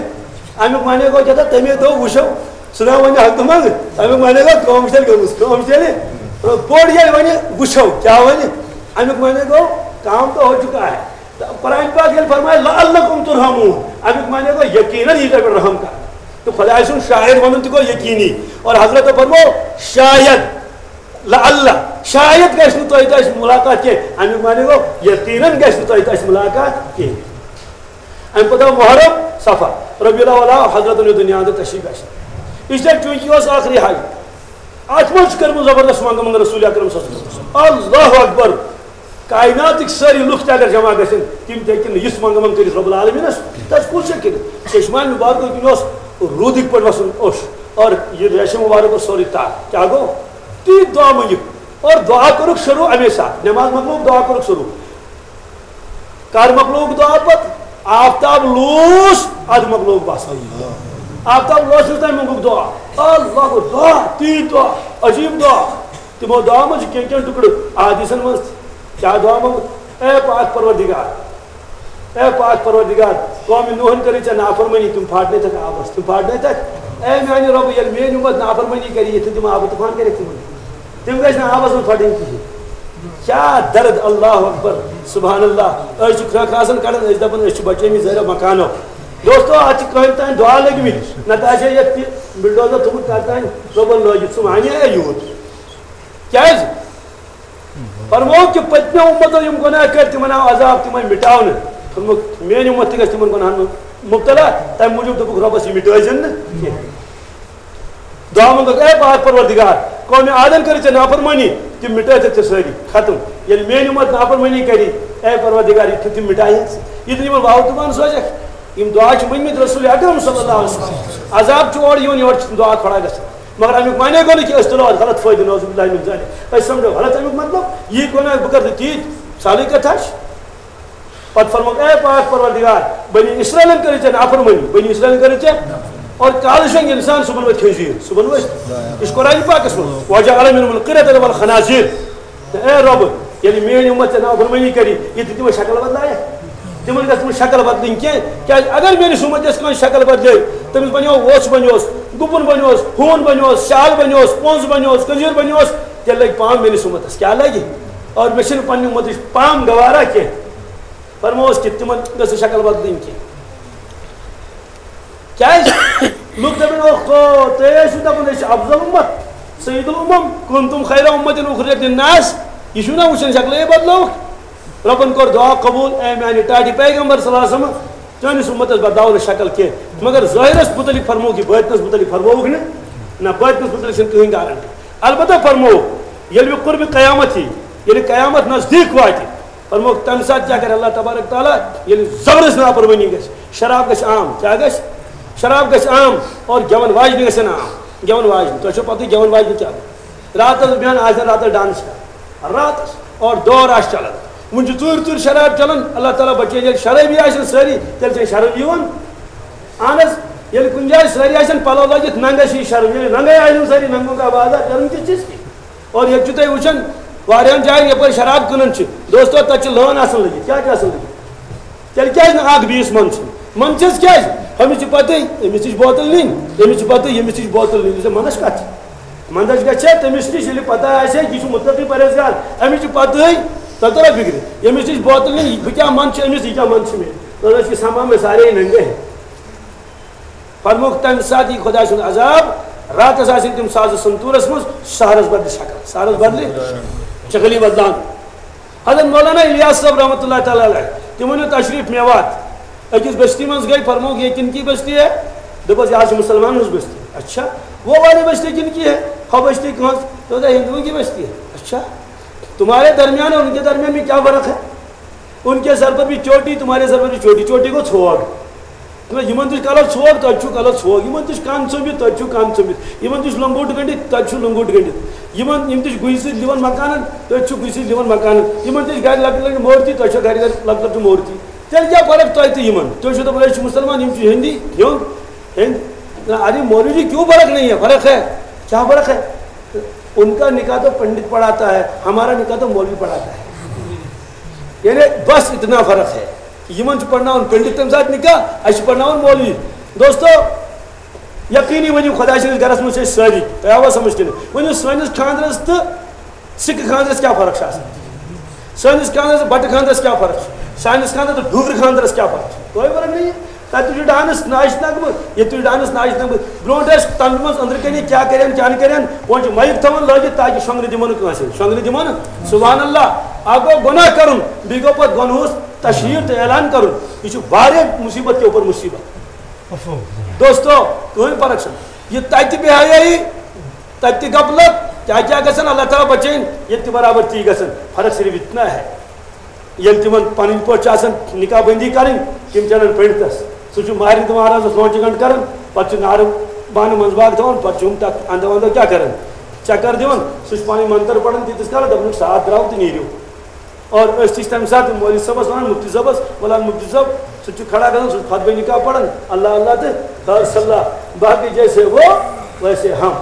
اَمیُک معنی گوٚو کیٛاہ تھا، تَمے دۄہ وٕچھو۔ سُہ نہ وَنہِ ہفتہٕ منٛز، اَمیُک معنی گوٚو کٲم چھِ تیٚلہِ گٔمٕژ، کٲم چھِ تیٚلہِ۔ بوٚڑ ییٚلہِ وَنہِ، "وٕچھو کیٛاہ وَنہِ"، اَمیُک معنی گوٚو کام تو ہو چکا ہے۔ قرآن پاک ییٚلہِ فرمایہِ، "لعلکم ترحمون"، اَمیُک معنی گوٚو یقیناً یی تۄہہِ پٮ۪ٹھ رحم کرنہٕ۔ تہٕ خۄداے سُنٛد شاعر وَنُن تہِ گوٚو یقینی۔ اور حضرت فرموو، "شاید، لعل، شاید گژھِ نہٕ تۄہہِ تہٕ اَسہِ مُلاقات کینٛہہ"، اَمیُک معنی گوٚو یقیناً گژھِ نہٕ تۄہہِ تہٕ اَسہِ مُلاقات کینٛہہ۔ اَمہِ پَتہٕ آو محرم، صفر، ربیع الاول آو، حضرتن یہِ دُنیا اندر تشریف گژھِ۔ اس لیے چونکہ یہِ اوس ٲخری حج، اَتھ منٛز چھِ کٔرمٕژ زبردست منٛگہٕ منٛگہٕ رسول اکرم صلی اللہ علیہ وسلم۔ اللہ اکبر۔ کائناتٕکۍ سٲری لُکھ تہِ اگر جمع گژھن، تِم تہِ ہیٚکن نہٕ یِژھ منٛگہٕ منٛگہٕ کٔرِتھ رب العالمینس۔ تس کُس ہیٚکہِ کٔرِتھ؟ چشمہ مبارکو کِنۍ اوس روٗدٕکۍ پٲٹھۍ وسان اوٚش، اور یہِ ریشم مبارک اوس سورُے تاہ۔ کیٛاہ گوٚو؟ تیٖتۍ دعا مٔنگِکھ اور دعا کوٚرُکھ شروٗع اَمے ساتہٕ۔ نماز مۄکلووُکھ، دعا کوٚرُکھ شروٗع۔ کر مۄکلووُکھ دعا پتہٕ؟ آفتاب لوٗس، ادٕ مۄکلووُکھ بس۔ آفتاب لوسنس تام مۄنگُکھ دعا۔ اللہ گوٚو دعا، تیٖتۍ دعا، عجیٖب دعا۔ تِمو دعا منٛز چھِ کینٛہہ کینٛہہ ٹُکڑٕ احادیثن منٛز تہِ۔ کیٛاہ دعا منٛگُکھ؟ اے پاک پروردگار، اے پاک پروردگار، قومِ نوحن کٔرٕے ژےٚ نافرمٲنی، تِم پھاٹنٲوتھکھ آبس، تِم پھاٹنٲوتھکھ۔ اے میانہِ رۄبہٕ، ییٚلہِ میٲنۍ اُمت نافرمٲنی کرِ، یِتھ تِم آبہٕ طوفان کٔرِکھ تِمن، تِم گژھِ نہٕ آبس منٛز پھٹٕنۍ کِہینۍ۔ کیا درد، اللہ اکبر، سبحان اللہ۔ أسۍ چھِ کھرٛکھ آسان کڑان، أسۍ دپان أسۍ چھِ بچٲمٕتۍ زہرو مکانو۔ دوستو، اتھ چھِ کٔہٕنۍ تام دعا لٔگمٕتۍ، نتہٕ آسہِ ہے یتھ تہِ بلڈوزر تھوٚمُت کتھ تام، رۄبن لٲگِتھ، سُہ ونے ہے یوٗت۔ کیازِ؟ فرمووُکھ کہِ پٔتمیو اُمتو یِم گۄناہ کٔرۍ، تِمن آو عذاب، تِم آیہِ مِٹاونہٕ۔ فرمووُکھ، میٲنۍ اُمت تہِ گژھِ تِمن گۄناہن منٛز مُبتلا۔ تَمہِ موٗجوٗب دوٚپُکھ رۄبَس، یہِ مِٹٲوزٮ۪ن نہٕ کینٛہہ۔ دعا منٛگُکھ، اے پاک پروردگار، قومِ عادن کٔرٕے ژےٚ نافرمٲنی، تِم مِٹٲے ژےٚ سٲری، ختم۔ ییٚلہِ میٲنۍ اُمت نافرمٲنی کَری، اے پروردگار، یہِ تِم مِٹاے ہٮ۪کھ ژٕ۔ یہِ تہِ یِمن واوٕ تُبان سوزکھ۔ یِم دعا چھِ مٔنگمٕتۍ رسول اکرم صلی اللہ علیہ وسلم۔ عذاب چھُ اورٕ یِوان، یورٕ چھِ تِم دعا کھڑا گژھان۔ مگر اَمیُک معنی گوٚو نہٕ کہِ أسۍ تُلو اَتھ غلط فٲیدٕ، نعوذ باللہ من ذالک۔ أسۍ سمجھو غلط اَمیُک مطلب، یی گۄناہ بہٕ کَرٕ تیٖتۍ، سہلٕے کَتھا چھِ۔ پتہٕ فرمووُکھ، اے پاک پروردگار، بنی اسرائیلن کٔرٕے ژےٚ نافرمٲنی، بنی اسرائیلن کٔرٕے ژےٚ۔ اور کالہٕ شۄنٛگہِ انسان، صُبحن وۄتھِ خنزیر، صُبحن وۄتھِ۔ یہِ چھُ قرآن پاکس منٛز، وجعل منهم القردة والخنازير۔ اے رۄب، ییٚلہِ میٲنۍ اُمت ژےٚ نافرمٲنی کَری، یہِ تہِ تِمن شکل بدلایکھ۔ تِمن گژھِ نہٕ شکل بدلٕنۍ کینٛہہ، کیازِ اگر میٲنِس اُمتس کانٛہہ شکل بدلے، تٔمِس بنیو وۄژھ بنیوس، گُپُن بنیوس، ہوٗن بنیوس، شال بنیوس، پونٛز بنیوس، کٔنزیٖر بنیوس، تیٚلہِ لگہِ پام میٲنِس اُمتس۔ کیٛاہ لگہِ؟ اور مےٚ چھِنہٕ پننہِ اُمتٕچ پام گوارا کینٛہہ۔ فرمووُس کہِ تِمن گٔژھ نہٕ شکل بدلٕنۍ کینٛہہ۔ کیازِ؟ لُکھ دَپَن، اوکھو، تُہۍ ٲسِو دَپان أسۍ چھِ افضل امت، سید الامم، کنتم خیر امت اخرجت للناس۔ یہِ چھُو نا وٕچھان شکلے بدلٲوٕکھ؟ رۄبن کوٚر دعا قبوٗل، اے میانہِ ٹاٹھہِ پیغمبر صلی اللہ علیہ وسلم، چٲنِس امتس بدلاو نہٕ شکل کینٛہہ۔ مگر ظٲہرس متعلق فرمووُکھ یہِ، باطنس متعلق فرمووُکھ نہٕ۔ نہ، باطنس متعلق چھِنہٕ کٕہٕنۍ گارنٹی۔ البتہ فرمووُکھ، ییٚلہِ مےٚ قربِ قیامت یی، ییٚلہِ قیامت نزدیٖک واتہِ، فرمووُکھ، تَمہِ ساتہٕ کیٛاہ کَرِ اللہ تبارک تعالیٰ؟ ییٚلہِ زبردست نافرمٲنی گژھِ، شراب گژھِ عام۔ کیٛاہ گژھِ؟ شراب گژھِ عام اور گٮ۪وَن واجنہِ گژھن عام۔ گٮ۪وَن واجنہِ، تۄہہِ چھو پَتہٕ گٮ۪وَن واجنہِ کیٛاہ گوٚو؟ راتَس بیٚہن آسن راتَس ڈانس کَران۔ راتَس اور دور آسہِ چلان۔ وٕنہِ چھُ ژوٗرِ ژوٗرِ شراب چلان۔ اللہ تعالیٰ بچٲیِن، ییٚلہِ شرٲبی آسن سٲری، تیٚلہِ چھےٚ شرم یِوان۔ اہن حظ، ییٚلہِ کُنہِ جایہِ سٲری آسن پَلو لٲگِتھ، ننٛگَس چھِ یہِ شرم۔ ییٚلہِ ننٛگَے آسن سٲری، ننٛگُن کا بازار، شرم کِس چیٖز کی؟ اور ییٚتہِ چھِو تُہۍ وٕچھان، واریاہَن جایَن یَپٲرۍ شراب کٕنان چھِ، دوستو، تَتہِ چھِ لٲن آسان لٔگِتھ۔ کیٛاہ چھِ آسان لٔگِتھ؟ تیٚلہِ کیٛازِ نہٕ اَکھ بیٚیِس منٛدچھِ؟ منٛدچھَس کیٛازِ؟ أمِس چھِ پَتہٕے، أمِس تہِ چھِ بوتل نِنۍ، أمِس چھِ پَتہٕے، أمِس تہِ چھِ بوتل نِنۍ۔ یہِ چھےٚ منٛدچھ کَتھ چھِ؟ منٛدچھ گژھِ تٔمِس نِش، ییٚلہِ پَتہ آسہِ ہے، یہِ چھُ مُتقی پرہیزگار، أمِس چھِ پَتہٕے، تۄہہِ توٚرا فِکرِ؟ ییٚمِس نِش بوتل نِنۍ، بہٕ کیٛاہ منٛدچھِ أمِس، یہِ کیٛاہ منٛدچھِ مےٚ؟ تۄہہِ ٲسۍ یہِ سَمان مےٚ سارے ننٛگے۔ فرمووُکھ، تَمہِ ساتہٕ یی خۄداے سُنٛد عذاب، راتَس آسن تِم سازٕ سنتوٗرَس منٛز، سحرَس بدلہِ شکل، سحرَس بدلہِ شکل یی بدلاونہٕ۔ حضرت مولانا الیاس صٲب رحمۃ اللہ تعالیٰ علیہ، تِمو نیوٗ تشریٖف میوات، أکِس بستی منٛز گٔے، فرمووُکھ، "یہ کن کی بستی ہے؟" دوٚپُس، "یہِ حظ چھِ مُسلمانَن ہٕنٛز بستی۔" "اچھا، وہ والی بستی کن کی ہے؟" "ہۄ بستی کٕہٕنٛز؟" "تو ہندوؤں کی بستی ہے۔" "اچھا، تمہارے درمیان اور ان کے درمیان میں کیا فرق ہے؟" ان کے سر پر بھی چوٹی، تمہارے سر پر بھی چوٹی، چوٹی گوٚو ژھوگ۔ نہ، یِمن تہِ چھُ کلر ژھوگ، تۄہہِ چھُو کلر ژھوگ۔ یِمن تہِ چھُ کن ژٔمبِتھ، تۄہہِ چھُو کن ژٔمبِتھ۔ یِمن تہِ چھُ لنگوٹ گٔنڈِتھ، تۄہہِ چھُو لنگوٹ گٔنڈِتھ۔ یِمن، یِم تہِ چھِ گُہہِ سۭتۍ لِوان مکانن، تۄہہِ چھُو گُہہِ سۭتۍ لِوان مکانن۔ یِمن تہِ چھِ گرِ لۄکٕٹۍ لۄکٕٹۍ مورتی، تۄہہِ چھو گرِ گرِ لۄکٕٹۍ لۄکٕٹۍ مورتی۔ تیٚلہِ کیٛاہ فرق تۄہہِ تہٕ یِمن؟ تُہۍ چھِو دَپان، أسۍ چھِ مُسلمان، یِم چھِ ہیٚندی، ہیوٚنٛد، ہیٚنٛدۍ۔ نہ، ارے مولوی جی، کیوں فرق نہیں ہے؟ فرق ہے۔ کیا فرق ہے؟ ان کا نکاح تو پنڈت پڑھاتا ہے، ہمارا نکاح تو مولوی پڑھاتا ہے۔ یعنی بس اتنا فرق ہے۔ یِمن چھُ پرناوان پنڈت تَمہِ ساتہٕ نکاح، اَسہِ چھُ پرناوان مولوی۔ دوستو، یقینی ؤنِو، خۄداے سٕنٛدِس گرس منٛز چھِ أسۍ سٲری۔ تۄہہِ آوا سمجھ کِنہٕ؟ ؤنِو، سٲنِس خانٛدرس تہٕ سِکہٕ خانٛدرس کیٛاہ فرق چھِ آسان؟ سٲنِس خانٛدرس تہٕ بٹہٕ خانٛدرس کیٛاہ فرق چھِ؟ سانِس خانٛدرس تہٕ ڈوٗگرٕ خانٛدرس کیٛاہ فرق چھِ؟ کوئی فرق نہیں ہے۔ تَتہِ تہِ چھُ ڈانس ناچ نغمہٕ، ییٚتہِ تہِ چھُ ڈانس ناچ نغمہٕ۔ برونٛٹھ ٲسۍ تَمہِ منٛز أنٛدرٕ کَنہِ کیٛاہ کَرن، کیٛاہ نہٕ کَرن، وۄنۍ چھِ مایِک تھاوان لٲگِتھ تاکہِ شۄنٛگنہٕ دِمو نہٕ کٲنٛسہِ۔ شۄنٛگنہٕ دِمو نہٕ۔ سبحان اللہ۔ اَکھ گوٚو گۄناہ کَرُن، بیٚیہِ گوٚو پَتہٕ گۄنہُس تشہیٖر تہٕ اعلان کَرُن۔ یہِ چھُ واریاہ مُصیٖبت کہِ اُپر مُصیٖبت۔ دوستو، کٕہٕنۍ فرق چھَنہٕ۔ یہِ تَتہِ بے حیٲیی، تَتہِ تہِ غفلت، کیٛاہ کیٛاہ گژھن، اللہ تعالیٰ بچٲیِن، ییٚتہِ تہِ برابر تی گژھن۔ فرق صرف اتنا ہے، ییٚلہِ تِمن پنٕنۍ پٲٹھۍ چھِ آسان نکاح بندی کرٕنۍ، تِم چھِ انان پنڈتس۔ سُہ چھُ مہرنہِ تہٕ مہرازس لونچہِ گنڈ کران، پتہٕ چھُ نارٕ بانہٕ منٛزباگ تھاوان، پتہٕ چھُ ہُم تتھ اندو اندو کیٛاہ کران، چکر دِوان۔ سُہ چھُ پنٕنۍ منتر پران تیٖتِس کالس، دپان چھُکھ، ساتھ درٛاو تہٕ نیٖرِو۔ اور أسۍ تہِ چھِ تَمہِ ساتہٕ مولوی صٲبَس وَنان، مُفتی صٲبَس، وَلان مُفتی صٲب، سُہ چھُ کھڑا گژھان، سُہ چھُ خطبہ نکاح پَران، اللہ اللہ تہٕ خیر صلی اللہ، باقٕے جیسے وہ ویسے ہم۔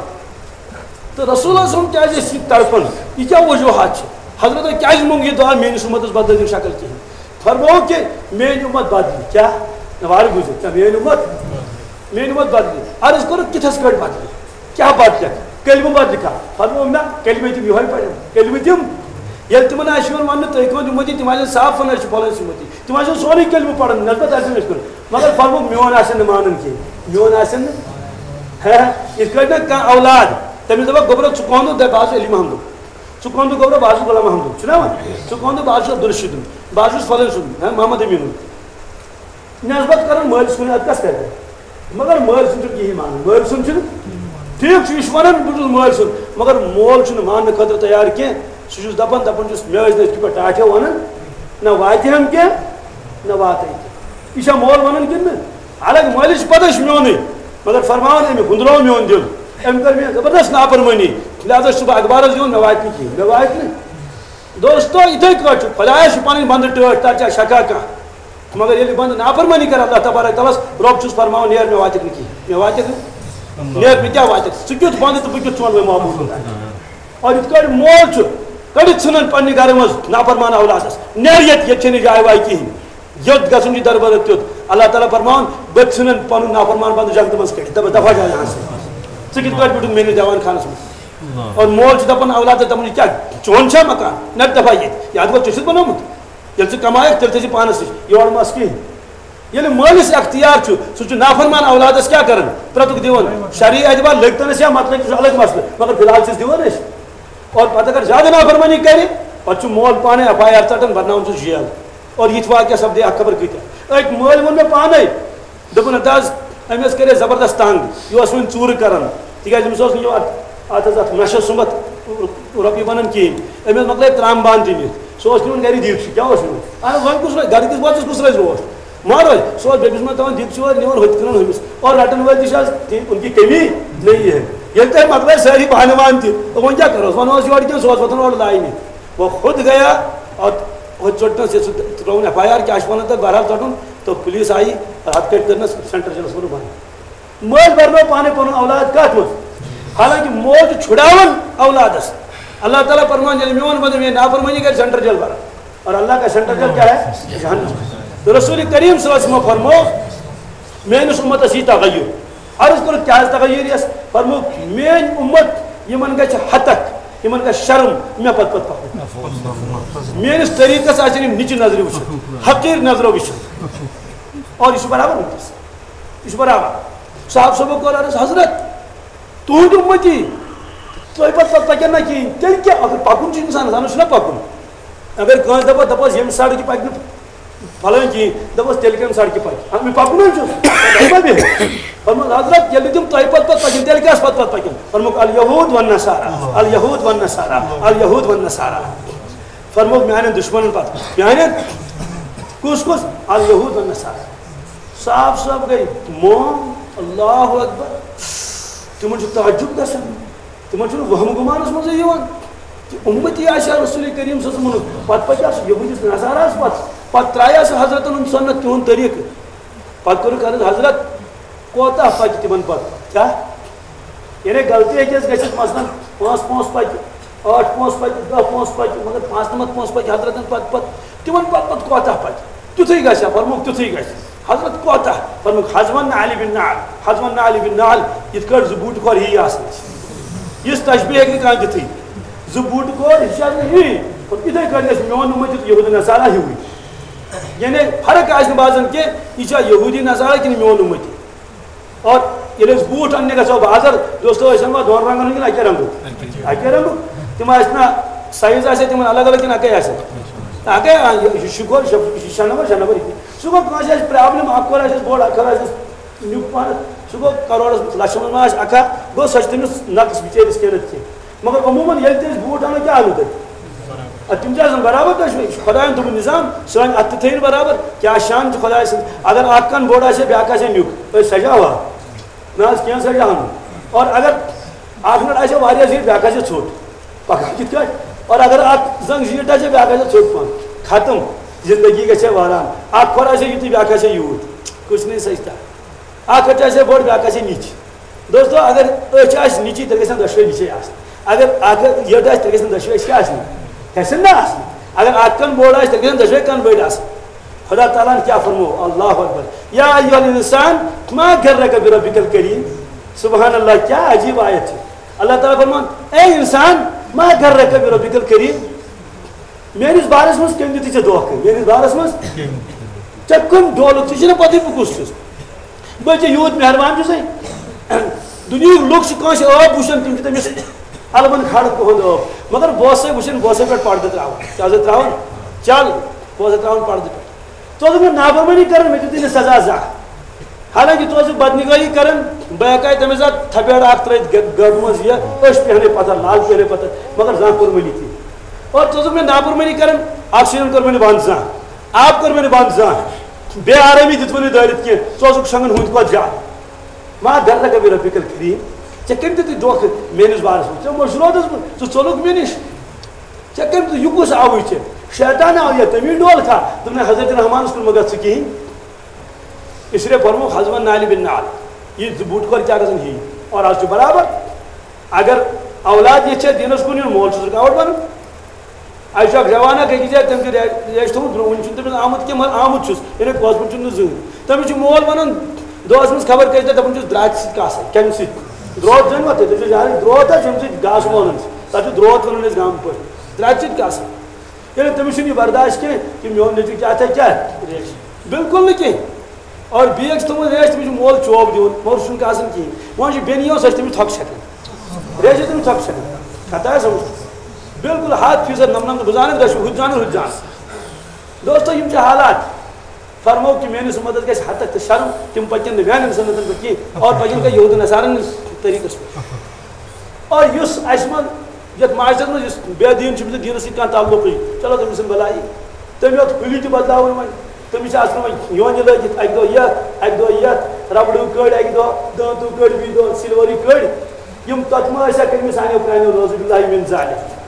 تہٕ رسول اللہ صلی اللہ علیہ وسلم کیٛازِ ٲسۍ یہِ تڑپان؟ یہِ کیٛاہ وجوہات چھِ؟ حضرتو کیٛازِ موٚنگ یہِ دعا، میٛٲنِس اُمتَس بدلٲیِو شکل کِہیٖنۍ؟ فرمووُکھ کہِ میٛٲنۍ اُمت بدلہِ۔ کیٛاہ؟ وارٕ بوٗزِو، کیٛاہ میٛٲنۍ اُمت؟ میٛٲنۍ اُمت بدلہِ۔ عرض کوٚرُکھ، کِتھَس کٲٹھۍ بدلہِ؟ کیٛاہ بدلہِ؟ کلمہٕ بدلہِ کھا؟ فرموو، نہ، کلمہٕ تِم یِہوٚے پرن۔ کلمہٕ تِم؟ ییٚلہِ تِمن آسہِ یِوان وننہٕ، تُہۍ کٕہٕنٛدۍ اُمتی، تِم آسن صاف ونان، أسۍ چھِ فلٲنۍ سٕنٛدۍ اُمتی۔ تِم آسن سورُے کلمہٕ پران، نسبت آسن أسۍ کران۔ مگر فرموو، میون آسن نہٕ مانان کینٛہہ۔ میون آسن نہٕ۔ ہہ، یِتھ کٲٹھۍ نہ کانٛہہ اولاد، تٔمِس دپکھ، گوٚبرا، ژٕ کون دۄہ؟ دپہِ، بہٕ حظ چھُس علی محمدُن۔ ژٕ کون دۄہ؟ گوٚبرا، بہٕ حظ چھُس غلام محمدُن۔ چھُنہ وَنان؟ ژٕ کون دۄہ؟ بہٕ حظ چھُس عبدالرشیدُن۔ بہٕ حظ چھُس فلٲنۍ سُنٛد، ہہ، محمد امیٖنُن۔ نسبت کران مٲلۍ سُنٛد، ادٕ کس کرِ؟ مگر مٲلۍ سُنٛد چھُنہٕ کِہیٖنۍ مانان، مٲلۍ سُنٛد چھُنہٕ۔ ٹھیٖک چھُ، یہِ چھُ ونان، بہٕ چھُس مٲلۍ سُنٛد، مگر مول چھُنہٕ ماننہٕ خٲطرٕ تیار کینٛہہ۔ سُہ چھُس دپان، دپان چھُس، مےٚ ٲسۍ نہٕ أسۍ کِتھ پٲٹھۍ ٹاٹھے ونان، نہ واتہِ ہم کینٛہہ، نہ واتَے کینٛہہ۔ یہِ چھا مول ونان کِنہٕ نہٕ؟ حالانکہ مٲلِس چھِ پتہ، یہِ چھُ میونُے، مگر فرماوان، أمۍ ہُنٛدرو میون دِل، أمۍ کٔر مےٚ زبردست نافرمٲنی، لہذا چھُس بہٕ اخبارس دِوان، مےٚ واتہِ نہٕ کِہیٖنۍ، مےٚ واتہِ نہٕ۔ دوستو، یِتھَے کٲٹھۍ چھُ، خۄدایَس چھِ پَنٕنۍ بنٛدٕ ٹٲٹھۍ، تَتھ چھا شکا کانٛہہ؟ مگر ییٚلہِ بنٛدٕ نافرمٲنی کَرِ اللہ تبارک تعالیٰ ہَس، رۄب چھُس فرماوان، "نیر، مےٚ واتٮ۪کھ نہٕ کِہیٖنۍ، مےٚ واتٮ۪کھ نہٕ، نیر، مےٚ کیٛاہ واتٮ۪کھ؟ ژٕ کیُتھ بنٛدٕ تہٕ بہٕ کیُتھ چون وۄنۍ معبوٗد خۄدایا؟" اور یِتھ کٲٹھۍ مول چھُ کٔڑِتھ ژھٕنان پنٛنہِ گَرٕ منٛز نافرمان اولادَس، "نیر ییٚتہِ، ییٚتہِ چھَنہٕ جاے واے کِہیٖنۍ، یوٚت گژھُن چھُ دربَدر تیوٚت۔" اللہ تعالیٰ فرماوان، "بہٕ تہِ ژھٕنَن پَنُن نافرمان بنٛدٕ جنتہٕ منٛز کٔڑِتھ، دَپَس، دَفا جا یہاں سے، ژٕ کِتھ کٲٹھۍ بیوٗٹھُکھ میٛٲنِس دیوان خانَس منٛز؟" اور مول چھُ دَپان اولادَس، دَپان، "یہِ کیٛاہ، چون چھا مکان؟ نَتہٕ دَفا ییٚتہِ، یہِ اَتھ گوٚو ژےٚ چھُتھ بنومُت؟ ییٚلہِ ژٕ کمایَکھ، تیٚلہِ تھٲیزِ پانَس نِش، یورٕ مَس کِہیٖنۍ۔" ییٚلہِ مٲلِس اختیار چھُ، سُہ چھُ نافرمان اولادَس کیٛاہ کران؟ پرٛتُک دِوان۔ شرعی اعتبار لٔگۍ تَنَس یا مَتہٕ لٔگۍ، سُہ چھُ الگ مسلہٕ، مگر فی الحال چھِس دِوان أسۍ۔ اور پَتہٕ اگر زیادٕ نافرمٲنی کرِ، پَتہٕ چھُ مول پانَے ایف آی آر ژَٹان، بَرناوان چھُس جیل۔ اور یِتھۍ واقعہ سَپدے اَکھ خبر کۭتیٛاہ۔ أکۍ مٲلۍ ووٚن مےٚ پانَے، دوٚپُن، "ہتا حظ، أمۍ حظ کَرے زبردست تنگ، یہِ اوس وۄنۍ ژوٗرٕ کران، تِکیٛازِ أمِس اوس نہٕ یہِ اَتھ، اَتھ حظ اَتھ نشس سُمبتھ رۄپیہِ بنان کِہیٖنۍ، أمۍ حظ مۄکلٲے ترٛامہٕ بانہٕ تہِ نِتھ، سُہ اوس نِوان گرِ دیٖگچہِ، کیٛاہ اوس نِوان؟ اَہَن حظ، وۄنۍ کُس روزِ؟ گرِ کِس بٲژَس کُس روزِ روش؟ مہ روزِ، سُہ اوس بیٚکِس منٛز تھاوان دیٖگچہِ وٲرۍ، نِوان ہُتہِ کٕنان ہُمِس، اور رٹن وٲلۍ تہِ چھِ آز تہِ، ان کی کمی نہیں ہے، ییٚلہِ تۄہہِ مۄکلٲے سٲری بانہٕ وانہٕ تہِ، تہٕ وۄنۍ کیٛاہ کَرو؟ وَنو حظ یورٕ کِنہٕ سُہ اوس وۄتھان اورٕ لاینہِ، وہ خود گیا اور ہُتہِ ژوٚٹنَس یہِ سُہ ترٛووُن ایف آی آر، کیٛاہ چھِ وَنان تَتھ، بہرحال ژَٹُن، تہٕ پُلیٖس آیہِ اور ہَتھ کٔٹھۍ کٔرنَس سینٹرل جیلَس منٛز بنٛد۔ مٲلۍ بَرنو پانَے پَنُن اولاد کَتھ منٛز؟ حالانکہ مول چھُ چھُڑاوان اولادَس۔ اللہ تعالیٰ فرمان، ییٚلہِ میون بنٛدٕ میٛٲنۍ نافرمٲنی کَرِ، سینٹرل جیل بَران۔ اور اللہ کا سینٹرل جیل کیا ہے؟ جہنم۔ تو رسول کریم صلی اللہ علیہ وسلم فرمو، میٲنِس اُمتَس یی تغیر۔ عرض کوٚرُکھ، کیٛاہ حظ تغیر یِیَس؟ فرمووُکھ، میٲنۍ اُمت، یِمَن گژھِ ہتک، یِمَن گژھِ شرم مےٚ پتہٕ پتہٕ پکُن۔ میٲنِس طریٖقس آسن یِم نِچہِ نظرِ وٕچھان، حقیٖر نظرو وٕچھان۔ اور یہِ چھُ برابر وٕنکیٚس۔ یہِ چھُ برابر۔ صاحب صٲبو کوٚر عرض، حضرت، تُہُنٛد اُمتی، تۄہہِ پتہٕ پتہٕ پکن نہ کِہیٖنۍ، تیٚلہِ کیٛاہ؟ اگر پکُن چھُ اِنسانَس، اَنُن چھُنہ پکُن۔ اگر کٲنٛسہِ دَپو، دَپوس، ییٚمہِ سڑکہِ پَکہِ نہٕ فلٲنۍ کِہیٖنۍ، دَپوس، تیٚلہِ کَمہِ سڑکہِ پَکہِ؟ اَتھ مےٚ پَکُن حظ چھُ، تَتہِ ما بیٚہہِ؟ فرمووُکھ، حضرت، ییٚلہِ نہٕ تِم تۄہہِ پَتہٕ پَتہٕ پَکن، تیٚلہِ کیٛاہ پَتہٕ پَتہٕ پَکن؟ فرمووُکھ، الیہود والنصارا، الیہود والنصارا، الیہود والنصارا۔ فرمووُکھ، میٛانٮ۪ن دُشمَنَن پَتہٕ، میٛانٮ۪ن کُس کُس؟ الیہود والنصارا۔ صاحب صٲب گٔے موم، اللہ اکبر۔ تِمَن چھُ تعجب گژھان۔ تِمن چھُنہٕ وہمہٕ گُمانس منٛزٕے یِوان کہِ اُمتی آسہِ ہا رسول کریم صلی اللہ علیہ وسلمُک، پتہٕ پکہِ ہا سُہ یہودِس نصاراہس پتہٕ، پتہٕ ترایہِ ہا سُہ حضرتن ہُنٛد سُنت تِہُنٛد طریٖقہٕ۔ پتہٕ کوٚرُکھ عرض، حضرت، کوتاہ پکہِ تِمن پتہٕ؟ کیٛاہ؟ یعنی غلطی ہیٚکہِ اَسہِ گٔژھِتھ، مثلاً پانٛژھ پونٛسہٕ پکہِ، ٲٹھ پونٛسہٕ پکہِ، دہ پونٛسہٕ پکہِ، مگر پانٛژنمتھ پونٛسہٕ پکہِ حضرتن پتہٕ پتہٕ، تِمن پتہٕ پتہٕ کوتاہ پکہِ؟ تیُتھُے گژھِ ہا، فرمووُکھ، تیُتھُے گژھِ۔ حضرت کوتاہ؟ فرمووُکھ، حذو النعل بالنعل، حذو النعل بالنعل، یِتھ کٲٹھۍ زٕ بوٗٹہٕ کھۄر ہی آسان چھِ۔ یِژھ تشبیہ ہیٚکہِ نہٕ کانٛہہ دِتھٕے۔ زٕ بوٗٹہٕ کھۄر، یہِ چھِ آسان ہی۔ یِتھَے کٲٹھۍ گژھِ میون اُمت تہِ یہوٗدی نصارا ہیوٗوٕے۔ یعنی فرق آسہِ نہٕ باسان کینٛہہ، یہِ چھا یہوٗدی نصارا کِنہٕ میون اُمتی۔ اور ییٚلہِ أسۍ بوٗٹھ اَننہِ گژھو بازر، دوستو، أسۍ اَنوا دۄن رنٛگن ہُنٛد کِنہٕ اَکے رنٛگُک؟ اَکے رنٛگُک۔ تِم آسہِ نا، سایز آسہِ تِمن الگ الگ کِنہٕ اَکے آسہِ؟ اَکے، آ، یہِ، یہِ شُکر، شُکر، یہِ چھُ شےٚ نمبر، شےٚ نمبر یہِ تہِ۔ سُہ گوٚو کٲنٛسہِ آسہِ پرابلم، اَکھ کھۄر آسٮ۪س بوٚڑ، اَکھ کھۄر آسٮ۪س نیُک پہنَس، سُہ گوٚو کَرورَس لَچھَس منٛز ما آسہِ اَکھا، گوٚو سۄ چھِ تٔمِس نقٕص بِچٲرِس کینٛہہ نَتہٕ کینٛہہ۔ مگر عموٗماً ییٚلہِ تہِ أسۍ بوٗٹھ اَنو، کیٛاہ اَنو تۄہہِ؟ اَدٕ تِم تہِ آسَن برابر، تۄہہِ چھُ، یہِ چھُ خۄدایَن تھوٚومُت نظام، سٲنۍ اَتھٕ تہِ تھٲیِن برابر، کیٛاہ شان چھُ خۄداے سٕنٛز؟ اگر اَکھ کَن بوٚڑ آسہِ ہے، بیٛاکھ آسہِ ہے نیُک، أسۍ سَجاوہا؟ نہ حظ، کینٛہہ سَجاوہا نہٕ۔ اور اگر اَکھ نَٹ آسہِ ہے واریاہ زیٖٹھ، بیٛاکھ آسہِ ہے ژھوٚٹ، پَکان کِتھ کٲٹھۍ؟ اور اگر اَکھ زنٛگ زیٖٹھ آسہِ ہے، بیٛاکھ آسہِ ہے ژھوٚٹ پَہَن، ختم، زندگی گژھِ ہے وٲران۔ اَکھ کھۄر آسہِ ہے یُتُے، بیٛاکھ آسہِ ہے یوٗت، کُس نہیں سَجتا؟ اَکھ أچھ آسہِ ہے بٔڑ، بیٛاکھ آسہِ ہے نِچ۔ دوستو، اگر أچھ آسہِ نِچی، تیٚلہِ گژھن دۄشوے نِچے آسٕنۍ۔ اگر اکھ یٔڈ آسہِ، تیٚلہِ گژھن دۄشوے أچھ کیٛاہ آسٕنۍ؟ گژھن نہ آسٕنۍ۔ اگر اکھ کَن بوٚڑ آسہِ، تیٚلہِ گژھن دۄشوے کَن بٔڑۍ آسٕنۍ۔ خدا تعالیٰ ہن کیا فرمو؟ اللہ اکبر۔ یا ایھا الانسان ما غرک بربک الکریم۔ سبحان اللہ، کیا عجیب آیت ہے۔ اللہ تعالیٰ فرمان، اے انسان، ما غرک بربک الکریم۔ میٲنِس بارس منٛز کٔمۍ دیُت ژےٚ دھوکہٕ؟ میٲنِس بارس منٛز ژےٚ کٔمۍ ڈولُکھ؟ ژےٚ چھُنہ پتہٕے بہٕ کُس چھُس؟ بہٕ چھُس یوٗت مہربان چھُسے۔ دُنیہٕکۍ لُکھ چھِ کٲنٛسہِ ٲب وٕچھان، تِم چھِ تٔمِس البن کھڑ تُہُنٛد ٲب۔ مگر بہٕ اوسَے وٕچھان، بہٕ اوسَے پٮ۪ٹھ پردٕ تراوان۔ کیٛاہ اوسَے تراوان؟ چل، بہٕ اوسَے تراوان پردٕ پٮ۪ٹھ۔ ژٕ اوسُکھ مےٚ نافرمٲنی کران، مےٚ دیُتُے نہٕ سزا زانٛہہ۔ حالانکہ ژٕ اوسُکھ بدنگٲہی کران، بہٕ ہٮ۪کہٕ ہا تٔمِس اَتھ تھپیڑ اکھ ترٲیِتھ گہ-، گردِ منٛز، یہِ أچھ پیہنے پتھر، لال پیہنے پتھر، مگر زانٛہہ کوٚر مےٚ نہٕ کینٛہہ۔ اور ژٕ اوسُکھ مےٚ نافرمٲنی کران، آکسیجن کوٚر مےٚ نہٕ بنٛد زانٛہہ، آب کوٚر مےٚ نہٕ بنٛد زانٛہہ، بے آرٲمی دِژ مےٚ نہٕ دٲرِتھ کینٛہہ، ژٕ اوسُکھ شۄنٛگان ہُنٛد کھۄتہٕ زیادٕ۔ ما غرک بربک الکریم، ژےٚ کٔمۍ دیُتُے دھوکہٕ میٲنِس بارس منٛز؟ ژےٚ مٔشرووتھس بہٕ، ژٕ ژوٚلُکھ مےٚ نِش۔ ژےٚ کٔمۍ دیُت، یہِ کُس آوُے ژےٚ؟ شیطان آو یا تٔمی ڈول کھا؟ دوٚپُن، حضرت رحمانس کُن مہ گژھ ژٕ کِہیٖنۍ۔ اس لیے فرمووُکھ حسبن نعل بن نعل۔ یہِ زٕ بوٗٹ کھۄر کیٛاہ گژھن ہی؟ اور آز چھُ برابر۔ اگر اولاد یژھِ ہے دینس کُن یُن، مول چھُس رُکاوٹ بنان۔ اَسہِ چھُ اکھ جوان اکھ أکِس جایہِ، تٔمۍ چھُ رے-، ریش تھوٚومُت برٛونٛہہ، وُنہِ چھُنہٕ تٔمِس آمُت کینٛہہ، مگر آمُت چھُس، یعنی گوسپل چھُنہٕ نہٕ زٕہٕنۍ۔ تٔمِس چھُ مول ونان، دۄہس منٛز خبر کٔژِ لٹہِ دپان چھُس، درٛاتہِ سۭتۍ کاسے، کمہِ سۭتۍ؟ درٛوت زٲنۍ وا تُہۍ؟ تُہۍ چھِو یارٕے درٛوت حظ، ییٚمہِ سۭتۍ گاسہٕ لونان چھِ، تتھ چھِ درٛوت ونان أسۍ گامہٕ پٲٹھۍ، درٛاتہِ سۭتۍ کاسے۔ ییٚلہِ تٔمِس چھُنہٕ یہِ برداش کینٛہہ، یہِ میون نیٚچوٗ کیٛاہ تھایہِ کیٛاہ؟ بِلکُل نہٕ کینٛہہ۔ اور بیٚیہِ چھِ تِمن ریش، تٔمِس چھُ مول چوب دِوان، مگر سُہ چھُنہٕ کاسان کِہیٖنۍ۔ وۄنۍ چھُ بیٚنہِ یِوان، سۄ چھِ تٔمِس تھۄکہٕ چھَکان۔ ریش چھِ تٔمِس تھۄکہٕ چھَکان۔ کھتہ ہے سمجھ؟ بِلکُل ہَتھ فیٖصد نَمنَمتھ، بہٕ زانَکھ، دَچھِ ہُہ تہِ زانَن، ہُہ تہِ زانَن۔ دوستو، یِم چھِ حالات۔ فرموو کہِ میٲنِس اُمتس گژھِ حتک تہٕ شرم، تِم پکن نہٕ میانٮ۪ن سُنتن پٮ۪ٹھ کینٛہہ، اور پکن کانٛہہ یہود و نصارن ہٕنٛدِس طریٖقس پٮ۪ٹھ۔ اور یُس اَسہِ منٛز یتھ معاشرس منٛز یُس بے دین چھُ، أمِس نہٕ دینس سۭتۍ کانٛہہ تعلقٕے، چلو تٔمۍ سٕنٛز بلائی، تٔمۍ یوت پھُلی تہِ بدلاوٕنۍ وۄنۍ، تٔمِس چھِ آسان وۄنۍ یونہِ لٲگِتھ، اکہِ دۄہ یتھ، اکہِ دۄہ یتھ، ربڑو کٔڑۍ اکہِ دۄہ، دٲنتو کٔڑۍ بیٚیہِ دۄہ، سِلوری کٔڑۍ، یِم تتھ ما ٲسۍ ہا کٔرمٕتۍ سانیو پرٛانیو، نعوذ باللہ من ذالک۔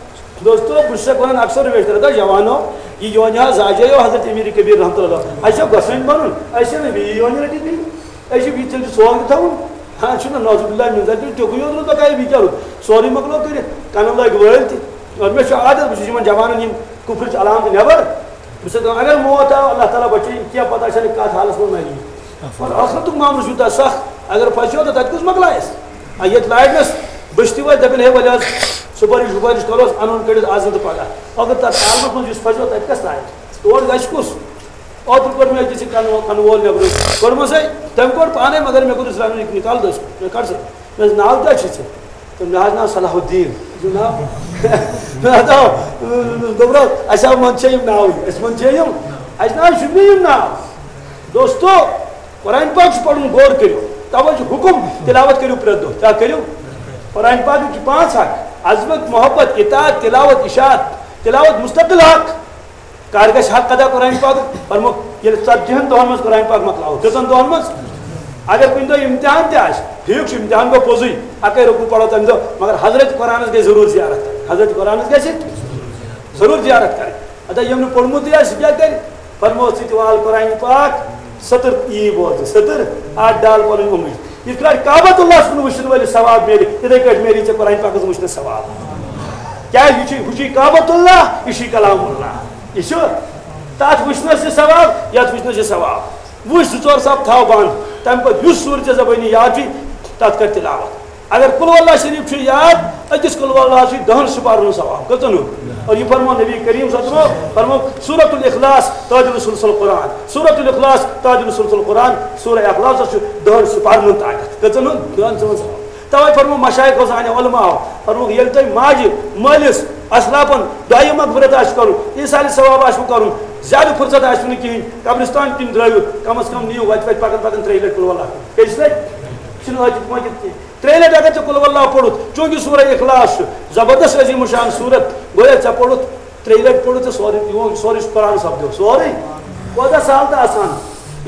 دوستو، بہٕ چھُسَکھ وَنان اکثر ویٹر، دَپان، جوانو، یہِ یونہِ حظ زاجیو حضرت امیر کبیر رحمتہ اللہ۔ اَسہِ چھا گۄسٲنۍ بَنُن؟ اَسہِ چھَنہٕ بیٚیہِ یونہِ رٔٹِتھ بیٚیہِ۔ اَسہِ چھِ یہِ تیٚلہِ چھُ سوگ تہِ تھاوُن۔ ہاں، چھُنہ نعوذ باللہ من ذالک، تیُتھُے یوت روٗد بقایا، بیٚیہِ کیٛاہ روٗد؟ سورُے مۄکلو کٔرِتھ، کَنَن لٲگۍ وٲلۍ تہِ۔ اور مےٚ چھُ عادت، بہٕ چھُس یِمَن جوانَن یِم کُفرٕچ علامتہٕ نٮ۪بر۔ بہٕ چھُسَکھ دَپان، اگر موت آو، اللہ تعالیٰ بچٲیِن، کینٛہہ پَتہ چھَنہٕ کَتھ حالَس منٛز مَرِ یہِ۔ اور ٲخرتُک معاملہٕ چھُ یوٗتاہ سَخ، اگر پھَسیو تہٕ تَتہِ کُس مۄکلایَس؟ آ، ییٚتہِ لاگنَس بٔستی وٲلۍ دَپن، ہے، ولہِ حظ، سُپٲرِش وُپٲرِش کَروس، اَنون کٔڑِتھ آز نہٕ تہٕ پَگاہ۔ مگر تَتھ عالمَس منٛز یُس پھَسیو، تَتہِ کَس تانۍ؟ تور گژھِ کُس؟ اوترٕ کوٚر مےٚ أکِس یہِ کَنہٕ وول، کَنہٕ وول مےٚ کوٚرمَس، ہے، تٔمۍ کوٚر پانَے، مگر مےٚ کوٚرُس رَنُن یہِ نِکال دٔسۍ۔ مےٚ کَڑ سا، مےٚ دوٚپُس، ناو کیٛاہ چھُے ژےٚ؟ تہٕ مےٚ حظ ناو صلاح الدین۔ یہِ ناو، مےٚ حظ آو، دوٚپُن، اَسہِ آو منٛدچھے یِم ناوٕے، اَسہِ منٛدچھے یِم۔ اَسہِ نہ حظ چھُنہٕ یِم ناو۔ دوستو، قرآن پاک چھُ پَرُن، غور کٔرِو۔ تَوَے چھُ حُکُم، تِلاوت کٔرِو پرٛٮ۪تھ دۄہ۔ کیٛاہ کٔرِو؟ قرآن پاکٕکۍ چھِ پانٛژھ حق: عظمت، محبت، اطاعت، تلاوت، اشاعت۔ تلاوت مستقل حق۔ کر گژھِ حق ادا قرآن پاکُک؟ فرموو، ییٚلہِ ژتجی ہن دۄہن منٛز قرآن پاک مۄکلاوو۔ کٔژن دۄہن منٛز؟ اگر کُنہِ دۄہ امتحان تہِ آسہِ، ٹھیٖک چھُ، امتحان گوٚو پوٚزُے، اَکے رکوع پَرو تَمہِ دۄہ، مگر حضرت قرآنس گژھِ ضروٗر زیارت کَرٕنۍ۔ حضرت قرآنس گژھِ ضروٗر زیارت کَرٕنۍ۔ ادا ییٚمۍ نہٕ پوٚرمُتٕے آسہِ، سُہ کیٛاہ کَرِ؟ فرموو، ژٕ تہِ وال قرآن پاک، سٔتٕر یی بوزنہٕ، سٔتٕر، اَتھ ڈال پَنٕنۍ اُنٛگٕج۔ یِتھ کٲٹھۍ کعبۃ اللہَس کُن وٕچھِنہٕ وٲلِس ثواب میلہِ، تِتھَے کٲٹھۍ میلہِ ژےٚ قرآن پاکَس وٕچھنَس ثواب۔ کیٛازِ یہِ چھُے، ہُہ چھُے کعبۃ اللہ، یہِ چھُے کلام اللہ۔ یہِ چھُ تَتھ وٕچھنَس تہِ ثواب، یَتھ وٕچھنَس تہِ ثواب۔ وٕچھ زٕ ژور صف، تھاو بنٛد، تَمہِ پَتہٕ یُس سوٗرٕ ژےٚ زبٲنی یاد چھُے، تَتھ کر تِلاوت۔ اگر قل ہو اللہ شریف چھُ یاد، أکِس قل ہو اللہ چھُ دَہَن سپارن ہُنٛد ثواب۔ کٔژَن ہُنٛد؟ اور یہِ فرموو نبی کریم صلی اللہ علیہ وسلم، فرموو سورۃ الاخلاص تعدل ثلث القرآن، سورۃ الاخلاص تعدل ثلث القرآن، سورہ اخلاصس چھُ دَہَن سپارن ہُنٛد طاقت۔ کٔژَن ہُنٛد؟ دَہَن سپارن ہُنٛد۔ توے فرموو مشایخو سانیو علماءو، فرمووُکھ، ییٚلہِ تۄہہِ ماجہِ، مٲلِس، اسلافن دعایہِ مغفرت آسہِ کرُن، ایصالِ ثواب آسہِ کرُن، زیادٕ فرصت آسہِ نہٕ کِہیٖنۍ، قبرستان کِنۍ درٲیِو، کم از کم نِیِو وتہِ وتہِ پکان پکان ترٛیٚیہِ لٹہِ قل ہو اللہ۔ کیٛازِ چھِ تۄہہِ؟ چھِنہٕ عٲقِد مٲقِد کینٛہہ۔ ترٛیٚیہِ لٹہِ اگر ژےٚ قل ہو اللہ پوٚرُتھ، چوٗنٛکہِ سورہ اخلاص چھُ زبردست عظیم الشان سورت، گویا ژےٚ پوٚرُتھ ترٛیٚیہِ لٹہِ پوٚرُتھ ژےٚ سورُے، یہِ سورُے چھُ قرآن سپدیو، سورُے۔ کوتاہ سہل تہٕ آسان۔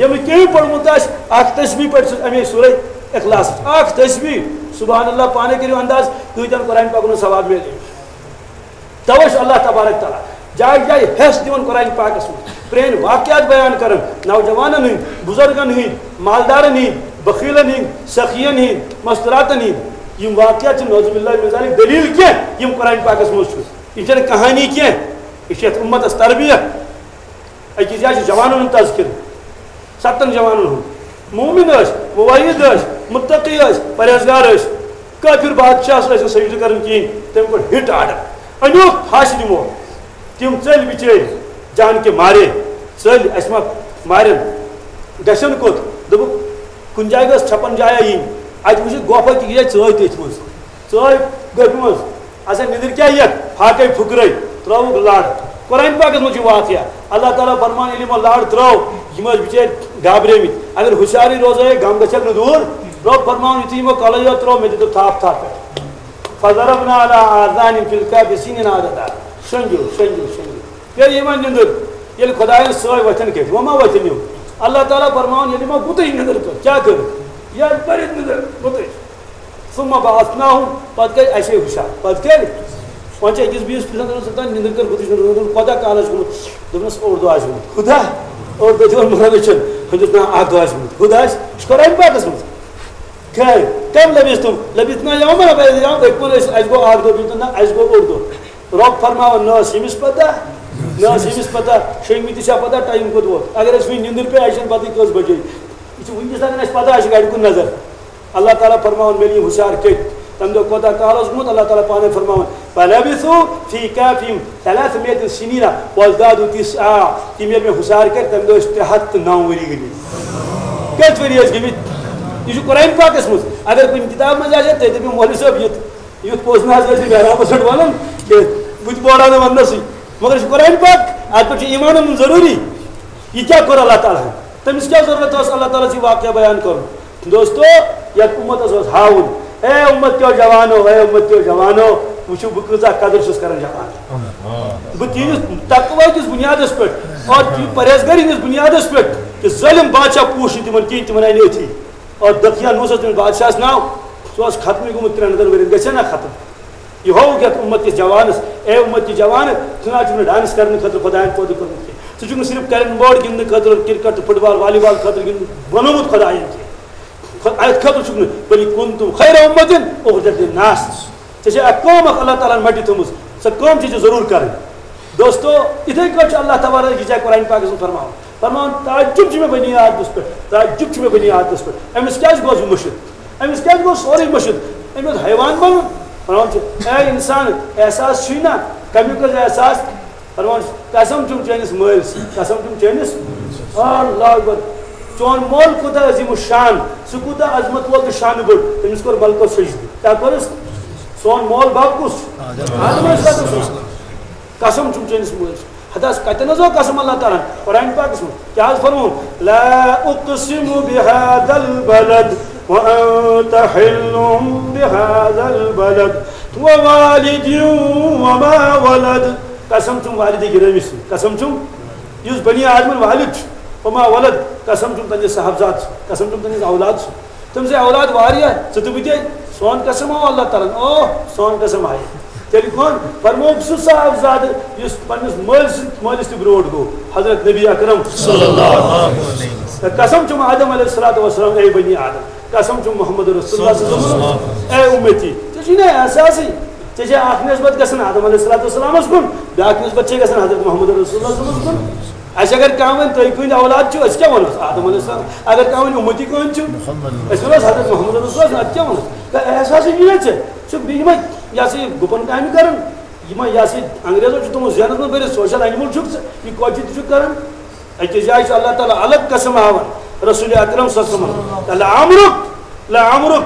ییٚمۍ نہٕ کِہیٖنۍ پوٚرمُت آسہِ، اکھ تسبیح پٔرِتھ سُہ اَمے سورہ اخلاص۔ اکھ تسبیح، سبحان اللہ، پانے کٔرِو انداز، کۭتیٛاہن قرآن پاکن ہُنٛد ثواب میلہِ۔ توے چھُ اللہ تبارک تعالیٰ جایہِ جایہِ حٮ۪س دِوان قرآن پاکس منٛز، پرٛٲنۍ واقعات بیان کران، نوجوانن ہٕنٛدۍ، بُزرگن ہٕنٛدۍ، مالدارن ہٕنٛدۍ، بخیلن ہٕنٛدۍ، سخین ہٕنٛدۍ، مستوراتن ہٕنٛدۍ۔ یِم واقعات چھِ نعوذ باللہ من ذالک دلیل کینٛہہ، یِم قرآن پاکس منٛز چھُ۔ یہِ چھَنہٕ کہانی کینٛہہ، یہِ چھِ یَتھ اُمتس تربیت۔ أکِس جایہِ چھُ جوانن ہُنٛد تذکرٕ، ستن جوانن ہُنٛد۔ مومن ٲسۍ، موحد ٲسۍ، متقی ٲسۍ، پرہیزگار ٲسۍ۔ کٲفر بادشاہس ٲسۍ نہٕ سجدٕ کران کِہیٖنۍ، تٔمۍ کوٚر ہِٹ آرڈر، أنیوکھ پھاسہِ دِمو۔ تِم ژٔلۍ بِچٲرۍ جان کے مارے، ژٔلۍ، اَسہِ ما مارن؟ گژھن کوٚت؟ دوٚپُکھ، کُنہِ جایہِ گٔژھ چھپن جایا یِنۍ، اَتہِ وٕچھِتھ گۄپھا کہِ یہِ چھےٚ ژٲے تٔتھۍ منٛز۔ ژٲے گۄپھِ منٛز۔ اچھا، نِندٕر کیٛاہ یَتھ؟ فاقے پھُکرٲے، ترٛٲوُکھ لَڑ۔ قرآن پاکَس منٛز چھُ واقعہ، اللہ تعالیٰ فرمان، ییٚلہِ یِمو لَڑ ترٛٲو، یِم ٲسۍ بِچٲرۍ گابریمٕتۍ۔ اگر ہُشارٕے روزے، غم گژھٮ۪کھ نہٕ دوٗر۔ رۄب فرماوُن، یُتھُے یِمو کَلَے یوت ترٛوو، مےٚ دِتُکھ تھپھ تھپھ پٮ۪ٹھ۔ فضربنا علی آذانہم فی الکہف سنین عددا۔ شۄنٛگِو، شۄنٛگِو، شۄنٛگِو۔ پیٚیہِ یِمن نِندٕر، ییٚلہِ خۄدایَن سٲے وۄتھن کٔرۍ، وۄنۍ ما وۄتھن یِم؟ اللہ تعالیٰ فرماوان، ییٚلہِ یِمو گُتٕج نِندٕر کٔر، کیٛاہ کٔر؟ ییٚلہِ پٔرِتھ نِندٕر گُتٕج۔ ثم بعثناہم، پتہٕ گٔے اَسے ہُشار۔ پتہٕ کیٛاہ؟ وۄنۍ چھِ أکِس بیٚیِس پرٛژھان، دَپان، "ژٕ تام نِندٕر کٔر گُتٕج نِندٕر، کوٗتاہ کال آسہِ گوٚمُت؟" دوٚپنَس، "اوٚڑ دۄہ آسہِ گوٚمُت۔" کوٗتاہ؟ اوٚڑ دۄہ چھُ وۄنۍ مُرَن وٕچھان۔ ہُمِس چھُ ناو اَکھ دۄہ آسہِ گوٚمُت۔ کوٗتاہ آسہِ؟ یہِ چھُ قرآن پاکَس منٛز۔ کم لبثتم؟ لبثنا یوما او بعض یوم۔ أکۍ ووٚن، أسۍ، اَسہِ گوٚو اَکھ دۄہ بِہِتھ، نہ، اَسہِ گوٚو اوٚڑ دۄہ۔ رۄب فرماوان، نہ ٲس ییٚمِس پتہ، نہ ٲس ییٚمِس پتہ، شۄنٛگمٕتِس چھا پتہ ٹایم کوٚت ووت۔ اگر أسۍ وٕنہِ نِندٕر پیٚیہِ، اَسہِ چھَنہٕ پتہٕے کٔژ بجے۔ یہِ چھُ وٕنکیٚس تام اَسہِ پتہ، اَسہِ چھِ گرِ کُن نظر۔ اللہ تعالیٰ فرماوان، مےٚ یِم ہُشار کٔتۍ، تَمہِ دۄہ کوتاہ کال اوس گوٚمُت، اللہ تعالیٰ پانے فرماوان، فلبثوا فی کہفہم ثلاثمائة سنین وازدادوا تسعا۔ تِم ییٚلہِ مےٚ ہُشار کٔرۍ، تَمہِ دۄہ ٲسۍ ترٛےٚ ہَتھ تہٕ نَو ؤری گٔمٕتۍ۔ کٔژ ؤری ٲسۍ گٔمٕتۍ؟ یہِ چھُ قرآن پاکَس منٛز۔ اگر کُنہِ کِتابہِ منٛز آسہِ ہا، تیٚلہِ دَپہِ مولوی صٲب، یُتھ یُتھ پوٚز نہ حظ ٲسۍ نہٕ محرابس پٮ۪ٹھ ونان کینٛہہ، بہٕ تہِ بوڑاو نہٕ وننسٕے۔ مگر یہِ چھُ قرآن پاک، اتھ پٮ۪ٹھ چھُ ایمان انُن ضروٗری۔ یہِ کیٛاہ کوٚر اللہ تعالیٰ ہن؟ تٔمِس کیٛاہ ضروٗرت ٲس اللہ تعالیٰ ہس یہِ واقعہ بیان کرُن؟ دوستو، یتھ امتس اوس ہاوُن، اے امت کیو جوانو، اے امت کیو جوانو، وٕچھِو بہٕ کۭژاہ قدر چھُس کران جوان۔ بہٕ تِہنٛدِس تقوی کِس بُنیادس پٮ۪ٹھ اور پرہیزگٲری ہٕنٛدِس بُنیادس پٮ۪ٹھ، کہِ ظٲلم بادشاہ پوٗچھ نہٕ تِمن کِہیٖنۍ، تِمن آیہِ نہٕ أتھی۔ اور دقیانوس اوس تٔمِس بادشاہس ناو، سُہ اوس ختمٕے گوٚمُت ترٛٮ۪ن ہتن ؤرین، گژھِ ہا نا ختم؟ یہِ ہووُکھ یتھ امت کِس جوانس، اے امت کِس جوان، ژٕ نہ حظ چھُکھ نہٕ ڈانس کرنہٕ خٲطرٕ خۄداین پٲدٕ کوٚرمُت کینٛہہ، ژٕ چھُکھ نہٕ صرف کیرم بورڈ گِنٛدنہٕ خٲطرٕ، کرکٹ تہٕ فٹ بال، والی بال خٲطرٕ گِنٛدُن بنوومُت خۄداین کینٛہہ۔ خۄ-، اتھ خٲطرٕ چھُکھ نہٕ، بل کنتم خیر امة اخرجت للناس۔ ژےٚ چھےٚ اکھ کٲم اکھ اللہ تعالیٰ ہن مٹہِ تھٲومٕژ، سۄ کٲم چھےٚ ژےٚ ضروٗر کرٕنۍ۔ دوستو، یِتھے کٲٹھۍ چھُ اللہ تبارک یہِ جاے قرآن پاکس منٛز فرماوان۔ فرماوان، تعجب چھُ مےٚ بنی آدمس پٮ۪ٹھ، تعجب چھُ مےٚ بنی آدمس پٮ۪ٹھ۔ أمِس کیٛازِ گوٚو یہِ مٔشِتھ؟ أمِس کیٛازِ گوٚو سورُے مٔشِتھ؟ أمۍ اوس حیوان بنُن۔ فرماوان چھُ، اے انسان، احساس چھُے نا؟ کمیُک حظ احساس؟ فرماوان چھُ، قسم چھُم چٲنِس مٲلۍ سۭتۍ، قسم چھُم چٲنِس۔ اللہ اکبر۔ چون مول کوٗتاہ عظیم الشان، سُہ کوٗتاہ عظمت وول تہٕ شانہٕ بوٚڑ، تٔمِس کوٚر ملکو سجدٕ۔ کیٛاہ کوٚرُس؟ سون مول بب کُس چھُ؟ آدم علیہ السلام۔ قسم چھُم چٲنِس مٲلۍ سۭتۍ۔ ہتس کتٮ۪ن حظ آو قسم اللہ تعالیٰ ہن؟ قرآن پاکس منٛز کیٛاہ حظ فرمووُن؟ لا اقسم بهذا البلد وانت حل بهذا البلد ووالد وما ولد۔ قسم چھُم والد گرامی سۭتۍ، قسم چھُم یُس بنی آدمن والد چھُ، وما ولد، قسم چھُم تہنٛدِس صاحبزاد سۭتۍ، قسم چھُم تہنٛدِس اولاد سۭتۍ۔ تٔمۍ سٕنٛدۍ اولاد واریاہ، ژٕ تہٕ بہٕ تہِ۔ سون قسم آو اللہ تعالیٰ ہن، اوہ، سون قسم آیہِ۔ تیٚلہِ کون؟ فرمووُکھ سُہ صاحبزادٕ یُس پننِس مٲلۍ سٕنٛدِ، مٲلِس تہِ برونٛٹھ گوٚو، حضرت نبی اکرم صلی اللہ علیہ وسلم۔ قسم چھُم آدم علیہ الصلوۃ والسلام، اے بنی آدم، قسم چھُم محمد رسول اللہ صلی اللہ علیہ وسلم، اے امتی۔ ژےٚ چھُے نہ احساسٕے، ژےٚ چھےٚ اکھ نسبت گژھان آدم علیہ الصلوۃ والسلامس کُن، بیٛاکھ نسبت چھےٚ گژھان حضرت محمد رسول اللہ صلی اللہ علیہ وسلمس کُن۔ اَسہِ اگر کانٛہہ وَنہِ، "تُہۍ کٕہٕنٛدۍ اولاد چھِو؟" أسۍ کیٛاہ وَنوس؟ آدم علیہ السلام۔ اگر کانٛہہ وَنہِ، "اُمتی کٕہٕنٛدۍ چھِو؟" أسۍ وَنوس، "حضرت محمد رسول اللہ"۔ اَدٕ کیٛاہ وَنوس؟ کانٛہہ احساسٕے چھُنہٕ ژےٚ۔ ژٕ چھُکھ بیٚیہِ یِمَے، یہِ ہسا یہِ گُپَن کامہِ کَران۔ یِمَے، یہِ ہسا یہِ انگریزو چھُ تھوٚمُت ذہنَس منٛز بٔرِتھ، سوشل اینیمل چھُکھ ژٕ، یہِ کۄچہِ تہِ چھُکھ کَران۔ أکِس جایہِ چھُ اللہ تعالیٰ الگ قسم ہاوان، رسول اکرم صلی اللہ علیہ وسلم، "لعمرک، لعمرک،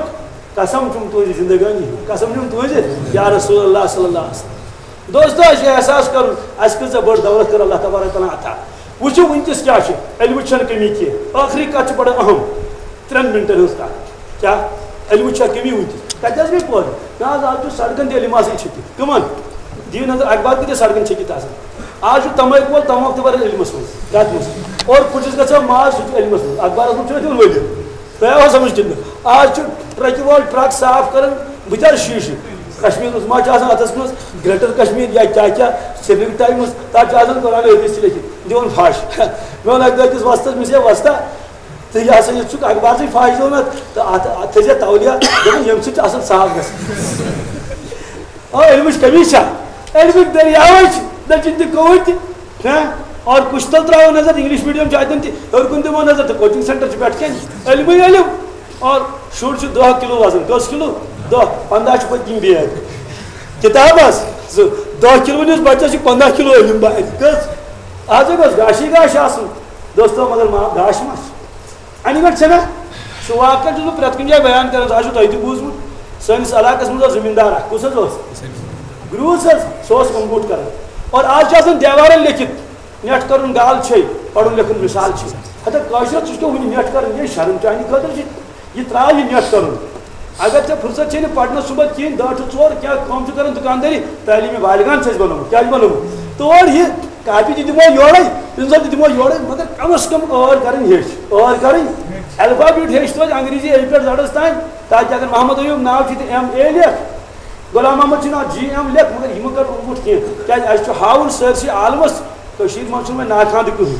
قسم چھُم تُہٕنٛزِ زندگٲنی ہُنٛد، قسم چھُم تُہٕنٛزِ، یا رسول اللہ صلی اللہ علیہ وسلم۔" دوستو، اَسہِ چھُ احساس کَرُن، اَسہِ کۭژاہ بٔڑ دولت کٔر اللہ تبارک تعالیٰ عطا۔ وٕچھِو، وٕنکیٚس کیٛاہ چھِ، علمٕچ چھَنہٕ کٔمی کینٛہہ۔ ٲخری کَتھ چھِ بَڑٕ اہم، ترٛٮ۪ن مِنٹَن ہٕنٛز کَتھ۔ کیٛاہ؟ علمٕچ چھا کٔمی وٕنکیٚس؟ کَتہِ حظ گٔے پٲدٕ؟ نہ حظ، آز چھُ سڑکَن تہِ علم آسان چھٔکِتھ۔ کٕمَن؟ دِیِو نظر، اخبار کۭتیٛاہ سڑکَن چھٔکِتھ آسان۔ آز چھُ تَمٲکۍ وول تَماکھ تہِ بَران علمَس منٛز، کَتھ منٛز؟ اور کُٹھِس گژھان ماز، سُہ تہِ علمَس منٛز، اخبارَس منٛز چھُنہٕ دِوان ؤلِتھ۔ تۄہہِ آو سمجھ کِنہٕ نہٕ؟ آز چھُ ٹرکہِ وول ٹرک صاف کران، بہٕ تہِ حظ شیٖشہٕ۔ کشمیٖرس ما چھُ آسان اتھس منٛز گریٹر کشمیٖر یا کیٛاہ کیٛاہ، سرینگر ٹایمز، تتھ چھُ آسان قرآن حدیث تہِ لیکھِتھ، دِوان فاش۔ مےٚ ووٚن اکہِ دۄہ أکِس وۄستس، مےٚ چھُ ہے وۄستا، ژٕ یہِ ہسا یہِ چھُکھ اخبارسٕے فاش دِوان اتھ، تہٕ اتھ، اتھ تھٲیزِ تولیہ، دوٚپُن، ییٚمہِ سۭتۍ چھُ اصل صاف گژھان۔ آ، علمٕچ کمی چھا؟ علمٕکۍ دٔریاوے چھِ، دٔچھِنۍ تہِ کھووٕرۍ تہِ۔ ہہ؟ اور کُس تل ترٛاوو نظر؟ انگلش میڈیم چھُ اتٮ۪ن تہِ، ہیوٚر کُن دِمو نظر تہٕ کوچنگ سینٹر چھُ پٮ۪ٹھ کَنہِ، علمٕے علم۔ اور شُر چھُ دَہ کِلوٗ وزن، کٔژ کِلوٗ؟ دَہ، پنٛداہ چھُ پٔتۍ کِنۍ بیگ۔ کِتاب حظ، زٕ، دَہ کِلوُن یُس بچس چھُ پنٛداہ کِلوٗ علم بارِ۔ کٔژ؟ آز ہے گوٚژھ گاشٕے گاش آسُن۔ دوستو، مگر ما-، گاش ما چھُ؟ اَنہِ گٔٹۍ چھَنا؟ سُہ واقعہ چھُس بہٕ پرٛٮ۪تھ کُنہِ جایہِ بیان کران، سُہ آسِوٕ تۄہہِ تہِ بوٗزمُت۔ سٲنِس علاقس منٛز اوس زٔمیٖندار اکھ، کُس حظ اوس؟ گروٗس حظ، سُہ اوس اوٚنگوٗٹھ کران۔ اور آز چھُ آسان دیوارن لیکھِتھ، نیٹھ کرُن گال چھے، پرُن لیکھُن مثال چھے۔ ہتا کٲشرس، ژٕ چھُکھ وُنہِ نیٹھ کران، یہِ شرم چانہِ خٲطرٕ چھِ، یہِ ترٛاو یہِ نیٹھ کرُن۔ اگر ژےٚ فرصت چھے نہٕ پرنس صُبحس کِہیٖنۍ، دہ ٹُو ژور کیٛاہ کٲم چھُ کران دُکاندٲری، تعلیٖمی بالغان چھِ أسۍ بنومُت، کیٛاہ چھُ بنومُت؟ تور یہِ کاپی تہِ دِمو یورے، پِنسل تہِ دِمو یورے، مگر کم از کم ٲر کرٕنۍ ہیٚچھ، ٲر کرٕنۍ، الفابیٹ ہیٚچھ توتہِ انگریزی اے پٮ۪ٹھ زڈس تام، تاکہِ اگر محمد ایوب ناو چھُ تہٕ ایم اے لیکھ، غلام محمد چھُ ناو جی ایم لیکھ، مگر یِمو کٔر اوٚنگُٹھ کینٛہہ، کیٛازِ اَسہِ چھُ ہاوُن سٲرسٕے عالمس، کٔشیٖرِ منٛز چھُنہٕ وۄنۍ ناخواندٕ کٕہٕنۍ۔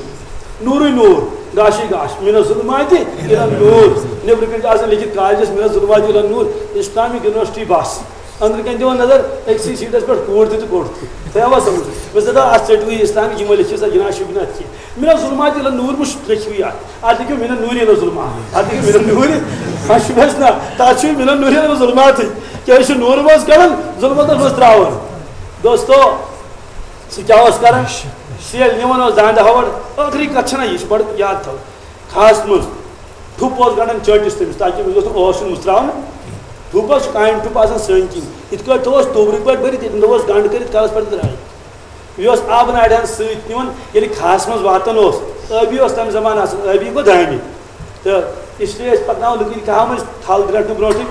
نوٗرٕے نوٗر، گاشٕے گاش، من الظلمات الی النور۔ نیٚبرٕ کِنۍ چھُ آسان لیکھِتھ کالجس من الظلمات الی النور، اسلامک یونیورسٹی بس۔ أنٛدرٕ کَنۍ دِوان نظر، أکسٕے سیٖٹَس پٮ۪ٹھ کوٗر تہِ تہٕ کوٚٹ تہِ۔ تۄہہِ آوا سَمٕجھ؟ مےٚ دوٚپ، اَتھ ژٔٹِوٕے اِسلام، یِمو لیٚکھِو سا جِناب شُبہِ نہ اَتھ کینٛہہ۔ من الظلمات الی النور مہ لیٚکھِو یہِ اَتھ۔ اَتھ لیٚکھِو من النور الی الظلمات۔ اَتھ لیٚکھِو من النور۔ اَتھ چھُ مےٚ نہ، تَتھ چھُ من النور الی الظلماتٕے۔ کیٛازِ چھُ نوٗر منٛز کَڑان، ظُلمَتَس منٛز ترٛاوان۔ دوستو، سُہ کیٛاہ اوس کَران؟ سُہ ییٚلہِ نِوان اوس دانٛدٕ ہَوَڑ، ٲخری کَتھ چھَنہ یہِ، یہِ چھِ بَڑٕ یاد تھاوٕنۍ۔ خاص منٛز ٹھُپ اوس گنٛڈان چٲنٛٹِس تٔمِس، تاکہِ أمِس گوٚژھ نہٕ ٲس یُن مٕژراونہٕ۔ ٹھُپ حظ چھُ کانہِ ٹھُپ آسان سٲنۍ کِنۍ۔ یِتھ کٲٹھۍ تھوٚوُس توٚبرُک پٲٹھۍ بٔرِتھ، ییٚتٮ۪ن تھوٚوُس گنٛڈ کٔرِتھ کَلَس پٮ۪ٹھ درٛاے۔ یہِ اوس آبہٕ ناڑِ ہَن سۭتۍ نِوان، ییٚلہِ کھاہَس منٛز واتان اوس، ٲبی اوس تَمہِ زمانہٕ آسان، ٲبی گوٚو دانہِ۔ تہٕ اس لیے ٲسۍ پَکناوان لُکَن کھاہَس منٛز تھَل درٛٹنہٕ برونٛٹھٕے۔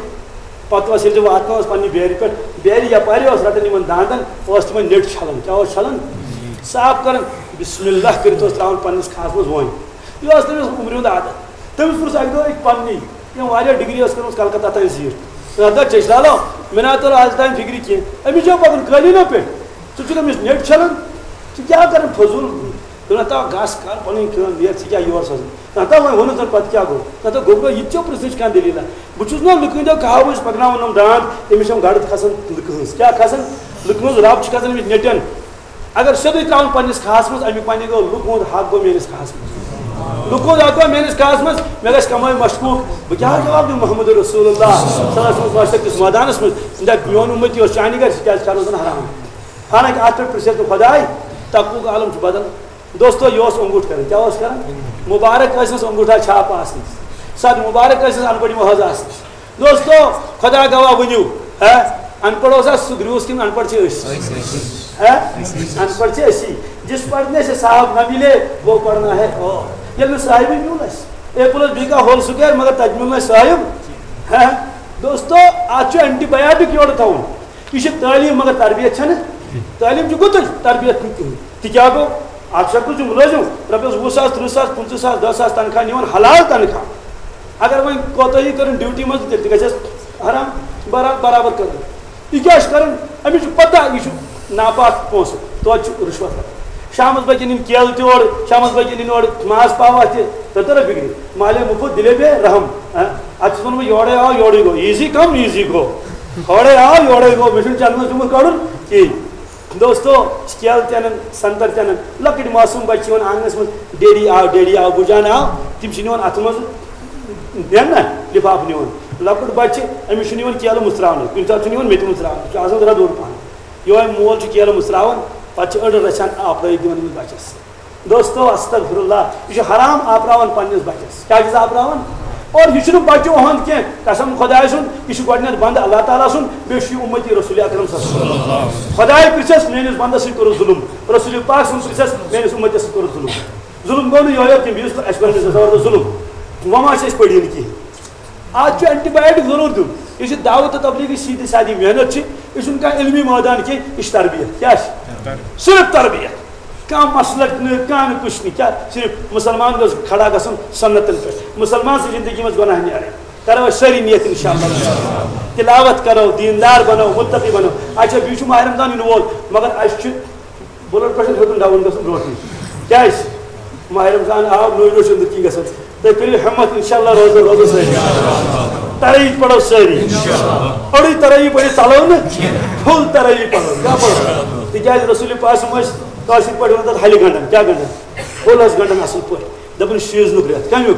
پَتہٕ اوس ییٚلہِ تہِ واتان اوس پنٛنہِ بیرِ پٮ۪ٹھ، بیرِ یَپارِ اوس رَٹان یِمَن دانٛدَن، اوس تِمَن نیٚٹ چھَلان۔ کیٛاہ اوس چھَلان؟ صاف کَران، بسم اللہ کٔرِتھ اوس ترٛاوان پنٛنِس کھاہَس منٛز وۄنۍ۔ یہِ اوس تٔمِس عُمرِ ہُنٛد عادت۔ تٔمِس پرُژھ اَکہِ دۄہ أکۍ پننی، تٔمۍ واریاہ ڈگری ٲس کٔرمٕژ کلکتہ تام زیٖٹھ۔ مےٚ دوٚپ، "چیٚچھ لالو، مےٚ نہ توٚر آز تام فِکرِ کینٛہہ۔ أمِس چھا پَکُن قٲلیٖنو پٮ۪ٹھ؟ ژٕ چھُکھ أمِس نیٚٹہِ چھَلان؟ ژٕ کیٛاہ کَران فضوٗل؟ دوٚپُن، ہتا گژھ کر پَنٕنۍ کٲم، نیرِ، ژےٚ کیٛاہ یورٕ سوزُن؟" نہ ہتا وۄنۍ ووٚنُس زَن پَتہٕ کیٛاہ گوٚو؟ نہ ہتا گوٚو گوٚو، یہِ تہِ چھو پرٛژھنٕچ کانٛہہ دٔلیٖلہ؟ بہٕ چھُس نا لُکہٕ ہٕنٛدیو کہاوٕ أسۍ پَکناوان یِم دانٛد، أمِس چھِ یِم گَڑٕ کھَسان لُکہٕ ہٕنٛز۔ کیٛاہ کھَسان؟ لُکہٕ ہٕنٛز رَب چھِ کھَسان أمِس نیٚٹٮ۪ن۔ اگر سیوٚدُے ترٛاوُن پنٛنِس کھاہَس منٛز، اَمیُک معنی گوٚو، لُکہٕ ہُنٛد حق گوٚو میٛٲنِس کھاہَس منٛز۔ لُکہٕ ہُنٛد حق گوٚو میٛٲنِس کھاہَس منٛز، مےٚ گژھِ کمٲے مشکوٗک۔ بہٕ کیٛاہ جواب دِمہٕ محمد رسول اللہ صلی اللہ علیہ وسلم واسطے کِس مٲدانَس منٛز؟ دَپہِ، میون اُمتی اوس چانہِ گرِ، ژٕ کیٛازِ کھٮ۪نہٕ زَن حرام؟ حالانکہ اَتھ پٮ۪ٹھ پرٛژھِ ہے تہٕ خۄداے، تقوٗک عالم چھُ بدل۔ دوستو، یہِ اوس اوٚنگوٗٹھ کران۔ کیٛاہ اوس کران؟ مُبارک ٲسِس اوٚنگوٗٹھا چھاپہٕ آسنَس۔ سَتھ مُبارک ٲسِس اَن پَڑھ محض آسنَس۔ دوستو، خدا گواہ ؤنِو، ہا، اَن پَڑھ اوسا سُہ گرٛوٗس کِنہٕ اَن پَڑھ چھِ أسۍ؟ ہا؟ اَن پَڑھ چھِ أسی۔ جس پڑھنے سے صاحب نہ ملے، وہ پڑھنا ہے اور۔ ییٚلہِ نہٕ صاحبٕے میوٗل اَسہِ، ایپلَس بیٚیہِ کانٛہہ ہول سُکیر، مگر تَتہِ میوٗل نہٕ اَسہِ صاحب۔ ہا؟ دوستو، اَتھ چھُ اینٹی بایاٹک یورٕ تھاوُن۔ یہِ چھِ تعلیٖم، مگر تربیت چھَنہٕ۔ تعلیٖم چھُ گُتُج، تربیت چھُنہٕ کِہیٖنۍ۔ تہِ کیٛاہ گوٚو؟ اَکھ چھُ اَکھ چھُ مُلٲزِم، رۄپیَس وُہ ساس، تٕرٛہ ساس، پٕنٛژٕہ ساس، دَہ ساس تنخواہ نِوان، حلال تنخواہ۔ اگر وۄنۍ کوتٲہی کٔرٕن ڈیوٹی منٛز، تیٚلہِ تہِ گژھٮ۪س حرام برا-، برابر کٔرٕن۔ یہِ کیٛاہ چھُ کَران؟ أمِس چھُ پَتہ یہِ چھُ ناپاک پونٛسہٕ، توتہِ چھُ رُشوت رَٹان۔ شامَس بٲگٮ۪ن یِن کیلہٕ تہِ اورٕ، شامَس بٲگٮ۪ن یِن اورٕ ماز پاوا تہِ، تۄہہِ تَرِ فِکرِ؟ مالے مُفت دِلے بے رحم۔ ہہ؟ اَتھ چھُس وَنان بہٕ، یورَے آو، یورَے گوٚو، ایٖزی کَم ایٖزی گوٚو، اورَے آو، یورَے گوٚو، مےٚ چھُنہٕ چَنٛدَس جُمعہ کَڑُن کِہیٖنۍ۔ دوستو، کیلہٕ تہِ اَنان، سنٛگتر تہِ اَنان، لۄکٕٹۍ معصوٗم بَچہٕ چھِ یِوان آنٛگنَس منٛز، "ڈیڈی آو، ڈیڈی آو، بُجان آو"، تِم چھِ نِوان اَتھٕ منٛز، نِوان نہ، لِفاف نِوان۔ لۄکُٹ بَچہٕ، أمِس چھُنہٕ یِوان کیلہٕ مُژراونہٕ، کُنہِ ساتہٕ چھُنہٕ یِوان مےٚ تہِ مُژراونہٕ، سُہ چھُ آسان ذرا دوٚر پَہَن۔ یِہوٚے مول چھُ کیلہٕ مُژراوان، پَتہٕ چھِ أڑ رَژھِ ہَن آپرٲیِتھ دِوان أمِس بَچَس۔ دوستو، استغفر اللہ، یہِ چھُ حرام آپراوان پننِس بچس۔ کیٛاہ چھُس آپراوان؟ اور یہِ چھُنہٕ بچہٕ اُہُنٛد کینٛہہ، قسم خۄداے سُنٛد، یہِ چھُ گۄڈٕنٮ۪تھ بنٛدٕ اللہ تعالیٰ سُنٛد، بیٚیہِ چھُ یہِ اُمتی رسول اکرم صلی اللہ علیہ وسلم۔ خۄداے پرٛژھٮ۪س، میٲنِس بندس سۭتۍ کوٚرُتھ ظُلُم، رسول پاک سُنٛد پرٛژھٮ۪س، میٲنِس اُمتس سۭتۍ کوٚرُتھ ظُلُم۔ ظُلُم گوٚو نہٕ یِہوٚے یوت کینٛہہ، بیٚیہِ یُس اَسہِ پننِس زٕ ساس ظُلُم، وۄنۍ ما چھِ أسۍ پٔڑۍ یِنہٕ کِہیٖنۍ؟ آز چھُ اینٹی بایوٹک ضروٗر دیُن۔ یہِ چھِ دعوت تہٕ تبلیغٕچ سیٖدھی سادی محنت چھِ، یہِ چھُنہٕ کانٛہہ علمی مٲدان کینٛہہ، یہِ چھِ تربیت۔ کیٛاہ چھِ؟ صرف تربیت۔ کانٛہہ مسلک نہٕ، کانٛہہ نہٕ، کُچھ نہٕ، کیٛاہ؟ صرف مُسلمان گوٚژھ کھڑا گژھُن سنتن پٮ۪ٹھ۔ مُسلمان سٕنٛز زندگی منٛز گۄناہ نیرٕنۍ۔ کرو أسۍ سٲری نیت انشاءاللہ۔ تلاوت کرو، دیندار بنو، متقی بنو۔ اچھا، بیٚیہِ چھُ ماہِ رمضان یِنہٕ وول، مگر اَسہِ چھُ بلڈ پریشر ہیوٚتُن ڈاوُن گژھُن برونٛٹھٕے۔ کیٛازِ؟ ماہِ رمضان آو، نوٚو نوٚو چھُ أنٛدٕرۍ کِنۍ گژھان۔ تُہۍ کٔرِو ہمت، انشاءاللہ روزو، روزو سٲری۔ ترٲوی پرو سٲری۔ أڑٕے ترٲوی پٔرِتھ ژلو نہٕ، فُل ترٲوی پرو۔ کیٛاہ پرو؟ تِکیٛازِ رسول پاک صٲب ٲسۍ کٲشِرۍ پٲٹھۍ وَنان تَتھ ہلہِ گنٛڈان۔ کیٛاہ گنٛڈان؟ کھول حظ گنڈن اصل پٲٹھۍ۔ دپان سیزنُک رٮ۪تھ، کمیُک؟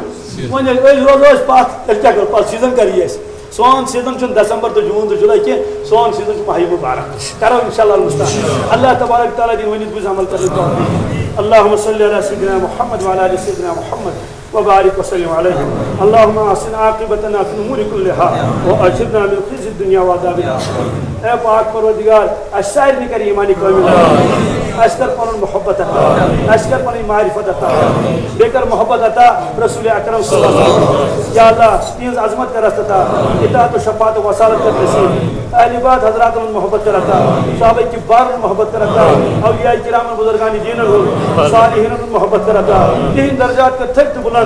وۄنۍ ییٚلہِ أسۍ روزو أسۍ پتھ، تیٚلہِ کیٛاہ کرو؟ پتہٕ سیزن کر یی اَسہِ؟ سون سیزن چھُنہٕ دسمبر تہٕ جون تہٕ جُلے کینٛہہ، سون سیزن چھُ ماہِ مبارک۔ کرو انشاءاللہ المستعان۔ اللہ تبارک تعالیٰ دِنۍ ؤنِتھ بوٗزِتھ عمل کرنٕچ توفیٖق۔ اللہم صلی علی سیدنا محمد وعلی آل سیدنا محمد وبارک وسلم علیہ۔ اللہم احسن عاقبتنا فی الامور کلہا واجرنا من خزی الدنیا وعذاب الآخرہ۔ اے پاک پروردگار، اَسہِ سارنٕے کر ایمان کامل عطا۔ اَسہِ کر پنُن محبت عطا۔ اَسہِ کر پنٕنۍ معرفت عطا۔ بیٚیہِ کر محبت عطا رسول اکرم صلی اللہ علیہ وسلم۔ یا اللہ، تِہنٛز عظمت کر اَسہِ عطا۔ اطاعت و شفاعت و وصالت کر نصیب۔ اہل بیت حضراتن ہُنٛد محبت کر عطا۔ صحابہ کبارن ہُنٛد محبت کر عطا۔ اولیاء کرامن بزرگان دینن ہُنٛد، صالحینن ہُنٛد محبت کر عطا۔ تِہنٛدۍ درجات کر تھٔکۍ تہٕ بلند۔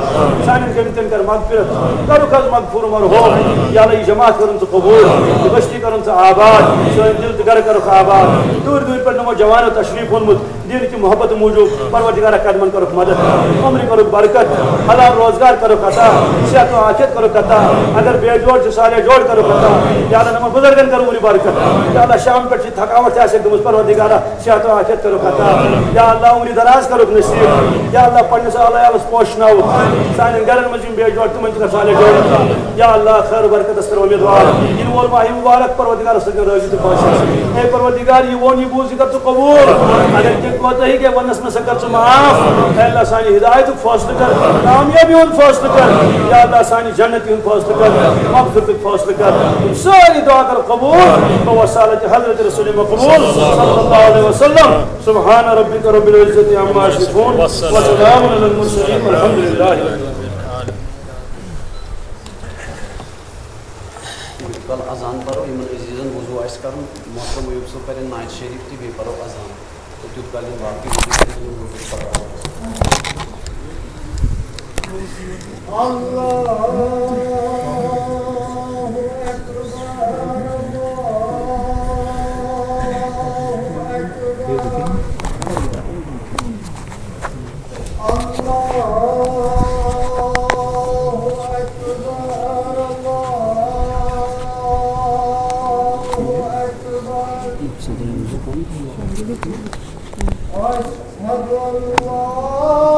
سانٮ۪ن گٔمتٮ۪ن کر مغفرت۔ کرُکھ حظ مغفور مرحوم۔ یا اللہ، یہِ جماعت کرُن ژٕ قبول۔ یہِ بستی کرُن ژٕ آباد۔ سٲنۍ دِل تہٕ گرٕ کرُکھ آباد۔ دوٗرِ دوٗرِ پٮ۪ٹھ نوجوانو تشریف اوٚنمُت۔ دین کی محبت موٗجوٗب پروردگارا قدمن کرُکھ مدد، عمرِ کرُکھ برکت، حلال روزگار کرُکھ عطا، صحت و عافیت کرُکھ عطا، اگر بے جوڑ چھِ صالح جوڑ کرُکھ عطا۔ یا اللہ، نمن بزرگن کر عمرِ برکت۔ یا اللہ، شام پٮ۪ٹھ چھِ تھکاوٹ تہِ آسہِ گٔمٕژ، پروردگارا صحت و عافیت کرُکھ عطا۔ یا اللہ، عمرِ دراز کرُکھ نصیب۔ یا اللہ، پننِس اعلیٰ عیالس پوشناوُکھ، سانٮ۪ن گرن منٛز یِم بے جوڑ تِمن تہِ کر صالح جوڑ عطا۔ یا اللہ، خیر و برکتس کر امیدوار۔ یِنہٕ وول ماہِ مبارک پروردگارس سۭتۍ راضی تہٕ خۄش آسہِ۔ اے پروردگار، یہِ ووٚن، یہِ بوٗز، یہِ کر ژٕ قبول۔ اگر کینٛہہ کوتاہی گٔے، وننس منٛز سا کر ژٕ معاف۔ اے اللہ، سانہِ ہدایتُک فٲصلہٕ کر، کامیٲبی ہُنٛد فٲصلہٕ کر۔ یا اللہ، سانہِ جنتی ہُنٛد فٲصلہٕ کر، مغفرتُک فٲصلہٕ کر۔ یِم سٲری دعا کر قبول۔ بواسطة حضرت رسول مقبول صلی اللہ علیہ وسلم۔ سبحان ربک رب العزة عما یصفون۔ وسلام علی المرسلین۔ والحمد للہ رب العالمین۔ یوٗت کال اذان پرو، یِمن عزیزن وضوٗ آسہِ کرُن، محترم ایوب صٲب کرن نعت شریف تہٕ بیٚیہِ پرو اذان۔ تہٕ تیوٗت کال یِم باقٕے وضوٗ کٔرِتھ، یِم وضوٗ پرو۔ اللہ اکبر، اللہ اکبر۔ اللہ اکبر، اللہ اکبر۔ أشهد أن لا